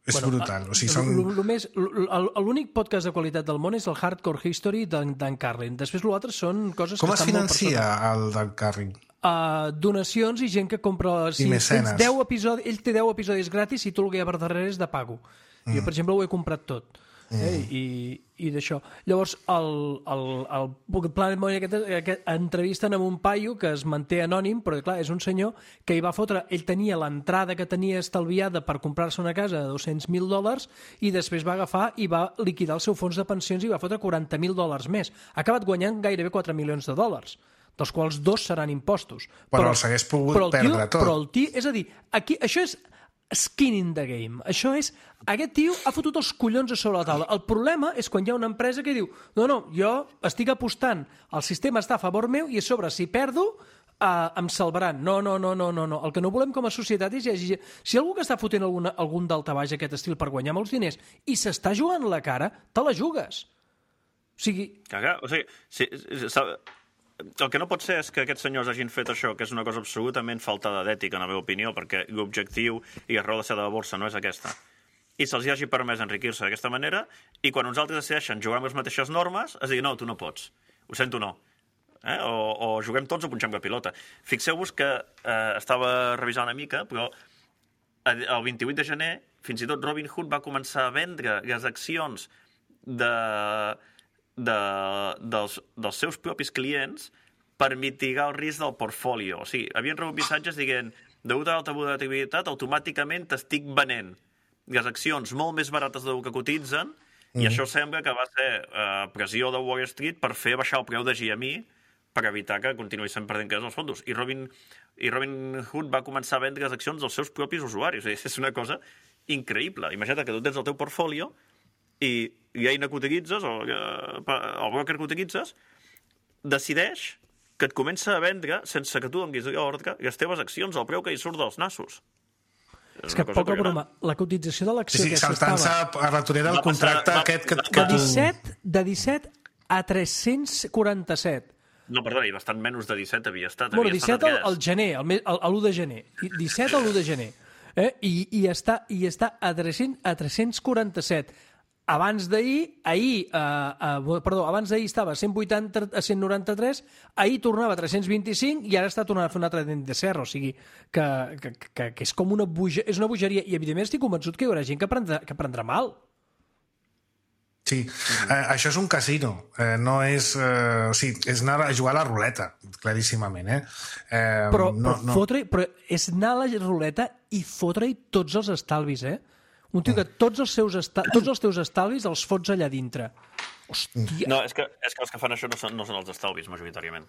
És bueno, brutal. O sigui, són... L- l- més- l- l- L'únic podcast de qualitat del món és el Hardcore History d'en Dan Carlin. Després l'altre són coses Com que es estan molt per financia sota. el Dan Carlin? Uh, donacions i gent que compra... Si mecenes. tens deu episodis, ell té deu episodis gratis i tu el que hi ha per darrere és de pago. Mm. Jo, per exemple, ho he comprat tot. Mm. Eh? I, i d'això. Llavors, el, el, el Planet Money aquest, aquest, entrevisten amb un paio que es manté anònim, però clar, és un senyor que hi va fotre... Ell tenia l'entrada que tenia estalviada per comprar-se una casa de dos-cents mil dòlars i després va agafar i va liquidar el seu fons de pensions i va fotre quaranta mil dòlars més. Ha acabat guanyant gairebé quatre milions de dòlars, dels quals dos seran impostos. Però els hagués pogut però el tio, perdre tot. Però el tio, és a dir, aquí, això és skin in the game. Això és... Aquest tio ha fotut els collons a sobre la taula. El problema és quan hi ha una empresa que diu no, no, jo estic apostant, el sistema està a favor meu i a sobre, si perdo, uh, em salvaran. No, no, no, no, no, no. El que no volem com a societat és... Si, si algú que està fotent alguna, algun daltabaix aquest estil per guanyar molts diners i s'està jugant la cara, te la jugues. O sigui... Cagar, o sigui, si, si, si, el que no pot ser és que aquests senyors hagin fet això, que és una cosa absolutament faltada d'ètica, en la meva opinió, perquè l'objectiu i la raó de ser de la borsa no és aquesta. I se'ls hagi permès enriquir-se d'aquesta manera, i quan uns altres decideixen jugar amb les mateixes normes, es digui, no, tu no pots. Ho sento, no. Eh? O, o juguem tots o punxem la pilota. Fixeu-vos que eh, estava revisant una mica, però el vint-i-vuit de gener, fins i tot Robin Hood va començar a vendre les accions de... De, dels, dels seus propis clients per mitigar el risc del portfolio. O sigui, havien rebut missatges dient degut a l'alta volatilitat, automàticament t'estic venent les accions molt més barates del que cotitzen mm. i això sembla que va ser eh, pressió de Wall Street per fer baixar el preu de G M E per evitar que continuïssin perdent calés els fons. I Robin, I Robin Hood va començar a vendre les accions dels seus propis usuaris. O sigui, és una cosa increïble. Imagina't que tu tens el teu portfolio i l'eina que utilitzes, o el broker que utilitzes, decideix que et comença a vendre, sense que tu donguis l'ordre, les teves accions al preu que hi surt dels nassos. És, és que poca broma, la cotització de l'acció Sí, sí, aquesta saltant-se estava... a la torera del contracte va, aquest que, va, que de tu... disset, de disset a tres-cents quaranta-set. No, perdona, i bastant menys de disset havia estat. Bueno, havia disset estat al gener, l'u de gener. disset a l'u de gener. Eh? I, i, està, I està a tres-cents quaranta-set. Abans d'ahir, ahir, eh, eh, perdó, abans d'ahir estava a cent vuitanta, a cent noranta-tres, ahir tornava a tres-cents vint-i-cinc i ara està tornant a fer un altre dent de serra, o sigui que, que, que, que és com una, boja, és una bogeria. I evidentment estic convençut que hi haurà gent que prendrà, que prendrà mal. Sí, eh, això és un casino, eh, no és... Eh, o sigui, és anar a jugar a la ruleta, claríssimament, eh? eh però, no, però, no. Fotre, però és anar a la ruleta i fotre-hi tots els estalvis, eh? Un tio que tots els, seus esta... tots els teus estalvis els fots allà dintre. Hòstia! No, és que, és que els que fan això no són, no són els estalvis, majoritàriament.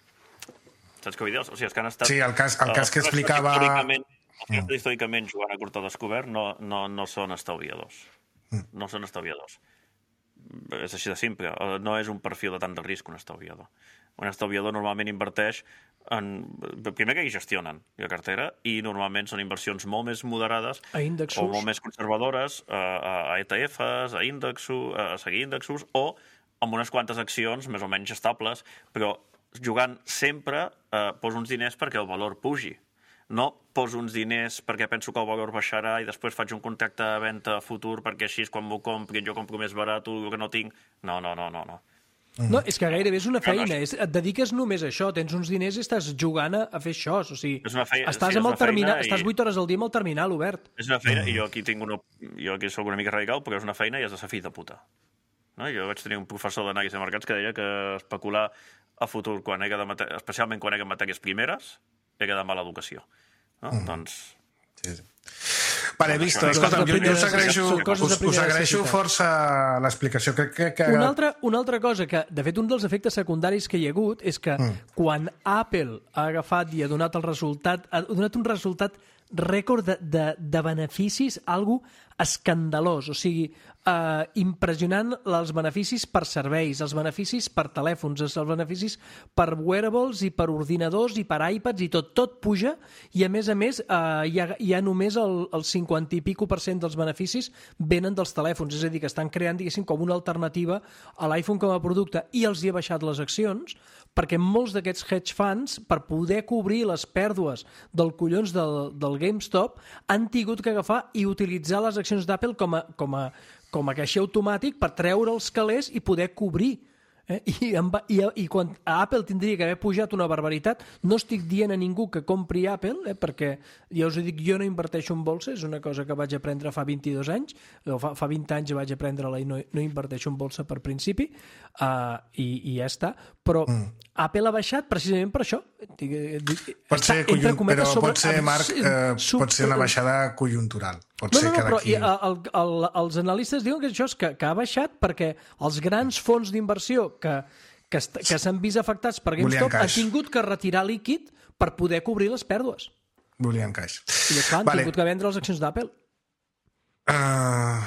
Saps què vull dir? O sigui, els que han estat... Sí, el cas, el cas que explicava... Històricament, els que estan històricament jugant a curta descobert no, no, no són estalviadors. No són estalviadors. És així de simple. No és un perfil de tant de risc un estalviador. Un estalviador normalment inverteix en... Primer que hi gestionen la cartera i normalment són inversions molt més moderades a índexos, o molt més conservadores a, a E T Fs, a índexos, a seguir índexos o amb unes quantes accions més o menys estables, però jugant sempre eh, poso uns diners perquè el valor pugi. No poso uns diners perquè penso que el valor baixarà i després faig un contracte de venda futur perquè així quan m'ho compri jo compro més barat el que no tinc. No, no, no, no. no. No, és que gairebé és una feina. És, et dediques només a això. Tens uns diners i estàs jugant a, a fer això. O sigui, és una feina, estàs, sí, amb el terminal, i... estàs vuit hores al dia amb el terminal obert. És una feina, i jo aquí tinc una... Jo aquí soc una mica radical, perquè és una feina i és de ser fill de puta. No? Jo vaig tenir un professor d'anàlisi de mercats que deia que especular a futur, quan era de mate... especialment quan era matèries primeres, era de mala educació. No? Mm. Doncs... Sí, sí. Vale, vist. Escolta'm, jo, jo us agraeixo, us, us agraeixo força l'explicació. Crec que, que... Una, altra, una altra cosa que, de fet, un dels efectes secundaris que hi ha hagut és que mm. quan Apple ha agafat i ha donat el resultat, ha donat un resultat rècord de, de, de beneficis, algo escandalós, o sigui, eh, impressionant els beneficis per serveis, els beneficis per telèfons, els beneficis per wearables i per ordinadors i per iPads i tot, tot puja i a més a més eh, hi, ha, hi ha només el, el cinquanta i pico per cent dels beneficis venen dels telèfons, és a dir, que estan creant, diguéssim, com una alternativa a l'iPhone com a producte i els hi ha baixat les accions perquè molts d'aquests hedge funds, per poder cobrir les pèrdues del collons del, del GameStop, han tingut que agafar i utilitzar les accions d'Apple com a, com a, com a caixer automàtic per treure els calés i poder cobrir. Eh? I, i, I quan a Apple tindria que haver pujat una barbaritat, no estic dient a ningú que compri Apple, eh? perquè ja us dic, jo no inverteixo en bolsa, és una cosa que vaig aprendre fa vint-i-dos anys, o fa, fa vint anys vaig aprendre-la i no, no inverteixo en bolsa per principi, uh, i, i ja està. Però mm. Apple ha baixat precisament per això. Pot ser, conjunt, però sobre, pot ser, Marc, eh, sub, pot ser una baixada conjuntural. Pot no, ser no, no, que però d'aquí... el, el, els analistes diuen que això és que, que ha baixat perquè els grans fons d'inversió que, que, que s'han vist afectats per GameStop han tingut que retirar líquid per poder cobrir les pèrdues. Volien caix. I clar, han vale. tingut que vendre les accions d'Apple. Uh,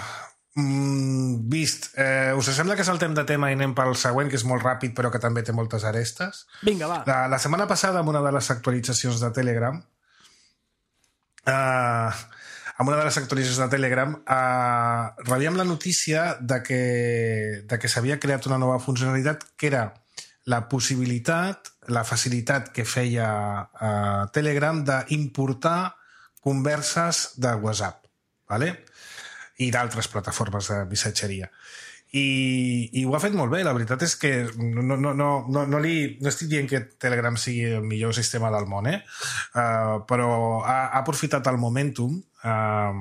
mm, vist. Uh, us sembla que saltem de tema i anem pel següent, que és molt ràpid però que també té moltes arestes? Vinga, va. La, la setmana passada, amb una de les actualitzacions de Telegram, uh, amb una de les actualitzacions de Telegram, eh, rebíem la notícia de que, de que s'havia creat una nova funcionalitat que era la possibilitat, la facilitat que feia eh, Telegram d'importar converses de WhatsApp, ¿vale? I d'altres plataformes de missatgeria. I, i ho ha fet molt bé, la veritat és que no, no, no, no, no, li, no estic dient que Telegram sigui el millor sistema del món, eh? Uh, però ha, ha aprofitat el momentum uh,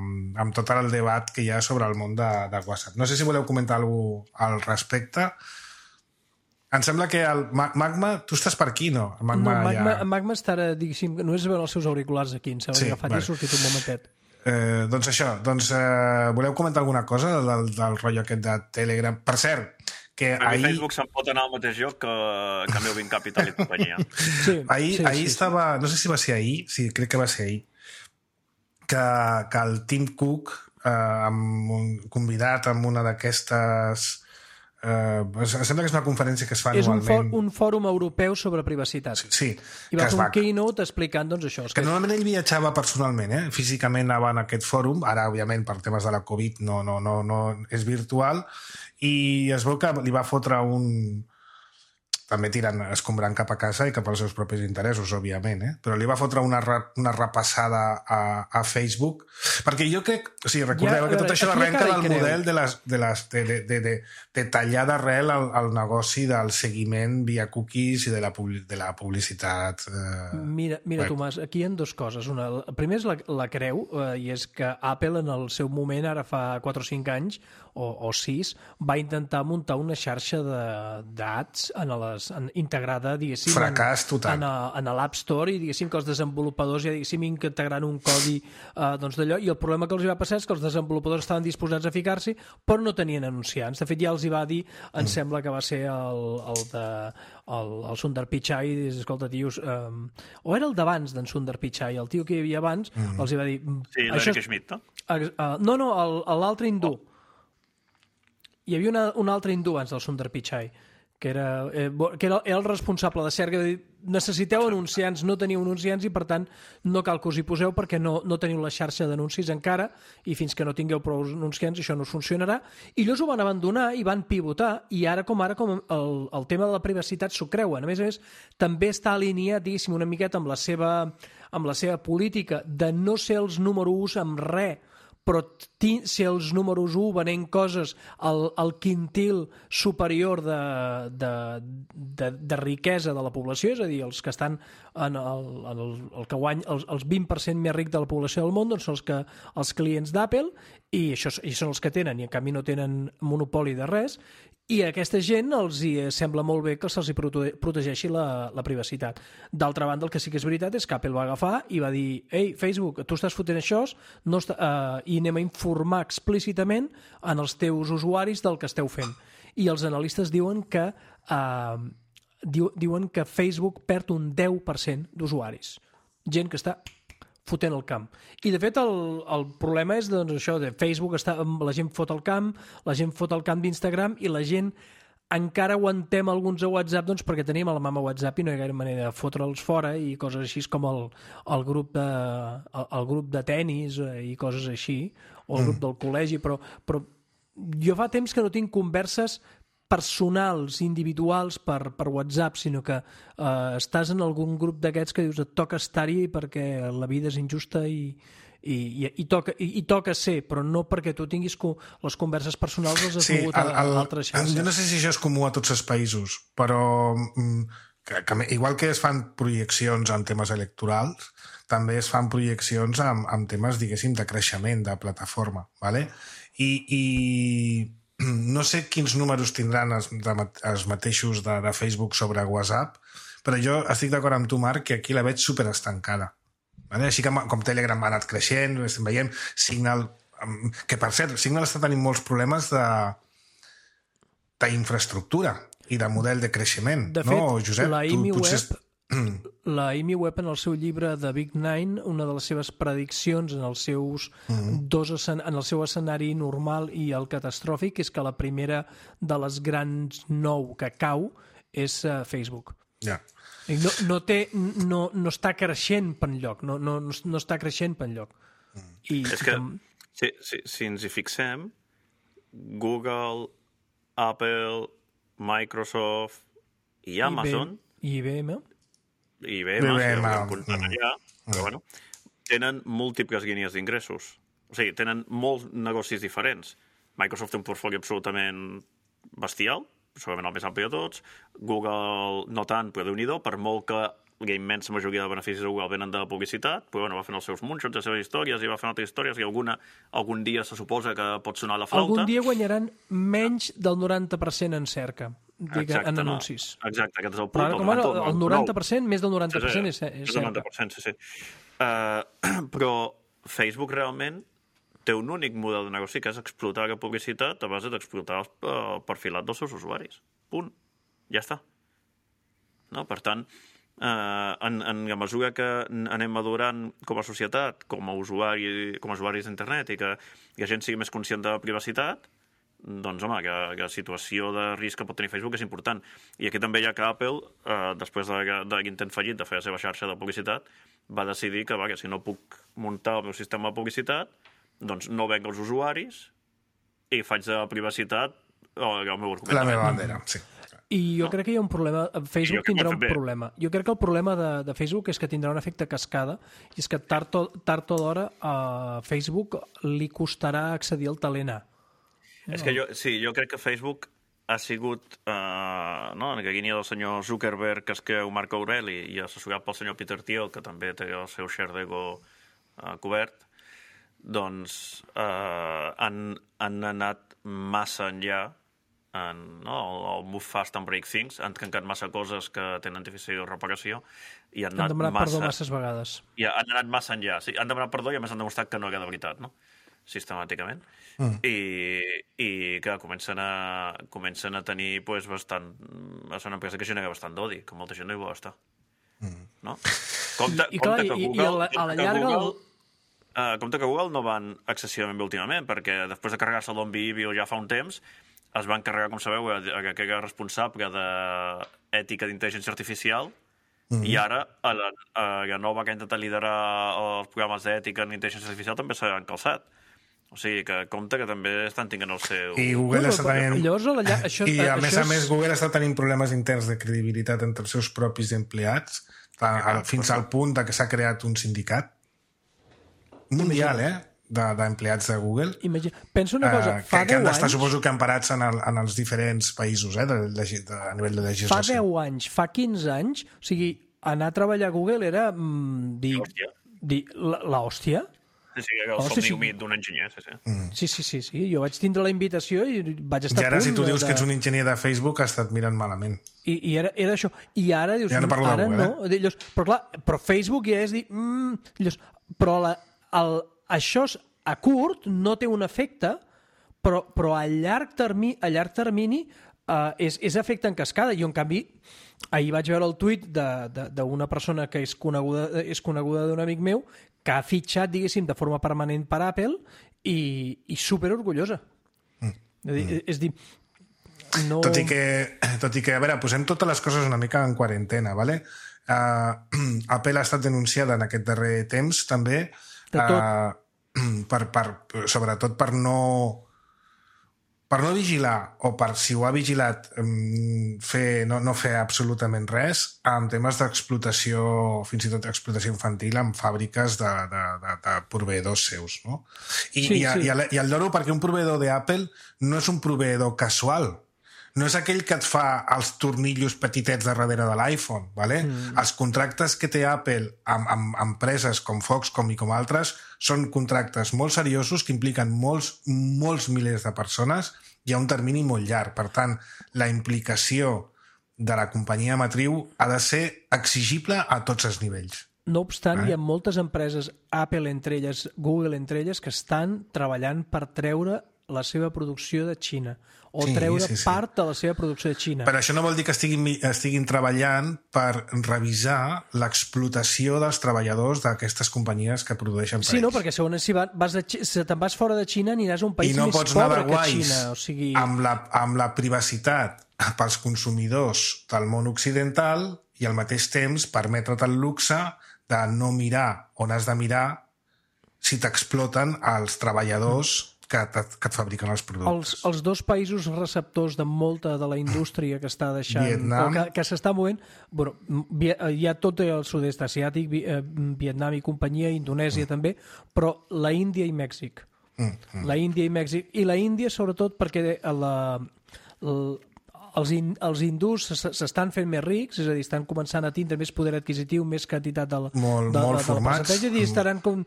amb tot el debat que hi ha sobre el món de, de WhatsApp. No sé si voleu comentar alguna cosa al respecte. Em sembla que el Magma, tu estàs per aquí, no? El Magma, no, Magma, ja... Magma està ara, diguéssim, no és veure els seus auriculars aquí, em sembla sí, que agafat vale. I ha sortit un momentet. Eh, doncs això, doncs, eh, voleu comentar alguna cosa del, del rotllo aquest de Telegram? Per cert, que a ahir... Facebook se'n pot anar al mateix lloc que, que Melvin Capital i companyia. Sí, ahir sí, ahir sí, estava, no sé si va ser ahir, sí, crec que va ser ahir, que, que el Tim Cook, eh, amb un convidat amb una d'aquestes... Uh, em sembla que és una conferència que es fa és anualment. És un, for, un fòrum europeu sobre privacitat. Sí, sí i va fer un keynote explicant doncs, això. Que, que normalment ell viatjava personalment, eh? Físicament anava en aquest fòrum, ara, òbviament, per temes de la Covid no, no, no, no és virtual, i es veu que li va fotre un, també tirant, escombrant cap a casa i cap als seus propis interessos, òbviament, eh? Però li va fotre una, una repassada a, a Facebook, perquè jo crec, o sigui, recordeu ja, que tot això arrenca del model de, les, de, les, de, de, de, de, de tallar d'arrel el, el negoci del seguiment via cookies i de la, de la publicitat. Eh, mira, mira web. Tomàs, aquí hi ha dues coses. Una, el primer és la, la creu, eh, i és que Apple en el seu moment, ara fa quatre o cinc anys, o, o sis, va intentar muntar una xarxa d'ads en les, en, integrada, diguéssim, fracàs total. En, en, en l'App Store, i diguéssim que els desenvolupadors ja diguéssim integrant un codi eh, doncs d'allò, i el problema que els va passar és que els desenvolupadors estaven disposats a ficar-s'hi, però no tenien anunciants. De fet, ja els hi va dir, em mm. sembla que va ser el, el de el, el Sundar Pichai, i dius, escolta, tios, um, o era el d'abans d'en Sundar Pichai, el tio que hi havia abans, mm. els hi va dir... Sí, l'Eric Schmidt, no? Uh, uh, no, no, l'altre hindú. Oh. Hi havia una, un altre hindú abans del Sundar Pichai, que era, eh, que era, era el responsable de cerca, de dir, necessiteu anunciants, no teniu anunciants i per tant no cal que us hi poseu perquè no, no teniu la xarxa d'anuncis encara i fins que no tingueu prou anunciants això no us funcionarà, i ells ho van abandonar i van pivotar, i ara com ara com el, el tema de la privacitat s'ho creuen. A més a més, també està alineat, diguéssim, una miqueta amb la seva, amb la seva política de no ser els número us amb res, però si els números u venent coses al, al quintil superior de, de, de, de riquesa de la població, és a dir, els que estan en el, en el, el que guany, els, els vint per cent més ric de la població del món, doncs són els, que, els clients d'Apple, i això i són els que tenen, i en canvi no tenen monopoli de res, i a aquesta gent els hi sembla molt bé que se'ls hi protegeixi la, la privacitat. D'altra banda, el que sí que és veritat és que Apple va agafar i va dir «Ei, Facebook, tu estàs fotent això no està, uh, i anem a informar explícitament en els teus usuaris del que esteu fent». I els analistes diuen que, uh, diu, diuen que Facebook perd un deu per cent d'usuaris. Gent que està fotent el camp. I, de fet, el, el problema és doncs, això, de Facebook, està, la gent fot el camp, la gent fot el camp d'Instagram i la gent encara aguantem alguns a WhatsApp doncs, perquè tenim a la mama WhatsApp i no hi ha gaire manera de fotre'ls fora i coses així com el, el, grup, de, el, el grup de tennis i coses així, o el grup del col·legi, però, però jo fa temps que no tinc converses personals, individuals per, per WhatsApp, sinó que eh, estàs en algun grup d'aquests que dius et toca estar-hi perquè la vida és injusta i, i, i, i, toca, i, i toca ser, però no perquè tu tinguis co les converses personals les has sí, mogut a, a altres xarxes. Jo no sé si això és comú a tots els països, però que, que, igual que es fan projeccions en temes electorals, també es fan projeccions amb, amb temes, diguéssim, de creixement, de plataforma, ¿vale? I... i no sé quins números tindran els, els mateixos de, de Facebook sobre WhatsApp, però jo estic d'acord amb tu, Marc, que aquí la veig superestancada. Vale? Així que com Telegram ha anat creixent, estem veient Signal, que per cert, Signal està tenint molts problemes d'infraestructura i de model de creixement. De fet, no, Josep, la I M I tu potser... Web... La I M I Web, en el seu llibre The Big Nine, una de les seves prediccions en, els seus mm-hmm. dos escen en el seu escenari normal i el catastròfic és que la primera de les grans nou que cau és uh, Facebook. Ja. No, no, té, no, no està creixent per enlloc, no, no, no està creixent per enlloc. Mm. I, és que, si, si, si ens hi fixem, Google, Apple, Microsoft i Amazon... I I B M... I B M, I B M si allà, però, bueno, tenen múltiples línies d'ingressos. O sigui, tenen molts negocis diferents. Microsoft té un portfoli absolutament bestial, segurament el més ampli de tots. Google no tant, però Déu-n'hi-do, per molt que la immensa majoria de beneficis de Google venen de publicitat, però bueno, va fent els seus moonshots, les seves històries, i va fent altres històries, i alguna, algun dia se suposa que pot sonar la flauta. Algun dia guanyaran menys del noranta per cent en cerca. Diga, exacte, en anuncis. No. Exacte, aquest és el punt. Però, el, noranta, el, el noranta per cent, més del noranta per cent és, és, és el noranta per cent, sí, sí. Uh, però Facebook realment té un únic model de negoci, que és explotar la publicitat a base d'explotar el, el perfilat dels seus usuaris. Punt. Ja està. No? Per tant, uh, en, en la mesura que anem madurant com a societat, com a, usuari, com a usuaris d'internet, i que la gent sigui més conscient de la privacitat, doncs, home, que, que la situació de risc que pot tenir Facebook és important. I aquí també hi ha que Apple, eh, després de, de l'intent fallit de fer la seva xarxa de publicitat, va decidir que, va, que si no puc muntar el meu sistema de publicitat, doncs no venc els usuaris i faig de privacitat el meu argument. La meva bandera, sí. I jo no? crec que hi ha un problema... Facebook tindrà un bé. problema. Jo crec que el problema de, de Facebook és que tindrà un efecte cascada i és que tard o, tard o d'hora a Facebook li costarà accedir al talent A. No? És que jo, sí, jo crec que Facebook ha sigut, eh, no, en aquella línia del senyor Zuckerberg, que es creu Marc Aureli, i assessorat pel senyor Peter Thiel, que també té el seu share d'ego eh, cobert, doncs eh, han, han anat massa enllà en, no, el, el move fast and break things, han trencat massa coses que tenen difícil reparació i han, han anat demanat massa, perdó masses vegades. I han anat massa enllà, sí, han demanat perdó i a més han demostrat que no era de veritat, no? Sistemàticament. Mm. I, i que comencen a, comencen a tenir pues, bastant... És una empresa que genera bastant d'odi, que molta gent no hi vol estar. Mm. No? Compte, I, i, clar, compte que i, Google... i a la, a la llarga... Google, uh, compte que Google no van excessivament bé últimament, perquè després de carregar-se el Dolby View ja fa un temps, es van carregar, com sabeu, que era responsable d'ètica d'intel·ligència artificial, mm-hmm. i ara a la, a la nova que ha intentat liderar els programes d'ètica en intel·ligència artificial també s'han calçat. O sigui, que compte que també estan tenint el seu... I Google no, està tenint... Llavors, la, això, I a això més a és... més Google està tenint problemes interns de credibilitat entre els seus propis empleats, ja, fins al punt de que s'ha creat un sindicat mundial, eh? d'empleats de, de Google. Imagina. Penso una cosa, eh, fa que, que han d'estar, anys... suposo que emparats en, el, en els diferents països, eh, de, de, de, a nivell de legislació. Fa deu anys, fa quinze anys, o sigui, anar a treballar a Google era mm, dir, dir l'hòstia. Sí, sí, el somni sí. humit d'un enginyer, sí, sí. Mm. Sí, sí, sí, sí. Jo vaig tindre la invitació i vaig estar I ara, a punt si tu dius de... que ets un enginyer de Facebook, has estat mirant malament. I, i era, era això. I ara dius... Ja no parlo ara de Google, no. Eh? Llavors, però clar, però Facebook ja és dir... Mm, llavors, però la, el, això és a curt no té un efecte, però, però a llarg termini, a llarg termini uh, és, és efecte en cascada. I en canvi, ahir vaig veure el tuit d'una persona que és coneguda, és coneguda d'un amic meu que ha fitxat, diguéssim, de forma permanent per Apple i, i super orgullosa. Mm. És dir, mm. és dir no... tot, i que, tot i que, a veure, posem totes les coses una mica en quarantena, ¿vale? Uh, Apple ha estat denunciada en aquest darrer temps, també, uh, per, per, sobretot per no per no vigilar, o per, si ho ha vigilat, fer, no, no fer absolutament res en temes d'explotació, fins i tot explotació infantil en fàbriques de, de, de, de proveïdors seus, no? I, sí, i, sí. i, i el lloro perquè un proveïdor d'Apple no és un proveïdor casual, no és aquell que et fa els tornillos petitets de darrere de l'iPhone, ¿vale? Mm. Els contractes que té Apple amb, amb empreses com Foxconn i com altres són contractes molt seriosos que impliquen molts, molts milers de persones i a un termini molt llarg. Per tant, la implicació de la companyia matriu ha de ser exigible a tots els nivells. No obstant, eh? hi ha moltes empreses, Apple entre elles, Google entre elles, que estan treballant per treure la seva producció de Xina o sí, treure sí, sí. part de la seva producció de Xina. Però això no vol dir que estiguin, estiguin treballant per revisar l'explotació dels treballadors d'aquestes companyies que produeixen per Sí, ells. no, perquè segons si, vas de, si te'n vas fora de Xina aniràs a un país no més pobre que Xina. O sigui... amb, la, amb la privacitat pels consumidors del món occidental i al mateix temps permetre't el luxe de no mirar on has de mirar si t'exploten els treballadors que, que et fabriquen els productes. Els, els dos països receptors de molta de la indústria que està deixant... Vietnam. O que, que s'està movent... Bueno, hi ha tot el sud-est asiàtic, Vietnam i companyia, Indonèsia mm. també, però la Índia i Mèxic. Mm. Mm. La Índia i Mèxic. I la Índia, sobretot, perquè la, la, els, in, els hindús s'estan fent més rics, és a dir, estan començant a tindre més poder adquisitiu, més quantitat del, molt, de, molt de, formats. del percentatge, i estaran com...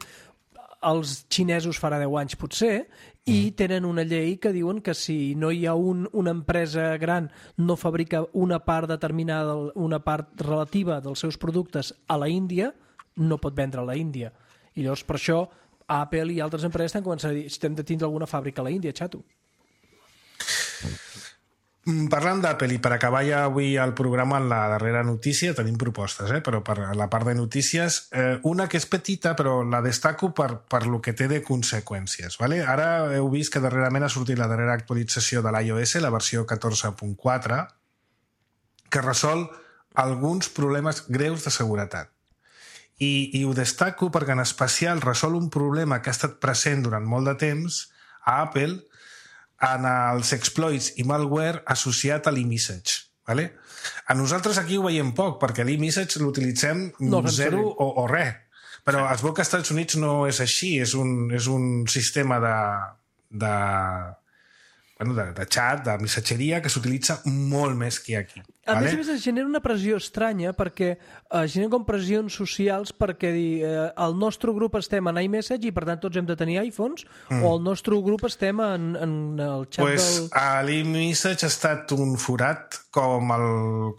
Els xinesos farà deu anys, potser, i mm. tenen una llei que diuen que si no hi ha un, una empresa gran no fabrica una part determinada, una part relativa dels seus productes a la Índia, no pot vendre a la Índia. I llavors, per això, Apple i altres empreses estan començant a dir si hem de tindre alguna fàbrica a la Índia, xato. Parlant d'Apple, i per acabar ja avui el programa en la darrera notícia, tenim propostes, eh? Però per la part de notícies, eh, una que és petita, però la destaco per, per lo que té de conseqüències. Vale? Ara heu vist que darrerament ha sortit la darrera actualització de l'iOS, la versió catorze punt quatre, que resol alguns problemes greus de seguretat. I, i ho destaco perquè en especial resol un problema que ha estat present durant molt de temps a Apple en els exploits i malware associat a l'iMessage. Vale? A nosaltres aquí ho veiem poc, perquè l'e-message l'utilitzem no, zero o, o res. Però es veu que als Estats Units no és així, és un, és un sistema de, de, bueno, de, de xat, de missatgeria, que s'utilitza molt més que aquí. A vale? més a més, es genera una pressió estranya perquè eh, genera com pressions socials perquè dir, eh, el nostre grup estem en iMessage i per tant tots hem de tenir iPhones mm. o el nostre grup estem en, en el xat pues, del... L'iMessage ha estat un forat com el,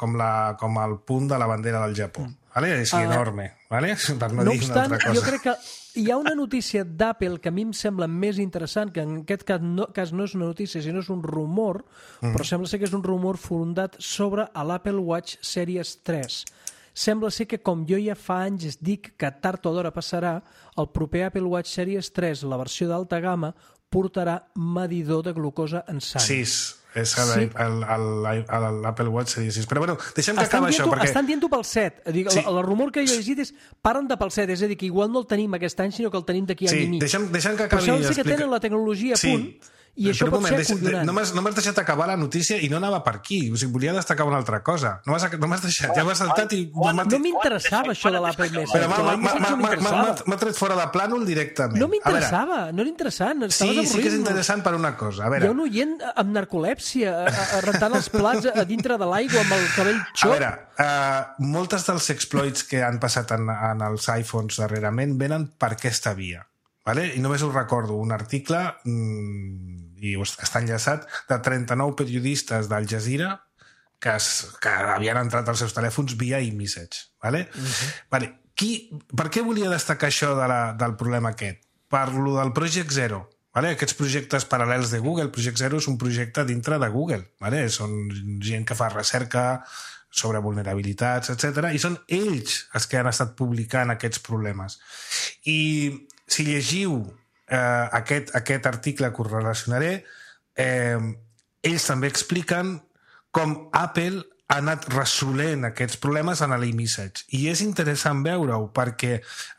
com, la, com el punt de la bandera del Japó. Mm. Vale? És uh, enorme, vale? Per no, no dir obstant, una altra cosa. Jo crec que hi ha una notícia d'Apple que a mi em sembla més interessant, que en aquest cas no, cas no és una notícia, sinó és un rumor, mm. però sembla ser que és un rumor fundat sobre l'Apple Watch Series tres. Sembla ser que, com jo ja fa anys dic que tard o d'hora passarà, el proper Apple Watch Series tres, la versió d'alta gamma, portarà medidor de glucosa en sang. Sis. És sí. l'Apple Watch Series sis. Però bueno, deixem que estan acaba això. Perquè... Estan dient-ho pel set. Dic, sí. el, el rumor que jo he llegit és paren de pel set, és a dir, que igual no el tenim aquest any, sinó que el tenim d'aquí sí. any i mig. Deixem, deixem que acabi. Però sembla ser que tenen la tecnologia a sí. punt i això pot moment, ser acollonant. No m'has no deixat acabar la notícia i no anava per aquí. O sigui, volia destacar una altra cosa. No m'has no deixat, ja m'has saltat i... No m'interessava això de l'Apple Message. Però m'ha tret fora de plànol directament. No m'interessava, no era interessant. Sí, sí que és interessant per una cosa. A veure. Hi ha un oient amb narcolèpsia rentant els plats a dintre de l'aigua amb el cabell xop. A veure, uh, moltes dels exploits que han passat en, en els iPhones darrerament venen per aquesta via. Vale? I només us recordo un article, mmm, i està enllaçat, de trenta-nou periodistes d'Al Jazeera que, es, que havien entrat als seus telèfons via iMessage. Vale? Uh-huh. Vale. Qui, per què volia destacar això de la, del problema aquest? Parlo del Project Zero. Vale? Aquests projectes paral·lels de Google. Project Zero és un projecte dintre de Google. Vale? Són gent que fa recerca sobre vulnerabilitats, etcètera. I són ells els que han estat publicant aquests problemes. I si llegiu eh, aquest, aquest article que us relacionaré, eh, ells també expliquen com Apple ha anat resolent aquests problemes en l'iMessage. I és interessant veure-ho perquè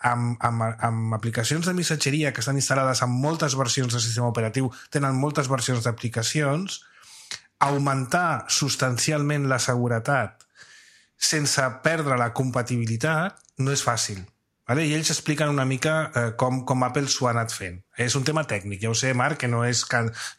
amb, amb, amb aplicacions de missatgeria que estan instal·lades en moltes versions del sistema operatiu, tenen moltes versions d'aplicacions, augmentar substancialment la seguretat sense perdre la compatibilitat no és fàcil. Vale? I ells expliquen una mica eh, com, com Apple s'ho ha anat fent. És un tema tècnic, ja ho sé, Marc, que no és,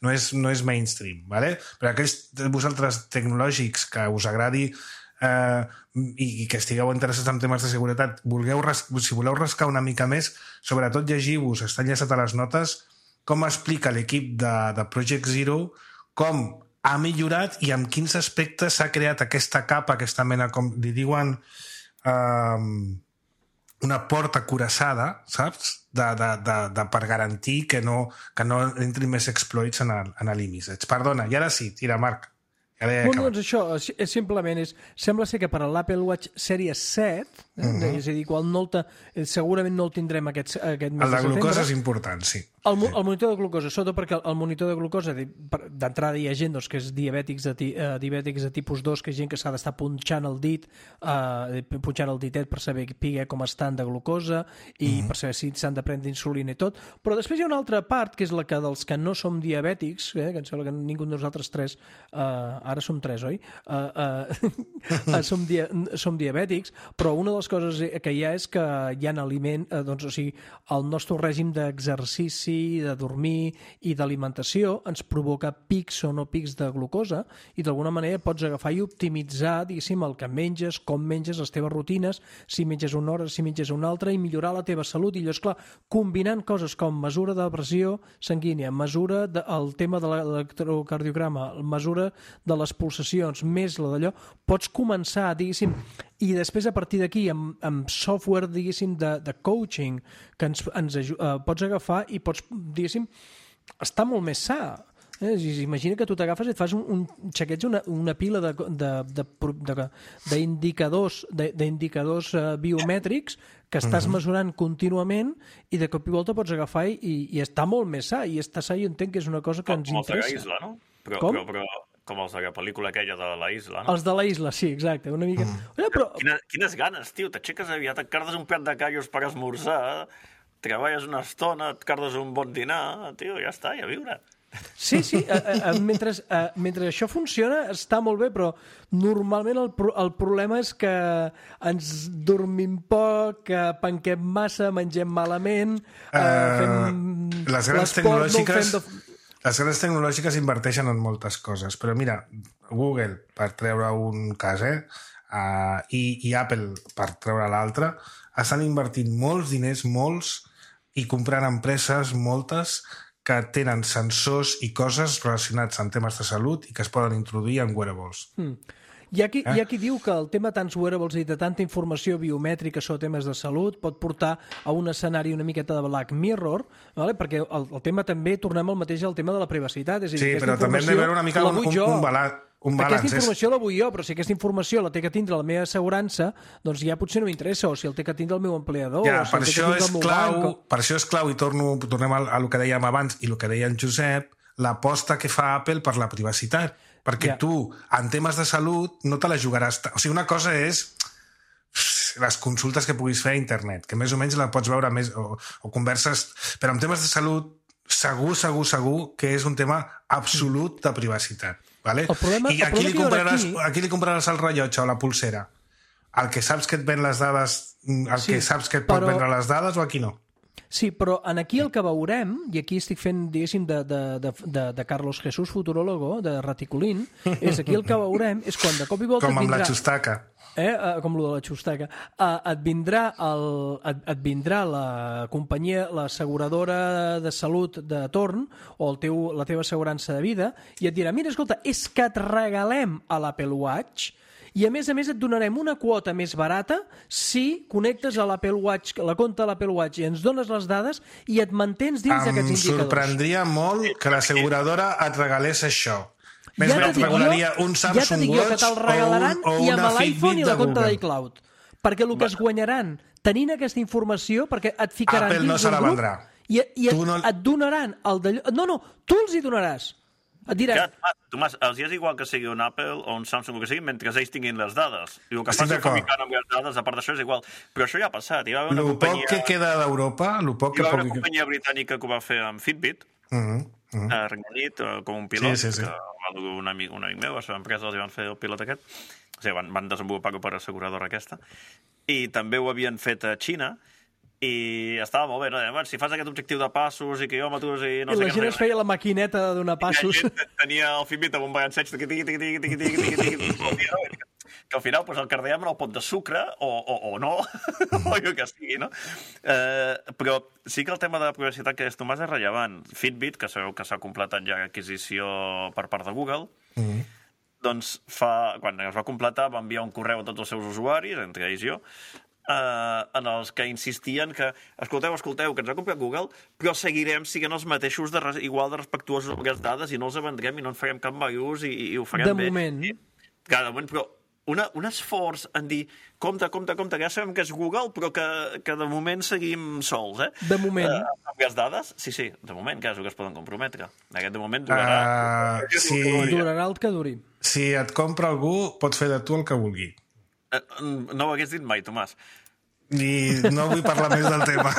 no és, no és mainstream. Vale? Però aquells de vosaltres tecnològics que us agradi eh, i, i que estigueu interessats en temes de seguretat, vulgueu ras, si voleu rascar una mica més, sobretot llegiu-vos, està enllaçat a les notes, com explica l'equip de, de Project Zero com ha millorat i amb quins aspectes s'ha creat aquesta capa, aquesta mena, com li diuen... Eh, una porta cuirassada, saps? De, de, de, de, per garantir que no, que no entri més exploits en l'iMessage. Perdona, i ara sí, tira, Marc. Bueno, doncs això, és simplement és, sembla ser que per a l'Apple Watch Series set, eh, uh-huh. és a dir, qual no el te, segurament no el tindrem aquest, aquest mes el de, de glucosa és important, sí. El, el monitor de glucosa, sobretot perquè el monitor de glucosa, d'entrada hi ha gent doncs, que és diabètics de, uh, diabètics de tipus dos, que és gent que s'ha d'estar punxant el dit, uh, punxant el ditet per saber com estan de glucosa i uh-huh. per saber si s'han de prendre insulina i tot. Però després hi ha una altra part, que és la que dels que no som diabètics, eh, que em sembla que ningú de nosaltres tres... Uh, ara som tres, oi? Uh, uh, som, dia som diabètics, però una de les coses que hi ha és que hi ha aliment, uh, doncs, o sigui, el nostre règim d'exercici, de dormir i d'alimentació ens provoca pics o no pics de glucosa i d'alguna manera pots agafar i optimitzar, diguéssim, el que menges, com menges, les teves rutines, si menges una hora, si menges una altra, i millorar la teva salut. I allò, esclar, combinant coses com mesura de pressió sanguínia, mesura del tema de l'electrocardiograma, mesura de les pulsacions, més la d'allò, pots començar, diguéssim, i després a partir d'aquí amb, amb software, diguéssim, de, de coaching que ens, ens uh, pots agafar i pots, diguéssim, estar molt més sa. Eh? Imagina que tu t'agafes i et fas un, un xequeig, una, una pila de, de, de, de, d'indicadors de, d'indicadors uh, biomètrics que estàs uh-huh. mesurant contínuament i de cop i volta pots agafar i, i està molt més sa, i estar sa i entenc que és una cosa que com, ens interessa. Com els de la Isla, no? Però, com? Però, però, com els de la pel·lícula aquella de la Isla, no? Els de la Isla, sí, exacte. Una mica... Mm. Oye, però... Quina, quines ganes, tio. T'aixeques aviat, et cardes un plat de callos per esmorzar, treballes una estona, et cardes un bon dinar, tio, ja està, i a viure. Sí, sí, a, a, mentre, a, mentre això funciona està molt bé, però normalment el, pro, el problema és que ens dormim poc, que penquem massa, mengem malament, uh, fem les grans tecnològiques no de... les grans tecnològiques inverteixen en moltes coses, però mira, Google, per treure un cas, eh, uh, i, i Apple, per treure l'altre, estan invertint molts diners, molts, i comprant empreses, moltes, que tenen sensors i coses relacionats amb temes de salut i que es poden introduir en wearables. Mm. Hi ha, qui, eh? hi ha qui diu que el tema de tants wearables i de tanta informació biomètrica sobre temes de salut pot portar a un escenari una miqueta de Black Mirror, vale? Perquè el, el tema també, tornem al mateix al tema de la privacitat. És a dir, sí, però també hem de veure una mica un, un, un, balanç. Un balance. Aquesta informació la vull jo, però si aquesta informació la té que tindre la meva assegurança, doncs ja potser no m'interessa, o si el té que tindre el meu empleador, ja, o si per, el té això que tindre el meu clau, banc. Per això és clau, i torno, tornem a, a el que dèiem abans i el que deia en Josep, l'aposta que fa Apple per la privacitat. Perquè ja. tu, en temes de salut, no te la jugaràs... O sigui, una cosa és les consultes que puguis fer a internet, que més o menys la pots veure més, o, o converses... Però en temes de salut, segur, segur, segur que és un tema absolut de privacitat. Vale? El problema, I aquí li, compraràs, aquí... aquí li compraràs el rellotge o la pulsera. El que saps que et ven les dades, el sí, que saps que et pot però... vendre les dades, o aquí no? Sí, però en aquí el que veurem, i aquí estic fent, diguéssim, de, de, de, de, de Carlos Jesús Futurólogo, de Raticulín, és aquí el que veurem és quan de cop i volta... Com amb vindrà... la xustaca. Eh, com lo de la xustaca. Uh, et, vindrà el, et, et vindrà la companyia, l'asseguradora de salut de torn, o el teu, la teva assegurança de vida, i et dirà, mira, escolta, és que et regalem a l'Apple Watch i a més a més et donarem una quota més barata si connectes a l'Apple Watch, la compte de l'Apple Watch, i ens dones les dades i et mantens dins d'aquests indicadors. Em sorprendria molt que l'asseguradora et regalés això. Més ja bé et regalaria un Samsung ja Watch o, un, o i una amb l'iPhone i la compte d'iCloud. Perquè el que Va. es guanyaran tenint aquesta informació, perquè et ficaran Apple dins no se la grup vendrà. i, i et, no... et donaran el d'allò... No, no, tu els hi donaràs. Et diràs... Ja, Tomàs, els és igual que sigui un Apple o un Samsung o que sigui, mentre ells tinguin les dades. I el que Estic faci d'acord. fabricant amb les dades, a part d'això, és igual. Però això ja ha passat. Hi va haver una Lo companyia... poc que queda d'Europa, lo poc Hi que va haver poc... una companyia britànica que ho va fer amb Fitbit, Uh -huh, uh -huh. a Regne Unit, com un pilot, Sí, sí, sí. que va dur un amic, un amic meu, a la seva empresa els van fer el pilot aquest. O sigui, van, van desenvolupar-ho per asseguradora aquesta. I també ho havien fet a Xina, i estava molt bé, no? Bueno, si fas aquest objectiu de passos i quilòmetres i no I sé la què... gent no es feia la maquineta de donar passos. I la gent tenia el Fitbit amb un baganceig tiqui, tiqui, tiqui, tiqui, tiqui, tiqui, tiqui, tiqui, que al final pues, el cardèiem en el pot de sucre o, o, o no, o el que sigui, no? Eh, però sí que el tema de la privacitat que és, Tomàs, és rellevant. Fitbit, que sabeu que s'ha completat ja adquisició per part de Google, uh -huh. doncs fa, quan es va completar va enviar un correu a tots els seus usuaris, entre ells jo, Uh, en els que insistien que escolteu, escolteu, que ens ha comprat Google, però seguirem siguent els mateixos de res, igual de respectuosos amb aquestes dades i no els vendrem i no en farem cap mal ús i, i ho farem de bé. Moment. I, clar, de moment. Però una, un esforç en dir compte, compte, compte, que ja sabem que és Google, però que, que de moment seguim sols, eh? De moment. Uh, amb aquestes dades, sí, sí, de moment, que és el que es poden comprometre. Aquest de moment durarà... Uh, si... Durarà el que duri. Si et compra algú, pots fer de tu el que vulgui. No ho hagués dit mai, Tomàs. I no vull parlar més del tema.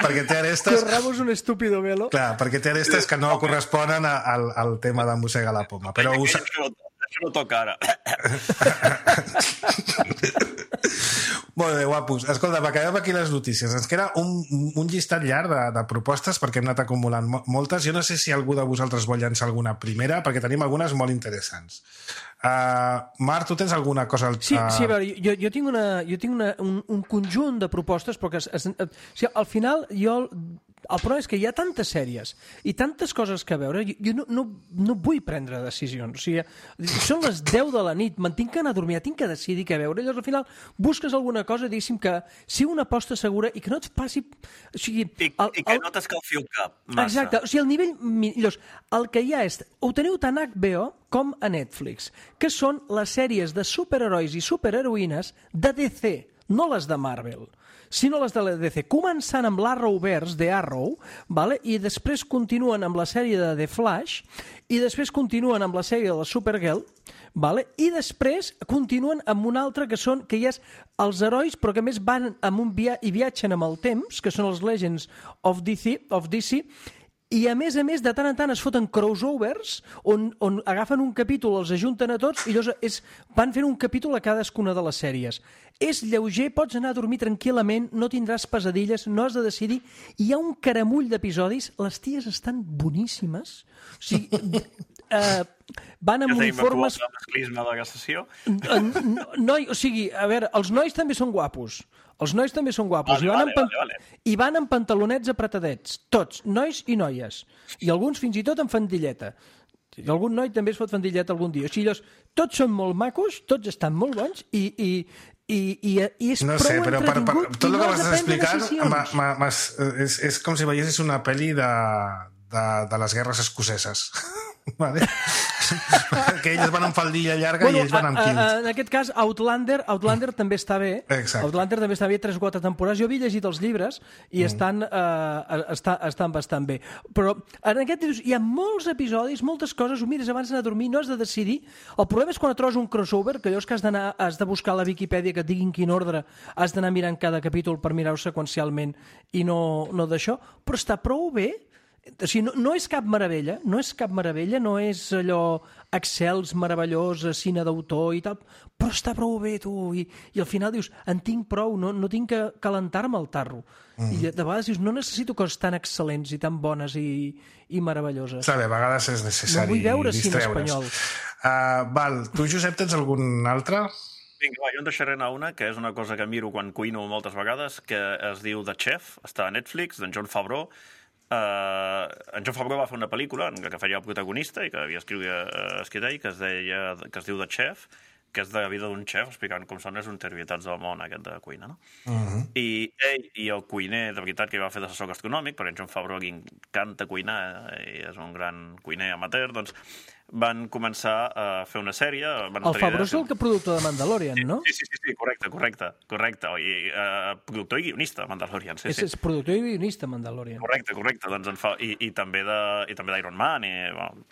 Perquè té arestes... Corramos un estúpido velo. Clar, perquè té arestes que no corresponen a, al, al tema de mossegar la poma. Però us... Això no, això no toca ara. Molt bé, guapos. Escolta, acabem aquí les notícies. Ens queda un, un llistat llarg de, de propostes perquè hem anat acumulant moltes. Jo no sé si algú de vosaltres vol llançar alguna primera, perquè tenim algunes molt interessants. Uh, Marc, tu tens alguna cosa... Al... Sí, sí, a veure, jo, jo tinc, una, jo tinc una, un, un conjunt de propostes, però que es, es, o sigui, al final jo... El problema és que hi ha tantes sèries i tantes coses que veure, jo, jo no, no, no vull prendre decisions. O sigui, són les deu de la nit, me'n tinc que anar a dormir, tinc que decidir què veure. Llavors, al final, busques alguna cosa, diguéssim, que sigui una aposta segura i que no et passi... O sigui, I, el, i que el... no t'escalfi el cap massa. Exacte, o sigui, el nivell... Llavors, el que hi ha és... Ho teniu tant a H B O com a Netflix, que són les sèries de superherois i superheroïnes de D C, no les de Marvel, sinó les de la D C, començant amb l'Arrowverse de Arrow, vale? I després continuen amb la sèrie de The Flash, i després continuen amb la sèrie de la Supergirl, vale? I després continuen amb una altra que són que ja és els herois, però que més van amb un via i viatgen amb el temps, que són els Legends of D C, of D C, I a més a més, de tant en tant es foten crossovers on, on agafen un capítol, els ajunten a tots i llavors és, van fent un capítol a cadascuna de les sèries. És lleuger, pots anar a dormir tranquil·lament, no tindràs pesadilles, no has de decidir. Hi ha un caramull d'episodis, les ties estan boníssimes. O sigui, eh, van amb ja uniformes... Ja tenim el masclisme de la sessió. Noi, o sigui, a veure, els nois també són guapos. Els nois també són guapos. Vale, I, van vale, pan... vale, vale. I van amb pantalonets apretadets. Tots, nois i noies. I alguns fins i tot amb fandilleta. I algun noi també es fot fandilleta algun dia. O sigui, llavors, tots són molt macos, tots estan molt bons i, i, i, i, i és no prou sé, però per, per, tot el no que vas explicar ma, ma, ma, és, és com si veiessis una pel·li de, de, de les guerres escoceses. Vale? Que ells van amb faldilla llarga bueno, i ells van amb kilt. En aquest cas, Outlander Outlander també està bé. Exacte. Outlander també està bé, tres o quatre temporades. Jo havia llegit els llibres i mm. estan, uh, està, estan bastant bé. Però en aquest hi ha molts episodis, moltes coses, ho mires abans d'anar a dormir, no has de decidir. El problema és quan et trobes un crossover, que allò és que has d'anar, has de buscar a la Viquipèdia que et diguin quin ordre, has d'anar mirant cada capítol per mirar-ho seqüencialment i no, no d'això, però està prou bé. O sigui, no, no és cap meravella, no és cap meravella, no és allò excels, meravellós, cine d'autor i tal, però està prou bé, tu, i, i al final dius, en tinc prou, no, no tinc que calentar-me el tarro. Mm. I de vegades dius, no necessito coses tan excel·lents i tan bones i, i meravelloses. Sabe, a vegades és necessari no vull veure cine distreure's. espanyol. Uh, val, tu, Josep, tens algun altre? Vinga, va, jo en deixaré anar una, que és una cosa que miro quan cuino moltes vegades, que es diu The Chef, està a Netflix, d'en Jon Favreau. Uh, en Jon Favreau va fer una pel·lícula en què feia el protagonista i que havia escrit, uh, escrit ell, que es, deia, que es diu The Chef, que és de la vida d'un xef, explicant com són les intervietats del món aquest de cuina, no? Uh-huh. I ell i el cuiner, de veritat, que va fer d'assessor gastronòmic, perquè en Jon Favreau li encanta cuinar, i és un gran cuiner amateur, doncs van començar a fer una sèrie... Van el Favreau és el que productor de Mandalorian, sí, no? Sí, sí, sí, sí, correcte, correcte, correcte. I, uh, productor i guionista de Mandalorian, sí, és, sí. És productor i guionista Mandalorian. Correcte, correcte, doncs en fa... I, i també de, i també d'Iron Man, i, bueno,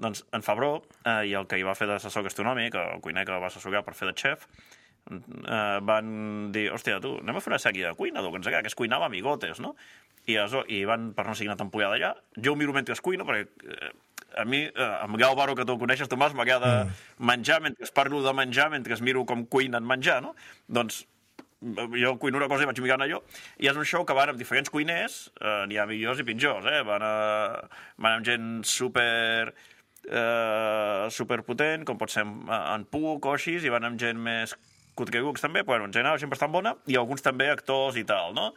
doncs en Favreau, eh, i el que hi va fer d'assessor gastronòmic, el cuiner que va assessorar per fer de xef, eh, van dir, hòstia, tu, anem a fer una sèrie de cuina, que ens agrada, que es cuinava a Amigotes, no? I, also, i van, per no seguir una temporada allà, jo ho miro mentre es cuino, perquè eh, a mi, eh, amb Gau Baro, que tu el coneixes, Tomàs, m'agrada mm. menjar, mentre parlo de menjar, mentre miro com cuinen menjar, no? Doncs jo cuino una cosa i vaig mirant allò, i és un show que van amb diferents cuiners, eh, n'hi ha millors i pitjors, eh? Van, a, van amb gent super... Uh, superpotent, com pot ser en, en Puc o així, i van amb gent més cutregucs també, però bueno, en general gent bastant bona, i alguns també actors i tal, no?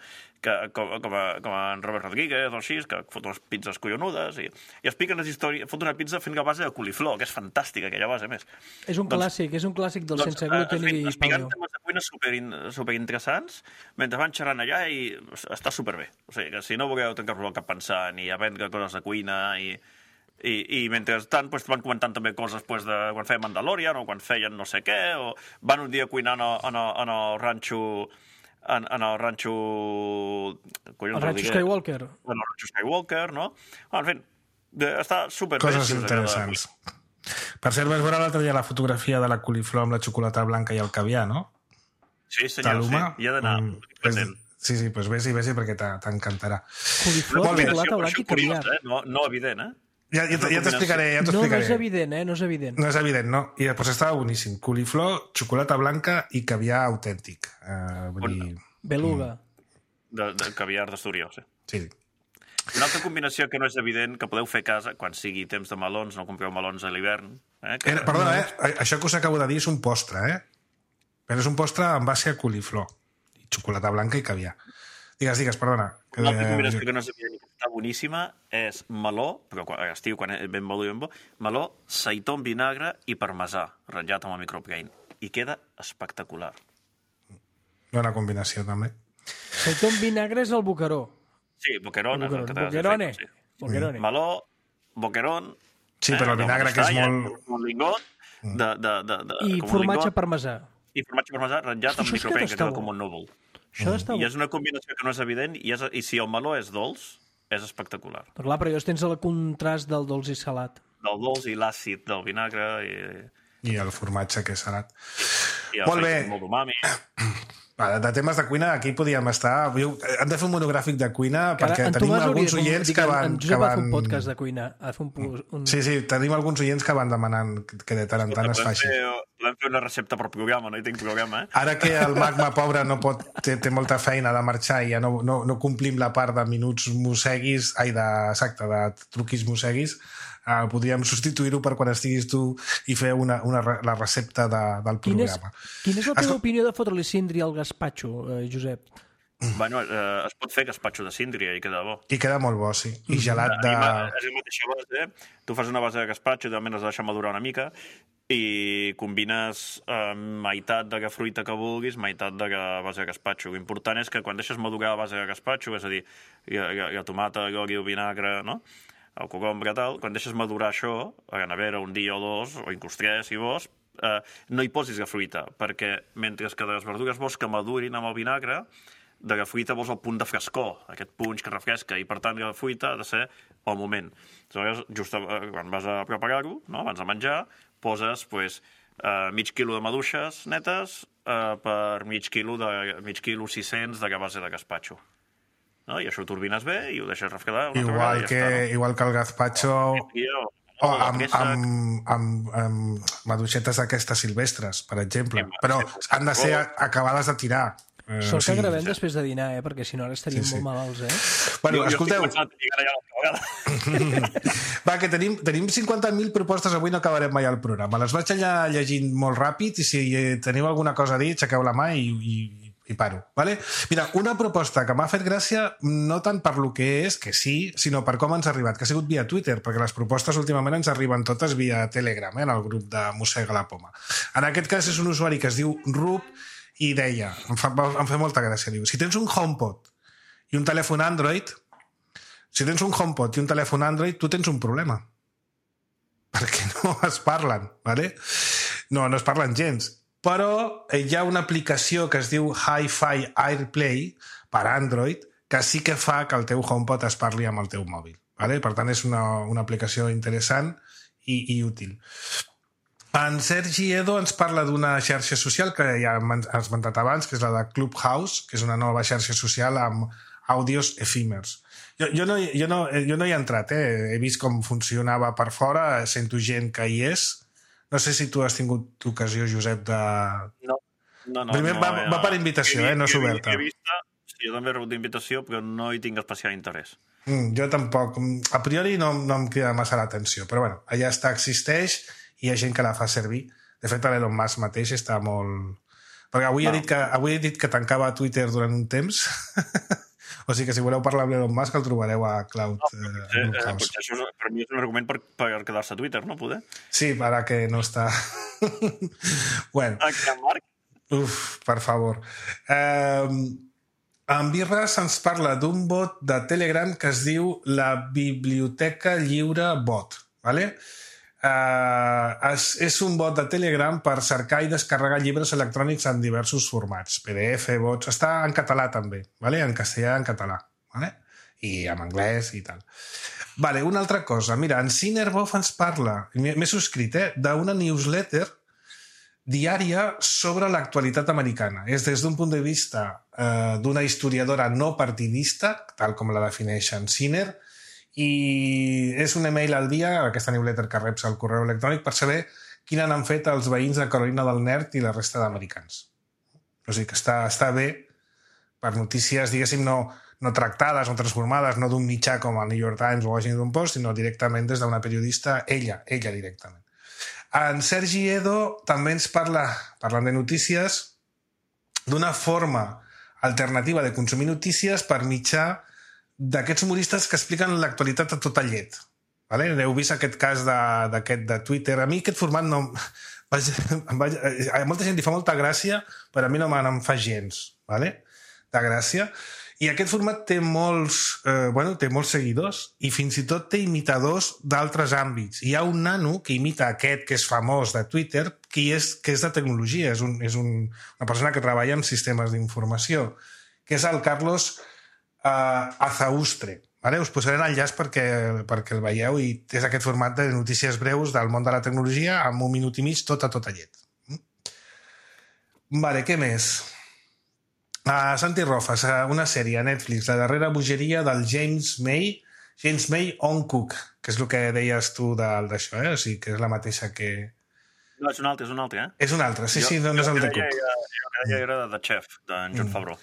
Que, com, com, a, com en Robert Rodríguez o així, que fot unes pizzas collonudes i, i expliquen les històries, fot una pizza fent la base de coliflor, que és fantàstica aquella base, més. És un doncs, clàssic, és un clàssic del doncs, sense gluten i paleo. Explicant temes de cuina super, super interessants, mentre van xerrant allà i està superbé. O sigui, que si no voleu tancar-vos el cap pensant i aprendre coses de cuina i I, i mentrestant pues, van comentant també coses pues, de quan feien Mandalorian o quan feien no sé què, o van un dia cuinant en el, en el ranxo en, en el ranxo el ranxo Skywalker en el ranxo Skywalker, no? En fi, està super coses interessants. Per cert, vas veure l'altre dia la fotografia de la coliflor amb la xocolata blanca i el caviar, no? Sí, senyor, sí, hi ha d'anar mm, present. Sí, sí, doncs vés-hi, vés-hi perquè t'encantarà. Coliflor, xocolata blanca i caviar. Eh? No, no evident, eh? Ja, ja, ja t'explicaré, ja t'explicaré. No, no és evident, eh? No és evident. No és evident, no. I després estava boníssim. Coliflor, xocolata blanca i caviar autèntic. Uh, vull dir... Beluga. De, de caviar d'Astúries, sí. Sí. Una altra combinació que no és evident, que podeu fer a casa, quan sigui temps de melons, no compreu melons a l'hivern. Eh? Que... Era, perdona, eh? Això que us acabo de dir és un postre, eh? Però és un postre en base a coliflor. I xocolata blanca i caviar. Digues, digues, perdona. Una altra combinació que no és evident i que està boníssima és meló, però a estiu, quan és ben bo, ben bo, meló, seitó amb vinagre i parmesà, ratllat amb el microbrain. I queda espectacular. Bona combinació, també. Seitó amb vinagre és el boqueró. Sí, boquerón. El boquerone. Sí. Boquerone. Meló, boquerón... Sí, però el vinagre, que és molt... Un lingot, de, de, de, de, I formatge parmesà. I formatge parmesà ratllat amb microbrain, que queda com un núvol. Mm. I és una combinació que no és evident, i, és, i si el meló és dolç, és espectacular. Però clar, però llavors tens el contrast del dolç i salat. Del dolç i l'àcid del vinagre. I, I el formatge, que és salat. I el molt bé. Molt d'umami. Va, de temes de cuina, aquí podíem estar... Hem de fer un monogràfic de cuina Cara, perquè tenim alguns oients que van... En Josep va fer un podcast de cuina. Un, un... Sí, sí, tenim alguns oients que van demanant que de tant en tant es faci. Volem fer una recepta per programa, no hi tinc programa, eh? Ara que el magma pobre no pot, té, té molta feina de marxar i ja no, no, no complim la part de minuts mosseguis, ai, de, exacte, de truquis mosseguis, eh, podríem substituir-ho per quan estiguis tu i fer una, una, la recepta de, del programa. Quina és, quina és la teva Escol... opinió de fotre-li cindri al gazpacho, eh, Josep? Bueno, eh, es pot fer gazpacho de síndria i queda bo. I queda molt bo, sí. I gelat de... És la mateixa base. Tu fas una base de gazpacho, també has de deixar madurar una mica i combines eh, meitat de fruita que vulguis, meitat de base de gazpacho. L'important és que quan deixes madurar la base de gazpacho, és a dir, hi ha, hi ha, hi ha tomata, oli, vinagre, no? El cogombre, tal, quan deixes madurar això, a la nevera un dia o dos, o inclús tres, si vols, eh, no hi posis la fruita, perquè mentre que les verdures vols que madurin amb el vinagre, de la fruita vols el punt de frescor, aquest punx que refresca, i per tant la fruita ha de ser al moment. Aleshores, just quan vas a preparar-ho, no? Abans de menjar, poses pues, eh, mig quilo de maduixes netes eh, per mig quilo, de, mig quilo sis-cents de la base de gazpacho. No? I això ho turbines bé i ho deixes refredar una igual vegada, que, ja està, no? Igual que el gazpacho... O oh, amb, amb, amb, amb maduixetes d'aquestes silvestres, per exemple. Però han de ser acabades de tirar. Eh, Sort que sí, gravem sí. després de dinar, eh? Perquè si no ara estaríem sí, sí. molt malalts, eh? Bueno, jo, escolteu... Jo Va, que tenim, tenim cinquanta mil propostes, avui no acabarem mai el programa. Les vaig allà llegint molt ràpid i si teniu alguna cosa a dir, aixequeu la mà i, i, i paro. Vale? Mira, una proposta que m'ha fet gràcia, no tant per lo que és, que sí, sinó per com ens ha arribat, que ha sigut via Twitter, perquè les propostes últimament ens arriben totes via Telegram, eh, en el grup de Mossega la Poma. En aquest cas és un usuari que es diu Rub i deia, em fa, em fa molta gràcia, diu, si tens un HomePod i un telèfon Android, si tens un HomePod i un telèfon Android, tu tens un problema. Perquè no es parlen, ¿vale? No, no es parlen gens. Però hi ha una aplicació que es diu Hi-Fi AirPlay per Android que sí que fa que el teu HomePod es parli amb el teu mòbil, ¿vale? Per tant, és una, una aplicació interessant i, i útil. En Sergi Edo ens parla d'una xarxa social que ja hem esmentat abans, que és la de Clubhouse, que és una nova xarxa social amb àudios efímers. Jo, jo, no, jo, no, jo no hi he entrat, eh? He vist com funcionava per fora, sento gent que hi és. No sé si tu has tingut ocasió, Josep, de... No, no, no. Primer no, va, va per invitació, he, eh? No és oberta. He vist, sí, jo també he rebut d'invitació, però no hi tinc especial interès. Mm, jo tampoc. A priori no, no em crida massa l'atenció, però bueno, allà està, existeix, i hi ha gent que la fa servir. De fet, l'Elon Musk mateix està molt... Perquè avui, no. he dit que, avui he dit que tancava Twitter durant un temps, o sigui que si voleu parlar amb l'Elon Musk el trobareu a Cloud. No, potser, eh, potser això és, per mi és un argument per, per quedar-se a Twitter, no? Poder? Sí, ara que no està... bueno. Aquí, Marc? Uf, per favor. Eh, en Birras ens parla d'un bot de Telegram que es diu la Biblioteca Lliure Bot, ¿vale? Uh, és, és un bot de Telegram per cercar i descarregar llibres electrònics en diversos formats, P D F, bots, està en català també, vale? En castellà i en català, vale? I en anglès i tal. Vale, una altra cosa, mira, en Cinerbov ens parla, m'he subscrit, eh, d'una newsletter diària sobre l'actualitat americana. És des d'un punt de vista eh, d'una historiadora no partidista, tal com la defineix en Ciner, i és un email al dia, aquesta newsletter que reps al correu electrònic, per saber quina n'han fet els veïns de Carolina del Nord i la resta d'americans. O sigui que està, està bé per notícies, diguéssim, no, no tractades, no transformades, no d'un mitjà com el New York Times o Washington Post, sinó directament des d'una periodista, ella, ella directament. En Sergi Edo també ens parla, parlant de notícies, d'una forma alternativa de consumir notícies per mitjà d'aquests humoristes que expliquen l'actualitat a tota llet. Vale? Heu vist aquest cas d'aquest de, de Twitter. A mi aquest format no... Vaig, vaig, a molta gent li fa molta gràcia, però a mi no me'n fa gens, vale? De gràcia. I aquest format té molts, eh, bueno, té molts seguidors i fins i tot té imitadors d'altres àmbits. Hi ha un nano que imita aquest que és famós de Twitter, que és, que és de tecnologia, és, un, és un, una persona que treballa en sistemes d'informació, que és el Carlos Uh, Azaustre. Vale? Us posaré l'enllaç perquè, perquè el veieu i és aquest format de notícies breus del món de la tecnologia amb un minut i mig tot a tota llet. Vale, què més? Uh, Santi Rofas, uh, una sèrie a Netflix, La darrera bogeria del James May, James May on Cook, que és el que deies tu d'això, eh? O sigui, que és la mateixa que... No, és un altre, és un altre, eh? És un altre, sí, jo, sí, no, no és el de Cook. Jo que deia era de Chef, d'en Jon Favreau.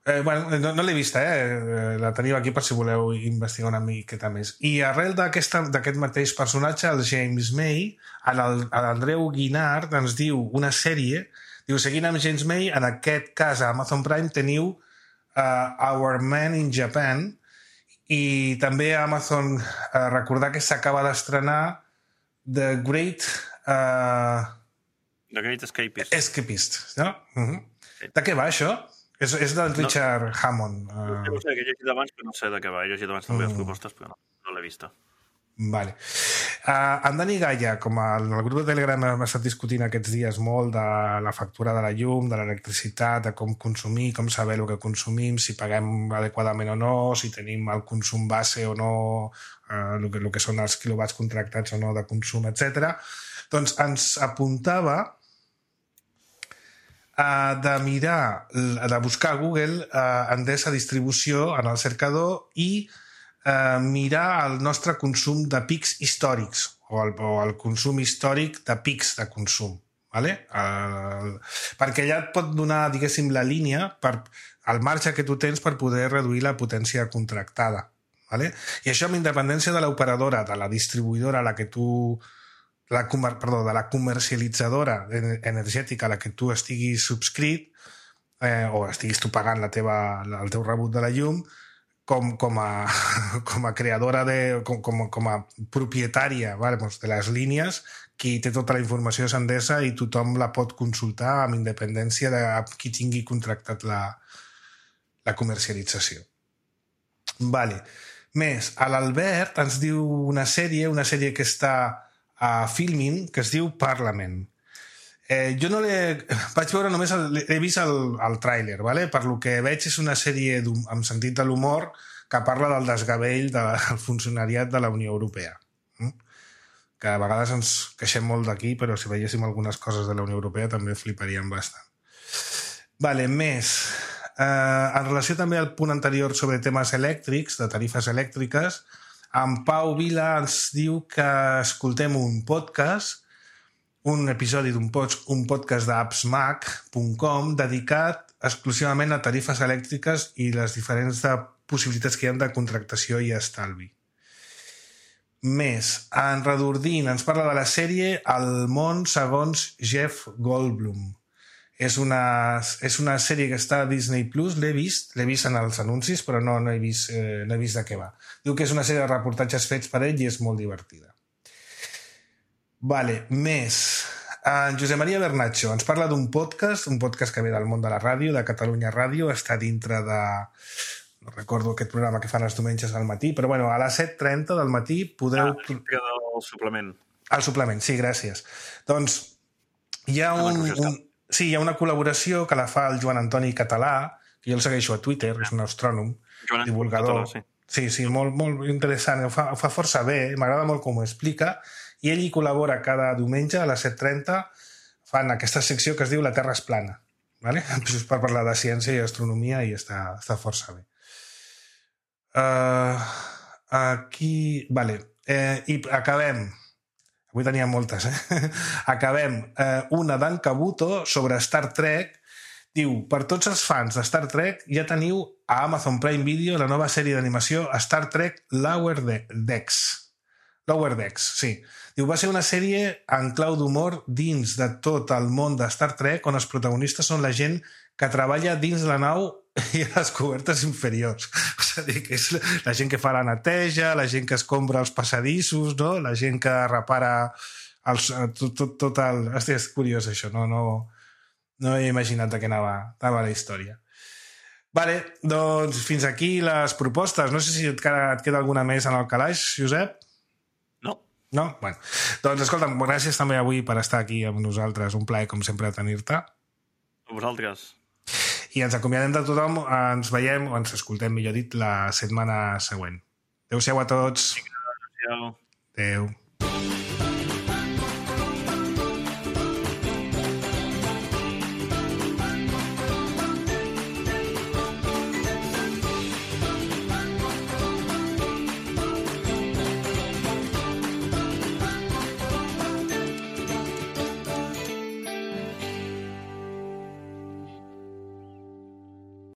Eh, bueno, no, no l'he vista, eh? La teniu aquí per si voleu investigar una miqueta més. I arrel d'aquest mateix personatge, el James May, l'Andreu Guinart ens diu una sèrie. Diu, seguint amb James May, en aquest cas a Amazon Prime teniu uh, Our Man in Japan, i també a Amazon uh, recordar que s'acaba d'estrenar The Great... Uh, The Great Escapist. Escapist, no? Uh-huh. De què va, això? És, és del Richard no. Hammond. Uh... No sé, que he llegit abans, però no sé de què va. He llegit abans també les propostes, però no, no l'he vista. Vale. Uh, en Dani Gaia, com el, el grup de Telegram hem estat discutint aquests dies molt de la factura de la llum, de l'electricitat, de com consumir, com saber el que consumim, si paguem adequadament o no, si tenim el consum base o no, uh, el, que, el que són els quilowatts contractats o no de consum, etcètera. Doncs ens apuntava uh, de mirar, de buscar a Google uh, Endesa Distribució en el cercador i Uh, mirar el nostre consum de pics històrics o el, o el consum històric de pics de consum, vale? Uh, perquè allà et pot donar, diguéssim, la línia per el marge que tu tens per poder reduir la potència contractada, vale? I això amb independència de l'operadora, de la distribuïdora a la que tu la, perdó, de la comercialitzadora energètica a la que tu estiguis subscrit eh, o estiguis tu pagant la teva, el teu rebut de la llum, Com, com, a, com a creadora, de, com, com, com a propietària, vale, doncs de les línies, qui té tota la informació és Endesa i tothom la pot consultar amb independència de qui tingui contractat la, la comercialització. Vale. Més, l'Albert ens diu una sèrie, una sèrie que està a Filmin, que es diu Parlament. Eh, jo no l'he... Vaig veure només... El, he vist el, el tràiler, vale? Per lo que veig és una sèrie amb sentit de l'humor que parla del desgavell del funcionariat de la Unió Europea. Mm? Que a vegades ens queixem molt d'aquí, però si veiéssim algunes coses de la Unió Europea també fliparíem bastant. Vale, més... Eh, en relació també al punt anterior sobre temes elèctrics, de tarifes elèctriques, en Pau Vila ens diu que escoltem un podcast un episodi d'un pod, un podcast d'apps mac punt com dedicat exclusivament a tarifes elèctriques i les diferents de possibilitats que hi ha de contractació i estalvi. Més, en Redordint ens parla de la sèrie El món segons Jeff Goldblum. És una, és una sèrie que està a Disney Plus, l'he vist, l'he vist en els anuncis, però no, no, he vist, eh, no he vist de què va. Diu que és una sèrie de reportatges fets per ell i és molt divertida. Vale, més. En Josep Maria Bernatxo ens parla d'un podcast, un podcast que ve del món de la ràdio, de Catalunya Ràdio, està dintre de... No recordo aquest programa que fan els diumenges al matí, però bueno, a les set trenta del matí podreu... Ah, el suplement. El suplement, sí, gràcies. Doncs hi ha un... un... Sí, hi ha una col·laboració que la fa el Joan Antoni Català, que jo el segueixo a Twitter, és un astrònom, Joan divulgador. Català, sí, sí, sí molt, molt interessant, ho fa, ho fa força bé, m'agrada molt com ho explica, i ell hi col·labora cada diumenge a les set trenta, fan aquesta secció que es diu La Terra és plana, vale? Just per parlar de ciència i astronomia i està, està força bé. Uh, aquí... Vale. Eh, I acabem... Avui tenia moltes, eh? Acabem eh, una d'en Kabuto sobre Star Trek. Diu, per tots els fans de Star Trek ja teniu a Amazon Prime Video la nova sèrie d'animació Star Trek Lower Decks. Lower Decks, sí. Diu, va ser una sèrie en clau d'humor dins de tot el món de Star Trek on els protagonistes són la gent que treballa dins la nau i a les cobertes inferiors. O sigui, que és la gent que fa la neteja, la gent que escombra els passadissos, no? La gent que repara els, tot, tot, tot el... Hòstia, és curiós això, no, no, no he imaginat de què anava, anava la història. Vale, doncs fins aquí les propostes. No sé si et queda, et queda alguna més en el calaix, Josep? No. No? Bueno, doncs escolta'm, gràcies també avui per estar aquí amb nosaltres. Un plaer, com sempre, tenir-te. A vosaltres. I ens acomiadem de tothom, ens veiem, o ens escoltem, millor dit, la setmana següent. Adéu-siau a tots. Adéu. Adéu.